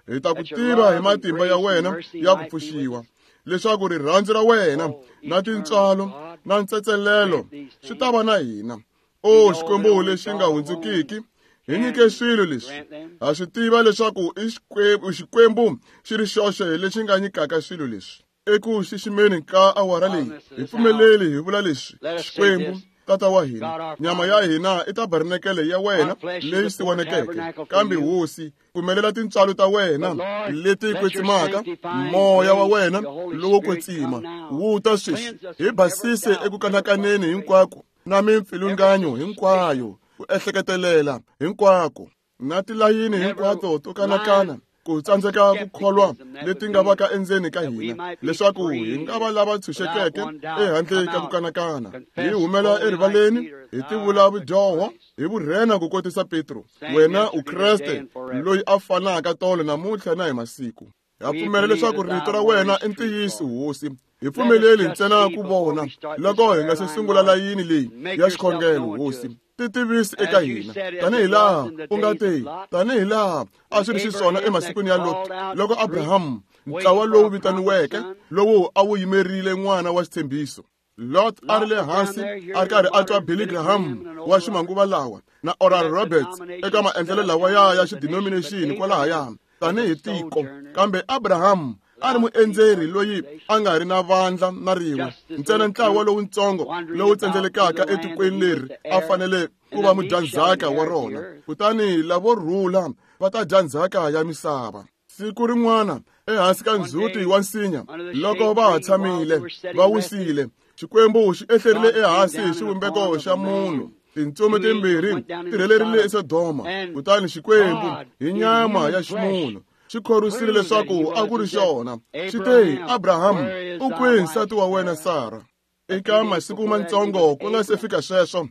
Hi ta ku tiva hi matimba ya wena ya ku pfuxiwa, leswaku rirhandzu ra wena na tintswalo na ntsetselelo swi ta va na hina. O Xikwembu lexi nga hundzukiki, hi nyike swilo leswi. Ha swi tiva leswaku i Xikwembu, Xikwembu xi ri xoxe lexi nga nyikaka swilo leswi. Eku xiximeni ka awara leyi, hi pfumeleli hi vula leswi: Xikwembu, Tata wa hina, nyama ya hina i tabernakele ya wena leyi siwanekeke, kambe Hosi, pfumelela tintswalo ta wena leti kwetsimaka, moya wa wena lowo kwetsima wu ta sweswi hi basise eku kanakaneni hinkwako na mimpfilunganyo hinkwayo, ku ehleketelela hinkwako na tilayini hinkwato to kanakana, ku tsandzeka ku kholwa leti nga vaka endzeni ka hina, leswaku hi nga va lava tshunxekeke ehandle ka ku kanakana, hi humela erivaleni hi tivula vudyoho hi vurhena ku kotisa Petro, wena u Kreste loyi a fanaka tolo namuntlha na hi masiku. Ha pfumela leswaku rito ra wena i ntiyiso, Hosi. Hi pfumeleli ntsena ku vona loko hi nga se sungula layini leyi ya xikhongelo, Hosi. Ti tivisi eka hina tanihi laha u nga te, tanihi laha a swi ri xiswona emasikwini ya Lot, loko Abrahamu, ntlawa lowu vitaniweke lowu a wu yimerile n'wana wa xitshembiso, Lot a ri le hansi a ri karhi a twa Billy Graham wa ximanguva lawa na Oral Roberts eka maendlelo lawa ya ya xidenomination kwalahaya tanihi tiko. Kambe Abrahamu a ri muendzeri loyi a nga ri na vandla na rin'we, ntsena ntlawa lowutsongo lowu tsendzelekaka etikweni leri a fanele ku va mudyandzhaka wa rona. Kutani lavo rhula va ta dya ndzhaka ya misava. Siku rin'wana ehansi ka ndzhuti wa nsinya, loko va ha tshamile va wisile, Xikwembu xi ehlerile ehansi hi xivumbeko xa munhu. Tintsumi timbirhi ti rhelerile eSodoma, kutani Xikwembu hi nyama ya ximunhu xi khorwisile leswaku a ku ri xona. Xi te, Abrahamu, u kwihi nsati wa wena Sara? Eka masiku matsongo ku nga se fika sweswo,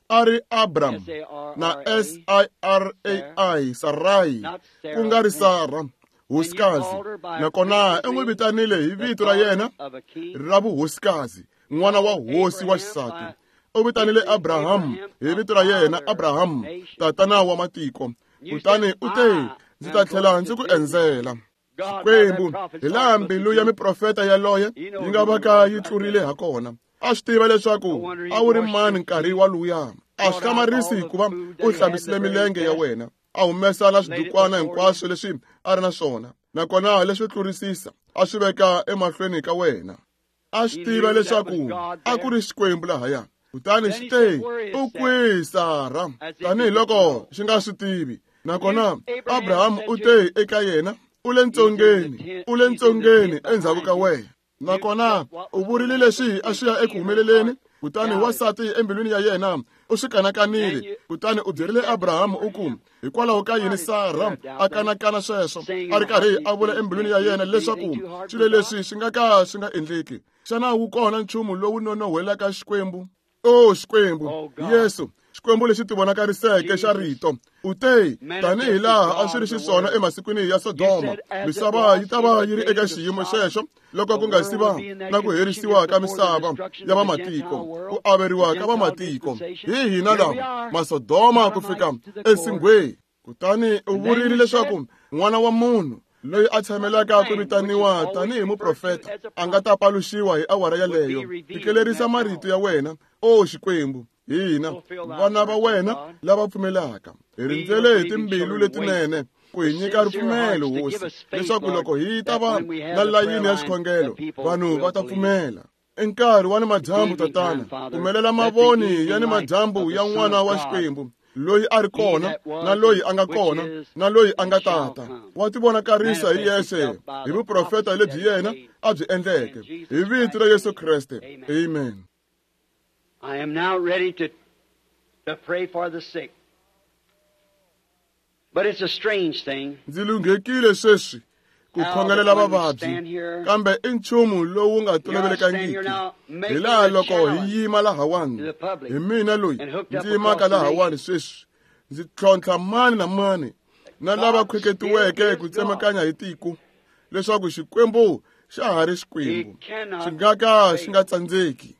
a ri Abram na S I R A I, Sarai, ku nga ri Sara, hosikazi. Nakona u n'wi vitanile hi vito ra yena ra vuhosikazi, n'wana wa hosi wa xisati. U vitanile Abrahamu hi vito ra yena, Abrahamu, tatana wa matiko. Kutani u te, ndzi ta tlhela ndzi ku endzela. Xikwembu, hi laha mbilu ya miprofeta yaloye yi nga vaka yi tlurile ha kona. A swi tiva leswaku a wu ri mani nkarhi waluya. A swi hlamarisi hikuva u hlambisile milenge ya wena, a humesa na swidukwana hinkwaswo leswi a ri na swona, nakona leswi tlurisisa a swi veka emahlweni ka wena. A swi tiva leswaku a ku ri Xikwembu lahaya. Kutani xi te, u kwihi Sara? Tanihiloko xi nga swi tivi. Nakona Abrahamu u te eka yena, u le ntsongeni, u le ntsongeni endzhaku ka wena. Nakona u vurile leswi a swi ya eku humeleleni. Kutani wansati embilwini ya yena u swi kanakanile. Kutani u byerile Abrahamu u ku, hikwalaho ka yini Sara a kanakana sweswo, a ri karhi a vula embilwini ya yena leswaku swilo leswi swi nga ka swi nga endleki? Xana wu kona nchumu lowu nonohwelaka Xikwembu? O Xikwembu, Yesu, Xikwembu lexi tivonakariseke xa rito, u te, tanihi laha a swi ri xiswona emasikwini ya Sodoma, misava yi ta va yi ri eka xiyimo xexo loko ku nga si va na ku herisiwa ka misava ya vamatiko, ku averiwa ka vamatiko. Hi hina lava Masodoma ku fika ensinghweni. Kutani u vurile leswaku n'wana wa munhu loyi a tshamelaka ku vitaniwa tanihi muprofeta a nga ta paluxiwa hi awara yaleyo. Fikelerisa marito ya wena, o Xikwembu, hina vana va wena lava pfumelaka hi rindzele hi timbilu letinene ku hi nyika ripfumelo, Hosi, leswaku loko hi ta va na layini ya xikhongelo vanhu va ta pfumela. I nkarhi wa ni madyambu, Tatana, pfumelela mavoni ya ni madyambu ya n'wana wa Xikwembu loyi a ri kona na loyi a nga kona na loyi a nga tata wa tivonakarisa hi yexe hi vuprofeta lebyi yena a byi endleke hi vito ra Yesu Kreste. Amen. I am now ready to, to pray for the sick. But it's a strange thing. Ndzi lunghekile sweswi ku khongelela vavabyi, kambe i nchumu lowu nga tolovelekangiki. Hi laha loko hi yima lahawani, hi mina loyi ndzi yimaka lahawani sweswi, ndzi tlhontlha mani na mani na lava khweketiweke ku tsemakanya hi tiko, leswaku Xikwembu xa ha ri Xikwembu, xi nga ka xi nga tsandzeki.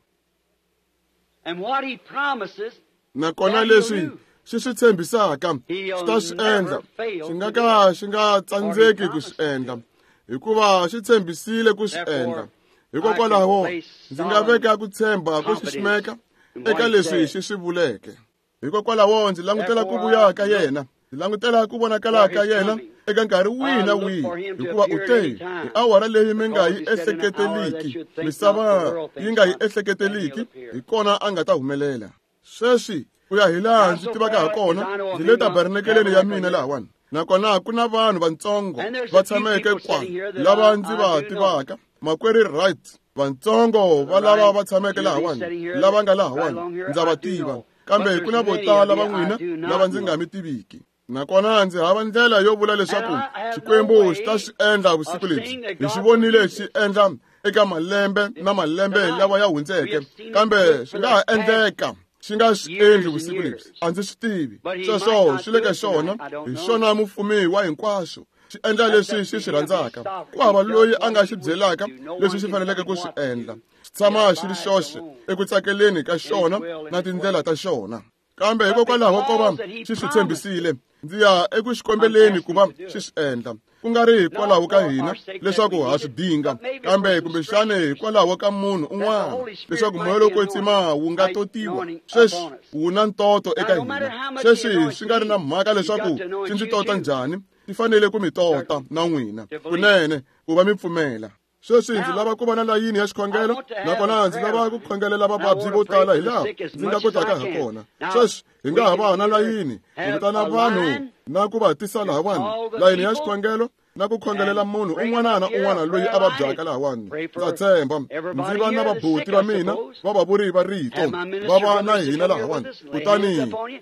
Nakona leswi xi swi tshembisaka xi ta swi endla, xi nga ka xi nga tsandzeki ku swi endla, hikuva xi tshembisile ku swi endla. Hikokwalaho ndzi nga veka ku tshemba ku xiximeka eka leswi xi swi vuleke. Hikokwalaho ndzi langutela ku vuya ka yena, ndzi langutela ku vonakala ka yena eka nkarhi wihi na wihi, hikuva u te hi awara leyi mi nga yi ehleketeliki, misava yi nga yi ehleketeliki, hi kona a nga ta humelela. Sweswi ku ya hi laha ndzi tivaka ha kona, ndzi le tabernakeleni ya mina lahawani, nakona ku na vanhu vantsongo va tshameke kwala lava ndzi va tivaka, makwerhu Wright, vantsongo va lava va tshameke lahawani, lava nga lahawani ndza va tiva, kambe ku na vo tala va n'wina lava ndzi nga mi tiviki. Nakona ndzi hava ndlela yo vula leswaku Xikwembu xi ta swi endla vusiku lebyi. Hi xi vonile xi endla eka malembe na malembe lawa ya hundzeke, kambe swi nga ha endleka xi nga swi endli vusiku lebyi. A ndzi swi tivi. Sweswo swi le ka xona, hi xona mufumi wa hinkwaswo, xi endla leswi xi swi rhandzaka. Ku hava loyi a nga xi byelaka leswi xi faneleke ku swi endla. Xi tshama xi ri xoxe eku tsakeleni ka xona na tindlela ta xona. Kambe hikokwalaho ko va xi swi tshembisile, ndzi ya eku xikombeleni ku va xi swi endla, ku nga ri hikwalaho ka hina leswaku ha swi dinga, kambe kumbexana hikwalaho ka munhu un'wana, leswaku moya lowo kwetsima wu nga totiwa. Sweswi wu na ntoto eka hina. Sweswi swi nga ri na mhaka leswaku xi ndzi tota njhani, ti fanele ku mi tota na n'wina kunene ku va mi pfumela. Sweswi ndzi lava ku va na layini ya xikhongelo, nakona ndzi lava ku khongelela vavabyi vo tala hi laha ndzi nga kotaka ha kona. Sweswi hi nga ha va na layini ku vitana vanhu na ku va tisa lahawani, layini ya xikhongelo na ku khongelela munhu un'wana na un'wana loyi a vabyaka lahawani. Ndza tshemba ndzi va na vabuti va mina va vavuri va rito va va na hina lahawani, kutani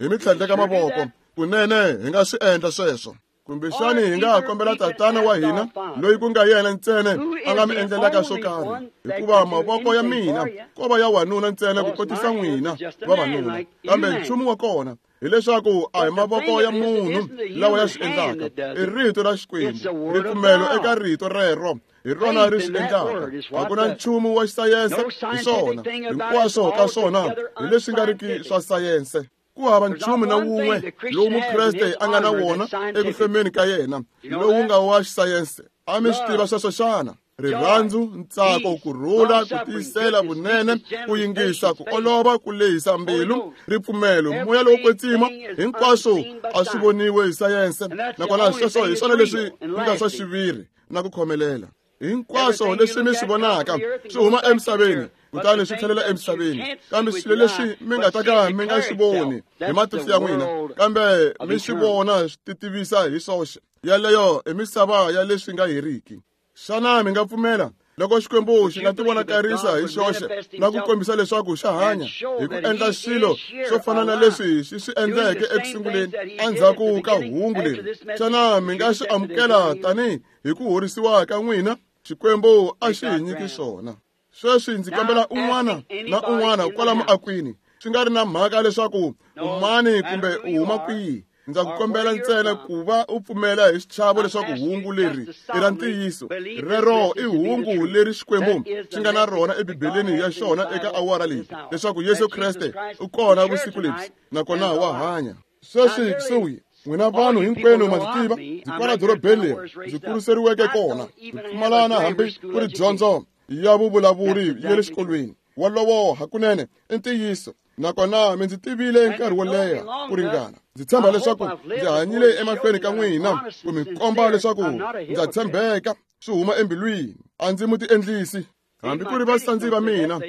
hi mi tlhandleka mavoko kunene hi nga swi endla sweswo. Kumbexani hi nga ha kombela Tatana wa hina loyi ku nga yena ntsena a nga mi endlelaka swo karhi, hikuva mavoko ya mina ko va ya wanuna ntsena ku kotisa n'wina vavanuna, kambe nchumu wa kona hileswaku a hi mavoko ya munhu lawa ya swi endlaka, i rito ra Xikwembu. Ripfumelo eka rito rero hi rona ri swi endlaka. A ku na nchumu wa xisayense hi swona, hinkwaswo ka swona hi leswi nga riki swa sayense. Ku hava nchumu na wun'we lowu Mukreste a nga na wona eku hlomeni ka yena lowu nga wa xisayense. A mi swi tiva sweswo xana? Rirhandzu, ntsako, ku rhula, ku tiyisela, vunene, ku yingisa, ku olova, ku lehisa mbilu, ripfumelo, moya lowo kwetsima, hinkwaswo a swi voniwe hi sayense. Nakona sweswo hi swona leswi nga swa xiviri na ku khomelela. Hinkwaswo leswi mi swi vonaka swi huma emisaveni kutani swi tlhelela emisaveni, kambe swilo leswi mi nga ta ka mi nga swi voni hi matihlo ya n'wina, kambe mi swi vona swi titivisa hi swoxe, yaleyo i misava ya leswi nga heriki. Xana mi nga pfumela loko Xikwembu xi nga tivonakarisa hi xoxe na ku kombisa leswaku xa hanya hi ku endla swilo swo fana na leswi xi swi endleke eku sunguleni endzhaku ka hungu leri? Xana mi nga swi amukela tanihi hi ku horisiwa ka n'wina? Xikwembu a xi hi nyiki swona. Sweswi ndzi kombela un'wana na un'wana kwala muakwini, swi nga ri na mhaka leswaku u mani kumbe u huma kwihi, ndza ku kombela ntsena ku va u pfumela hi xichavo leswaku hungu leri i ra ntiyiso. Rero i hungu leri Xikwembu xi nga na rona eBibeleni ya xona eka awara leyi, leswaku Yesu Kreste u kona vusiku lebyi nakona wa hanya. Sweswi kusuhi N'wina vanhu hinkwenu ma ndzi tiva, ndzi kwala dorobeni leri ndzi kuriseriweke kona, ndzi pfumalana hambi ku ri dyondzo ya vuvulavuri ya le xikolweni. Wolowo hakunene i ntiyiso, nakona mi ndzi tivile nkarhi wo leha ku ringana. Ndzi tshemba leswaku ndzi hanyile emahlweni ka n'wina ku mi komba leswaku ndza tshembeka swi huma embilwini, a ndzi mu tiendlisi. Hambi ku ri vasandzi va mina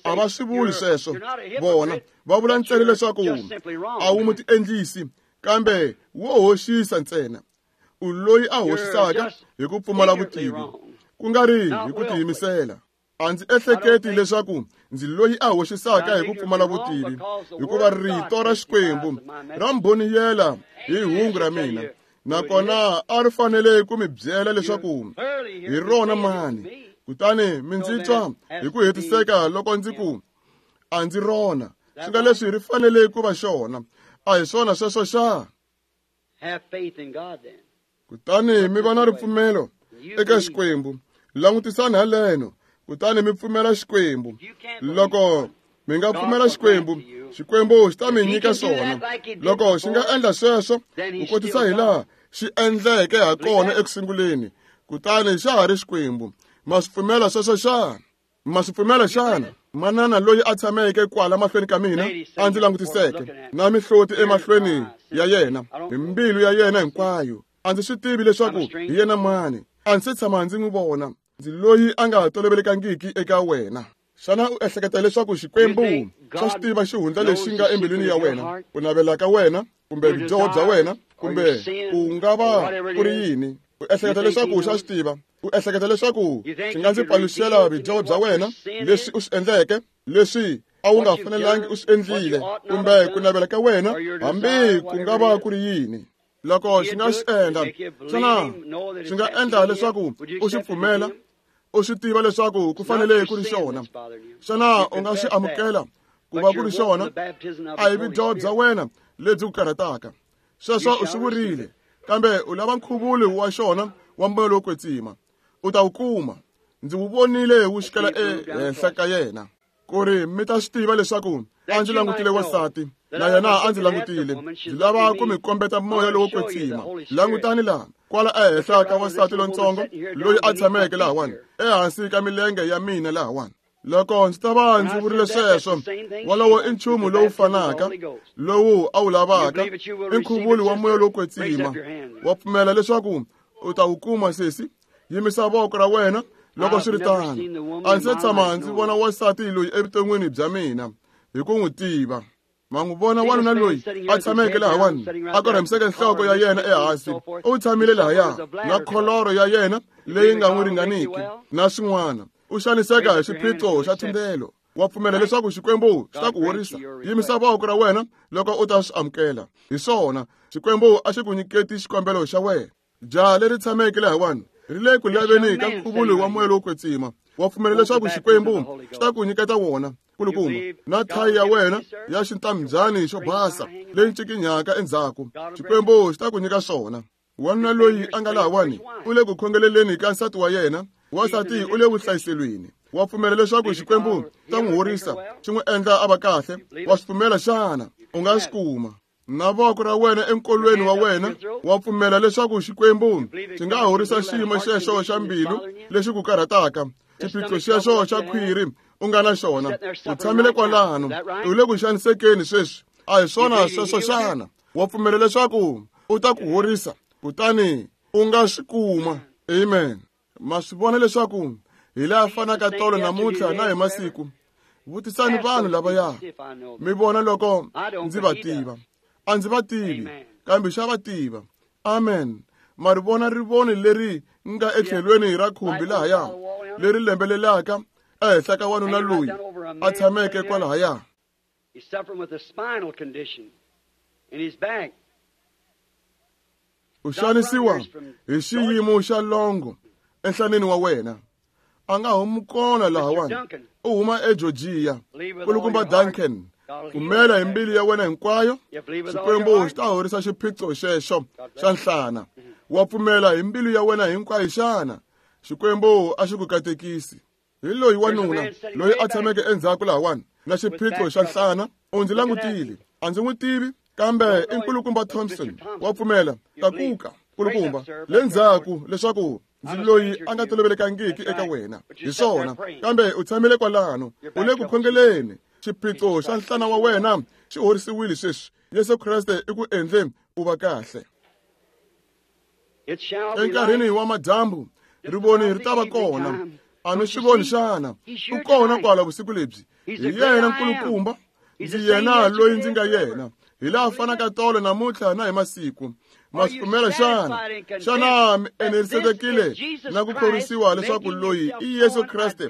a va swi vuli sweswo, vona va vula ntsena leswaku a wu mu tiendlisi, kambe wo hoxisa ntsena. U loyi a hoxisaka hi ku pfumala vutivi, ku nga ri hi ku tiyimisela. A ndzi ehleketi leswaku ndzi loyi a hoxisaka hi ku pfumala vutivi, hikuva rito ra Xikwembu ra mbhoniyela hi hungu ra mina, nakona a ri fanele ku mi byela leswaku hi rona mani. Kutani mi ndzi twa hi ku hetiseka loko ndzi ku a ndzi rona, swi nga leswi ri fanele ku va xona. A hi swona sweswo xa? Kutani mi va na ripfumelo eka Xikwembu. Langutisani haleno, kutani mi pfumela Xikwembu. Loko mi nga pfumela Xikwembu, Xikwembu xi ta mi nyika swona. Loko xi nga endla sweswo, ku kotisa hi laha xi endleke ha kona ekusunguleni, kutani xa ha ri Xikwembu. Ma swi pfumela sweswo xana? Ma swi pfumela xana? Manana loyi a tshameke kwala mahlweni ka mina a ndzi langutiseke na mihloti emahlweni ya yena hi mbilu ya yena hinkwayo. A ndzi swi tivi leswaku hi yena mani, a ndzi se tshama ndzi n'wi vona. Ndzi loyi a nga tolovelekangiki eka wena. Xana u ehleketa leswaku Xikwembu xa swi tiva xihundla lexi nga embilwini ya wena, ku navela ka wena, kumbe vudyoho bya wena, kumbe ku nga va ku ri yini? U ehleketa leswaku xa swi tiva? U ehleketa leswaku xi nga ndzi paluxela vudyoho bya wena, leswi u swi endleke, leswi a wu nga fanelangi u swi endlile, kumbe ku navela ka wena, hambi ku nga va ku ri yini? Loko xi nga swi endla, xana xi nga endla leswaku u xi pfumela, u swi tiva leswaku ku fanele ku ri xona? Xana u nga xi amukela ku va ku ri xona? A hi vudyoho bya wena lebyi ku karhataka, sweswo u swi vurile, kambe u lava nkhuvulo wa xona wa moya lowo kwetsima. U ta wu kuma. Ndzi wu vonile wu xikela ehenhla ka yena. Ku ri mi ta swi tiva leswaku a ndzi langutile wansati, na yena a ndzi langutile. Ndzi lava ku mi kombeta moya lowo kwetsima. Langutani laha, kwala ehenhla ka wansati lontsongo loyi a tshameke lahawani, ehansi ka milenge ya mina lahawani. Loko ndzi ta va ndzi vurile sweswo, wolowo i nchumu lowu fanaka lowu a wu lavaka, i nkhuvulo wa moya lowo kwetsima. Wa pfumela leswaku u ta wu kuma, sesi? Yimisa voko ra wena loko swi ri tano. A ndzi se tshama ndzi vona wansati loyi evuton'wini bya mina hi ku n'wi tiva. Ma n'wi vona wanuna loyi a tshameke lahawani, a korhamiseke nhloko ya yena ehansi, u tshamile lahaya na kholoro ya yena leyi nga n'wi ringaniki na swin'wana. U xaniseka hi xiphiqo xa thundelo. Wa pfumela leswaku Xikwembu xi ta ku horisa? Yimisa voko ra wena loko u ta swi amukela. Hi swona, Xikwembu a xi ku nyiketi xikombelo xa wena. Jaha leri tshameke lahawani ri le ku laveni ka nkhuvulo wa moya lowo kwetsima. Wa pfumela leswaku Xikwembu xi ta ku nyiketa wona? Kulukumba, na thayi ya wena ya xintambyani xo basa leyi ncikinyaka endzhaku, Xikwembu xi ta ku nyika swona. Wanuna loyi a nga lahawani u le ku khongeleleni ka nsati wa yena, wansati u le vuhlayiselweni. Wa pfumela leswaku Xikwembu xi ta n'wi horisa, xi n'wi endla a va kahle? Wa swi pfumela xana? U nga swi kuma. Na voko ra wena enkolweni wa wena, wa pfumela leswaku Xikwembu xi nga horisa xiyimo xexo xa mbilu lexi ku karhataka, xiphiqo xexo xa khwiri u nga na xona? U tshamile kwalano, u le ku xanisekeni sweswi. A hi swona sweswo xana? Wa pfumela leswaku u ta ku horisa, kutani u nga swi kuma? Amen. Ma swi vona leswaku hi laha fanaka tolo namuntlha na hi masiku. Vutisani vanhu lavaya, mi vona loko ndzi va tiva. A ndzi va tivi, kambe xa va tiva. Amen. Ma ri vona rivoni leri nga etlhelweni ra khumbi lahaya, leri lembelelaka ehenhla ka wanuna loyi a tshameke kwalahaya. U xanisiwa hi xiyimo xa longo enhlaneni wa wena. A nga humi kona lahawani, u huma eGeorgia. Kulukumba Duncan, pfumela hi mbilu ya wena hinkwayo, Xikwembu xi ta horisa xiphiqo xexo xa nhlana. Wa pfumela hi mbilu ya wena hinkwayo xana? Xikwembu a xi ku katekisi. Hi loyi wanuna loyi a tshameke endzhaku lahawani na xiphiqo xa nhlana, u ndzi langutile. A ndzi n'wi tivi, Kambe i nkulukumba Thompson wa pfumela tlakuka nkulukumba le ndzhaku leswaku ndzi loyi a nga tolovelekangiki eka wena hi swona kambe u tshamile kwalano u le ku khongeleni xiphiqo xa nhlana wa wena xi horisiwile sweswi Yesu Kreste i ku endle u va kahle enkarhini wa madyambu rivoni ri ta va kona a mi swi voni xana u kona kwala vusiku lebyi hi yena nkulukumba ndzi yena loyi ndzi nga yena hi laha fanaka tolo namuntlha na hi masiku ma swi pfumela xana xana mi enerisekile na ku khorwisiwa leswaku loyi i Yesu Kreste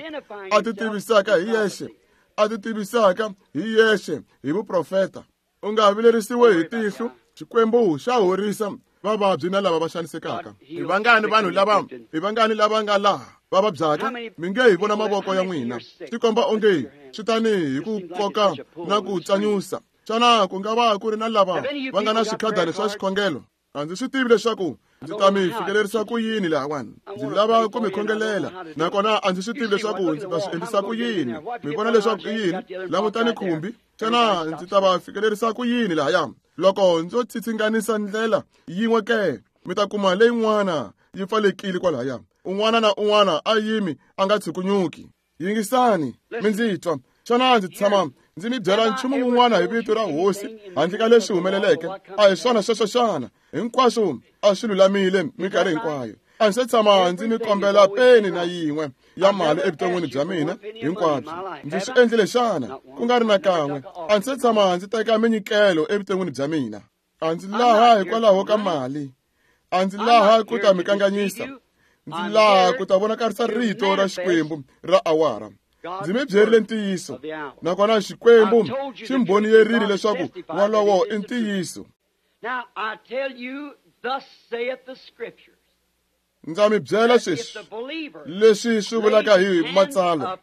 a ti tivisaka hi yexe a ti tivisaka hi yexe hi vuprofeta u nga vilerisiwe hi tihlo Xikwembu xa horisa vavabyi na lava va xanisekaka hi vangani vanhu lava hi vangani lava nga laha va vabyaka mi nge hi vona mavoko ya n'wina swi komba onge swi tani hi ku koka na ku tsanyusa xana ku nga va ku ri na lava va nga na swikhadani swa xikhongelo a ndzi swi tivi leswaku ndzi ta mi fikelerisa ku yini lahawani ndzi lava ku mi khongelela nakona a ndzi swi tivi leswaku ndzi ta swi endlisa ku yini mi vona leswaku i yini langutani khumbi xana ndzi ta va fikelerisa ku yini lahaya loko ndzo tsitsinganisa ndlela yin'we ke mi ta kuma leyin'wana yi pfalekile kwalahaya un'wana na un'wana a yimi a nga tshukunyuki yingisani mi ndzi twa xana ndzi tshama ndzi mi byela nchumu wun'wana hi vito ra hosi handle ka leswi humeleleke a hi swona sweswo xana hinkwaswo a swi lulamile minkarhi hinkwayo a ndzi se tshama ndzi mi kombela peni na yin'we ya mali evuton'wini bya mina hinkwabyo ndzi swi endlile xana ku nga ri na kan'we a ndzi se tshama ndzi teka minyikelo evuton'wini bya mina a ndzi laha hikwalaho ka mali a ndzi laha ku ta mi kanganyisa ndzi laha ku ta vonakarisa rito ra Xikwembu ra awara ndzi mi byerile ntiyiso nakona Xikwembu xi mbhoniyerile leswaku wolowo i ntiyiso ndza mi byela sweswi leswi swi vulaka hi matsalwa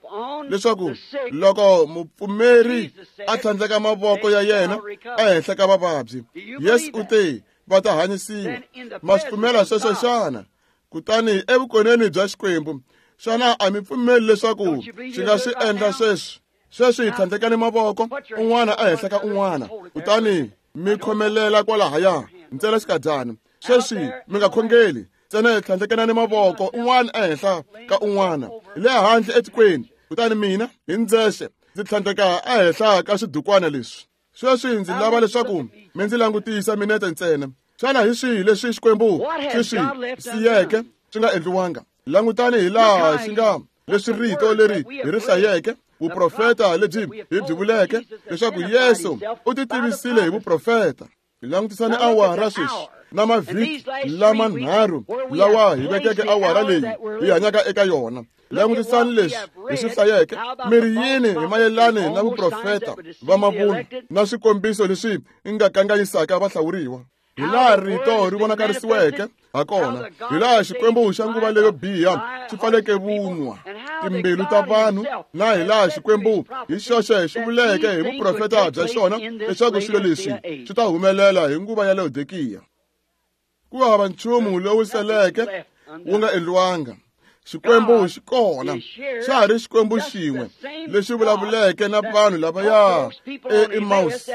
leswaku loko mupfumeri a tlhandleka mavoko ya yena ehenhla ka vavabyi Yesu u te va ta hanyisiwa ma swi pfumela sweswo xana kutani evukoneni bya Xikwembu xana a mi pfumeli leswaku xi nga swi endla sweswi sweswi hi tlhandlekani mavoko un'wana ehenhla ka un'wana kutani mi khomelela kwalahaya ntsena xikadyana sweswi mi nga khongeli ntsena hi tlhandlekanani mavoko un'wana ehenhla ka un'wana le handle etikweni kutani mina hi ndzexe ndzi tlhandleka ehenhla ka swidukwana leswi sweswi ndzi lava leswaku mi ndzi langutisa minete ntsena xana hi swihi leswi Xikwembu xi swi siyeke swi nga endliwanga langutani hi laha xi nga leswi rito leri hi ri hlayeke vuprofeta lebyi hi byi vuleke leswaku Yesu u ti tivisile hi vuprofeta hi langutisani awara sweswi na mavhiki lamanharhu lawa hi vekeke awara leyi hi hanyaka eka yona langutisani leswi hi swi hlayeke mi ri yini hi mayelani na vuprofeta va mavunwa na swikombiso leswi nga kanganyisaka vahlawuriwa hi laha rito ri vonakarisiweke hakona hi laha Xikwembu xa nguva leyo biha xi pfaleke vunwa timbilu ta vanhu na hi laha Xikwembu hi xoxe xi vuleke hi vuprofeta bya xona leswaku swilo leswi swi ta humelela hi nguva ya Laodikiya ku hava nchumu lowu seleke wu nga endliwanga Xikwembu xi kona xa ha ri Xikwembu xin'we lexi vulavuleke na vanhu lavaya eEmaus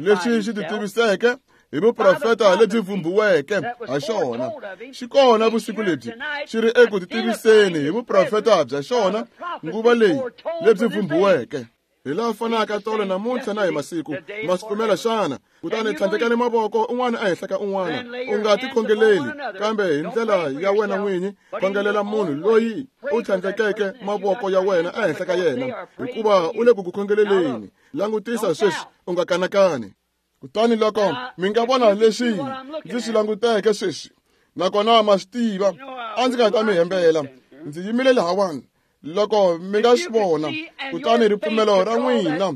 lexi xi ti tiviseke hi vuprofeta lebyi vhumbiweke ha xona xi kona vusiku lebyi xi ri eku ti tiviseni hi vuprofeta bya xona nguva leyi lebyi vhumbiweke hi laha fanaka tolo namuntlha na hi masiku ma swi pfumela xana kutani tlhandlekani mavoko un'wana ehenhla ka un'wana u nga ti khongeleli kambe hi ndlela ya wena n'winyi khongelela munhu loyi u tlhandlekeke mavoko ya wena ehenhla ka yena hikuva u le ku ku khongeleleni langutisa sweswi u nga kanakani kutani loko mi nga vona leswi ndzi swi languteke sweswi nakona ma swi tiva a ndzi nga ta mi hembela ndzi yimile lahawani loko mi nga swi vona kutani ripfumelo ra n'wina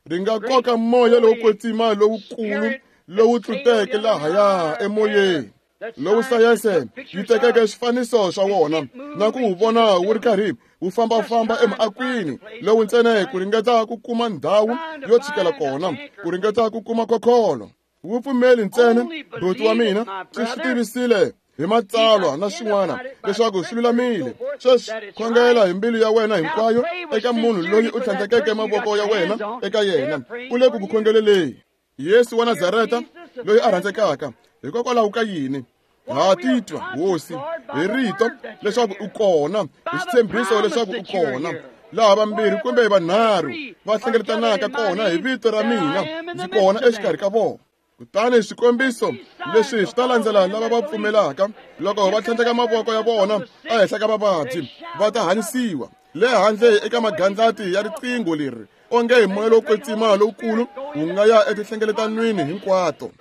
ri nga koka moya lowo kwetsima lowukulu lowu tluteke lahaya emoyeni lowu sayense yi tekeke swifaniso swa wona na ku wu vona wu ri karhi wu fambafamba emiakwini lowu ntsena ku ringeta ku kuma ndhawu yo tshikela kona ku ringeta ku kuma khokholo wu pfumeli ntsena buti wa mina swi swi tivisile hi matsalwa na swin'wana leswaku swi lulamile sweswi khongela hi mbilu ya wena hinkwayo eka munhu loyi u tlhandlekeke mavoko ya wena eka yena u le ku ku khongeleleni Yesu wa Nazareta loyi a rhandzekaka, hikokwalaho ka yini ha titwa hosi hi rito leswaku u kona, hi xitshembiso leswaku u kona, laha vambirhi kumbe vanharhu va hlengeletanaka kona hi vito ra mina, ndzi kona exikarhi ka vona. Kutani swikombiso leswi swi ta landzela lava va pfumelaka, loko va tlhandleka mavoko ya vona ehenhla ka vavabyi va ta hanyisiwa. Le handle eka magandlati ya riqingho leri, onge hi moya lowo kwetsima lowukulu wu nga ya etihlengeletwanini hinkwato.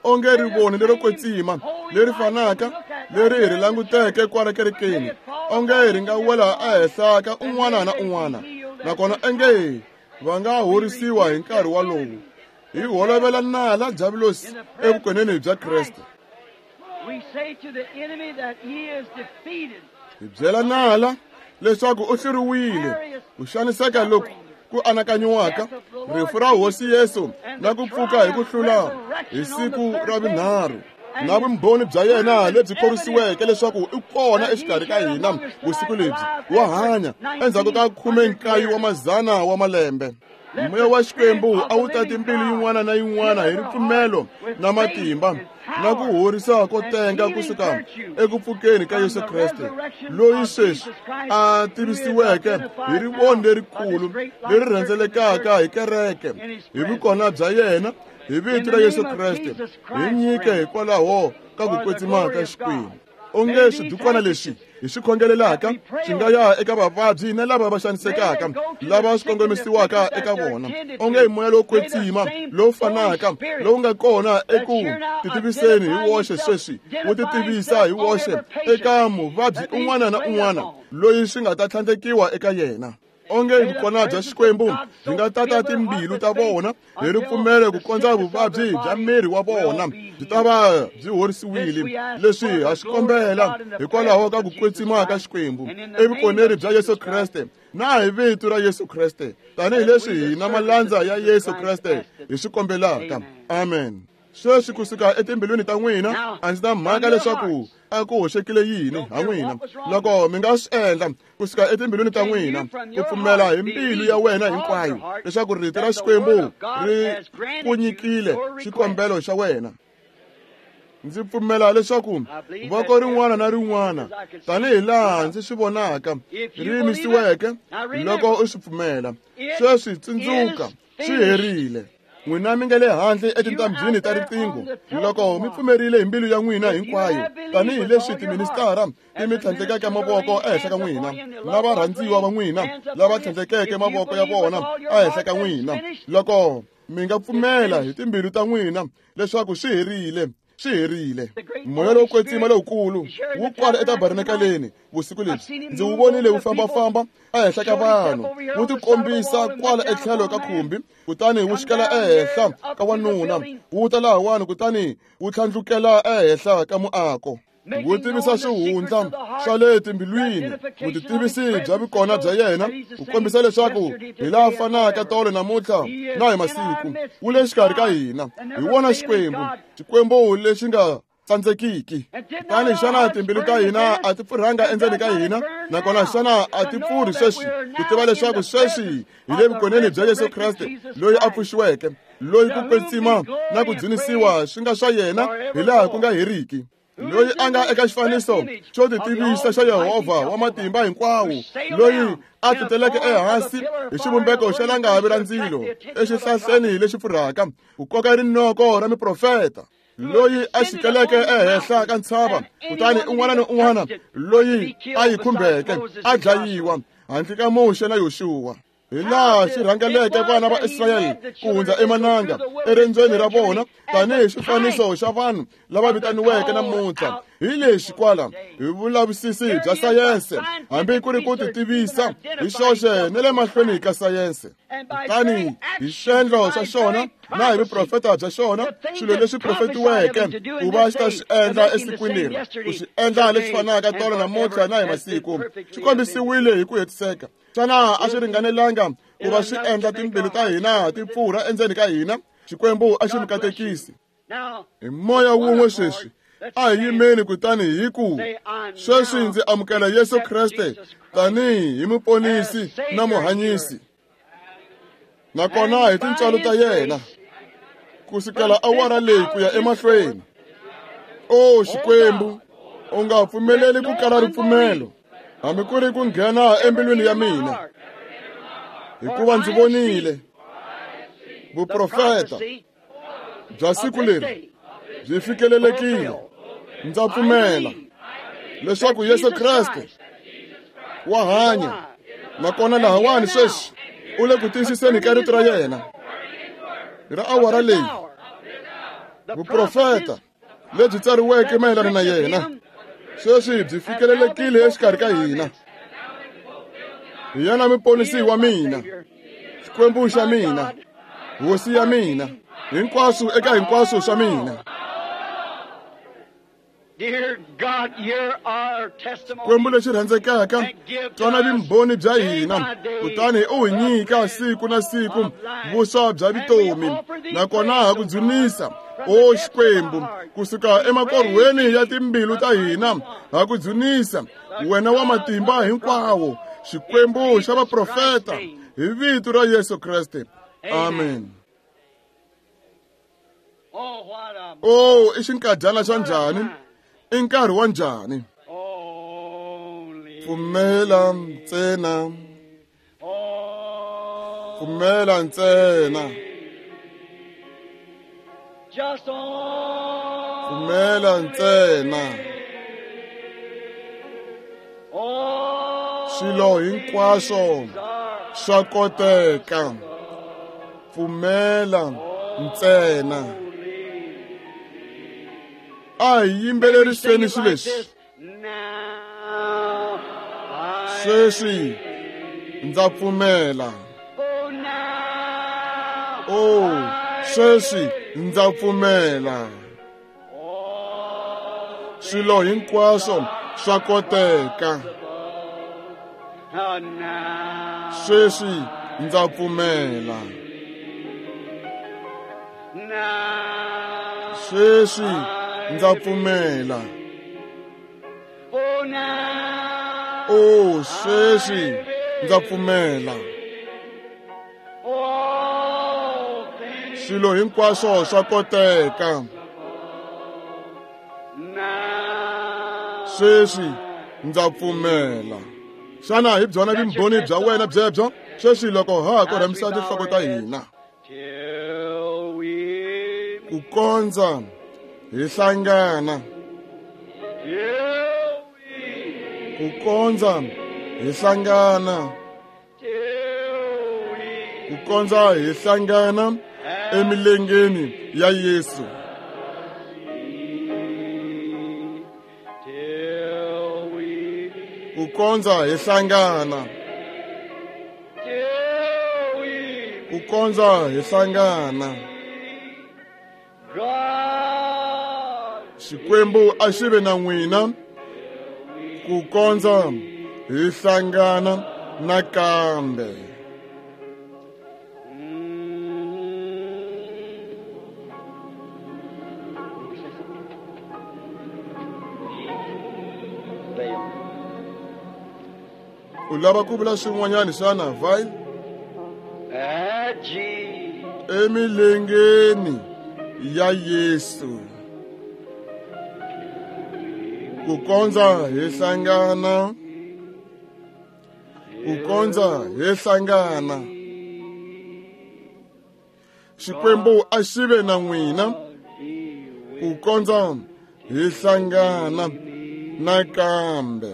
Onge rivoni lero kwetsima leri fanaka leri hi ri languteke kwala kerekeni, onge ri nga wela ehenhla ka un'wana na un'wana, nakona onge va nga horisiwa hi nkarhi walowo. Hi holovela nala Diabulosi evukoneni bya Kreste. Hi byela nala leswaku u hluriwile ku xaniseka loku ku anakanyiwaka, rifu ra Hosi Yesu na ku pfuka hi ku hlula hi siku ra vunharhu, na vumbhoni bya yena lebyi khorwisiweke leswaku u kona exikarhi ka hina vusiku lebyi, wa hanya endzhaku ka khume nkaye wa mazana wa malembe. Moya wa Xikwembu a wu tati mbilu yin'wana na yin'wana hi ripfumelo na matimba na ku horisa ko tenga kusuka eku pfukeni ka Yesu Kreste, loyi sweswi a tivisiweke hi rivoni lerikulu leri rhendzelekaka hi kereke, hi vukona bya yena, hi vito ra Yesu Kreste, hi nyike hikwalaho ka ku kwetsima ka Xikwembu. Onge swidukwana leswi hi swi khongelelaka swi nga ya eka vavabyi na lava va xanisekaka, lava swi kongomisiwaka eka vona. Onge hi moya lowo kwetsima lowu fanaka lowu nga kona eku titiviseni hi woxe sweswi, wu titivisa hi woxe eka muvabyi un'wana na un'wana loyi swi nga ta tlhandlekiwa eka yena. Onge vukona bya Xikwembu byi nga tata timbilu ta vona hi ripfumelo ku kondza vuvabyi bya miri wa vona byi ta va byi horisiwile. Leswi ha swi kombela hikwalaho ka ku kwetsima ka Xikwembu evukoneni bya Yesu Kreste na hi vito ra Yesu Kreste, tanihileswi hina malandza ya Yesu Kreste hi swi kombelaka. Amen. Sweswi kusuka etimbilwini ta n'wina, a ndzi na mhaka leswaku a ku hoxekile yini ha n'wina, loko mi nga swi endla kusuka etimbilwini ta n'wina, ku pfumela hi mbilu ya wena hinkwayo leswaku rito ra Xikwembu ri ku nyikile xikombelo xa wena. Ndzi pfumela leswaku voko rin'wana na rin'wana, tanihi laha ndzi swi vonaka, ri yimisiweke loko u swi pfumela. Sweswi tsundzuka, swi herile. N'wina mi nga le handle etintambhini ta riqingho, loko mi pfumerile hi mbilu ya n'wina hinkwayo, tanihileswi tiministara ti mi tlhandlekeke mavoko ehenhla ka n'wina, na varhandziwa va n'wina lava tlhandlekeke mavoko ya vona ehenhla ka n'wina, loko mi nga pfumela hi timbilu ta n'wina leswaku swi herile, swi herile. Moya lowo kwetsima lowukulu wu kwala etabernakeleni vusiku lebyi, ndzi wu vonile wu fambafamba ehenhla ka vanhu, wu tikombisa kwala etlhelo ka khumbi, kutani wu xikela ehenhla ka wanuna, wu ta lahawani kutani wu tlhandlukela ehenhla ka muako, wu tivisa swihundla swa le timbilwini, vutitivisi bya vukona bya yena, ku kombisa leswaku hi laha fanaka tolo namuntlha na hi masiku, wu le xikarhi ka hina. Hi wona Xikwembu, Xikwembu lexi nga tsandzekiki. Kutani xana timbilu ta hina a ti pfurhanga endzeni ka hina? Nakona xana a ti pfurhi sweswi ku tiva leswaku sweswi hi le vukoneni bya Yesu Kreste loyi a pfuxiweke, loyi ku kwetsima na ku dzunisiwa swi nga swa yena hi laha ku nga heriki, loyi a nga eka xifaniso xo titivisa xa Yehovha wa matimba hinkwawo, loyi a tluteleke ehansi hi xivumbeko xa langavi ra ndzilo exihlahleni lexi pfurhaka, ku koka rinoko ra miprofeta, loyi a xikeleke ehenhla ka ntshava, kutani un'wana ni un'wana loyi a yi khumbeke a dlayiwa handle ka Muxe na Yoxuwa. Hi laha xi rhangeleke vana va Israyele ku hundza emananga erendzweni ra vona tanihi xifaniso xa vanhu lava vitaniweke namuntlha. Hi lexi kwala hi vulavisisi bya sayense, hambi ku ri ku titivisa hi xoxe ni le mahlweni ka sayense. Kutani hi swendlo swa xona na hi vuprofeta bya xona, swilo leswi profetiweke ku va xi ta swi endla esikwini leri, ku swi endla leswi fanaka tolo namuntlha na hi masiku, swi kombisiwile hi ku hetiseka. Xana a swi ringanelanga ku va swi endla timbilu ta hina ti pfurha endzeni ka hina? Xikwembu a xi mi katekisi. Hi moya wun'we sweswi a hi yimeni kutani hi ku, sweswi ndzi amukela Yesu Kreste tanihi hi muponisi na muhanyisi, nakona hi tintswalo ta yena. Ku sukela awara leyi ku ya emahlweni. O Xikwembu, u nga pfumeleli ku kala ripfumelo, hambi ku ri ku nghena embilwini ya mina. Hikuva ndzi vonile vuprofeta bya siku leri byi fikelelekile. Ndza pfumela leswaku Yesu Kreste wa hanya, nakona lahawani sweswi u le ku tiyisiseni ka rito ra yena ra awara leyi. Vuprofeta lebyi tsariweke mayelana na yena sweswi byi fikelelekile exikarhi ka hina. Hi yena muponisi wa mina, Xikwembu xa mina, Hosi ya mina, hinkwaswo eka hinkwaswo swa mina. Xikwembu lexi rhandzekaka, twana vumbhoni bya hina, kutani u hi nyika siku na siku vuswa bya vutomi, nakona ha ku dzunisa, o Xikwembu, kusuka emakorhweni ya timbilu ta hina, ha ku dzunisa, wena wa matimba hinkwawo, Xikwembu xa vaprofeta, hi vito ra Yesu Kreste. Amen. Oh, i xinkadyana xa njhani? I nkarhi wa njhani? Pfumela ntsena. Pfumela ntsena. Pfumela ntsena. Swilo hinkwaswo swa koteka. Pfumela ntsena. A hi yimbeleriseni swilo leswi. Sweswi ndza pfumela. Oh, sweswi ndza pfumela. Swilo hinkwaswo swa koteka. Sweswi ndza pfumela. Sweswi ndza pfumela. Oh, sweswi ndza pfumela. Swilo hinkwaswo swa koteka. Sweswi ndza pfumela. Xana hi byona vumbhoni bya wena byebyo? Sweswi loko ha korhamisa tinhloko ta hina, ku kondza hi hlangana, ku kondza hi hlangana, ku kondza hi hlangana emilengeni ya Yesu. Ku kondza hi hlangana, ku kondza hi hlangana. Xikwembu a xi ve na n'wina ku kondza hi hlangana nakambe. U lava ku vula swin'wanyana xana, Vile? Emilengeni ya Yesu. Ku kondza hi hlangana, ku kondza hi hlangana. Xikwembu a xi ve na n'wina ku kondza hi hlangana nakambe.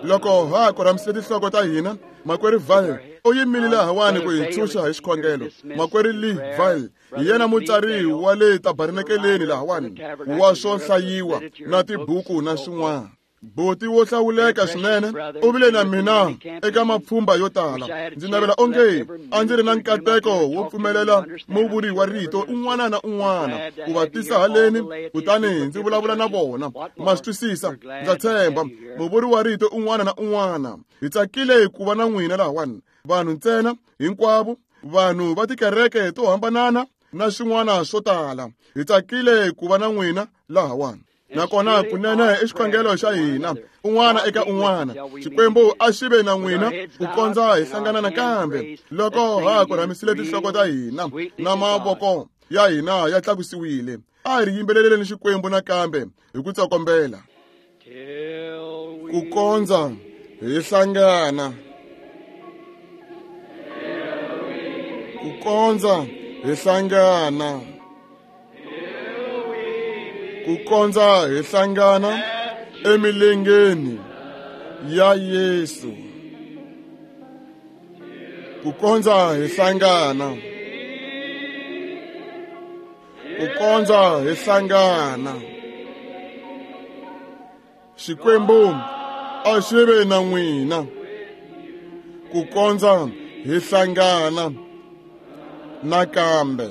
Loko ha korhamisile tinhloko ta hina, makwerhu Vile u yimile lahawani ku hi ntshunxa hi xikhongelo. Makwerhu Lee Vile hi yena mutsari wa le tabernakeleni lahawani wa swo hlayiwa na tibuku na swin'wana. Buti wo hlawuleka swinene u vile na mina eka mapfhumba yo tala. Ndzi navela onge a ndzi ri na nkateko wo pfumelela muvuri wa rito un'wana na un'wana ku va tisa haleni, kutani ndzi vulavula na vona. Ma swi twisisa, ndza tshemba muvuri wa rito un'wana na un'wana. Hi tsakile ku va na n'wina lahawani, vanhu ntsena hinkwavo, vanhu va tikereke to hambanana na swin'wana swo tala. Hi tsakile ku va na n'wina lahawani. Nakona kunene i xikhongelo xa hina un'wana eka un'wana. Xikwembu a xi ve na n'wina ku kondza hi hlangana nakambe. Loko ha korhamisile tinhloko ta hina na mavoko ya hina ya tlakusiwile. A hi ri yimbeleleni Xikwembu nakambe hi ku tsokombela. Ku kondza hi hlangana. Ku kondza hi hlangana. Ku kondza hi hlangana emilengeni ya Yesu. Ku kondza hi hlangana. Ku kondza hi hlangana. Xikwembu a xi ve na n'wina. Ku kondza hi hlangana nakambe.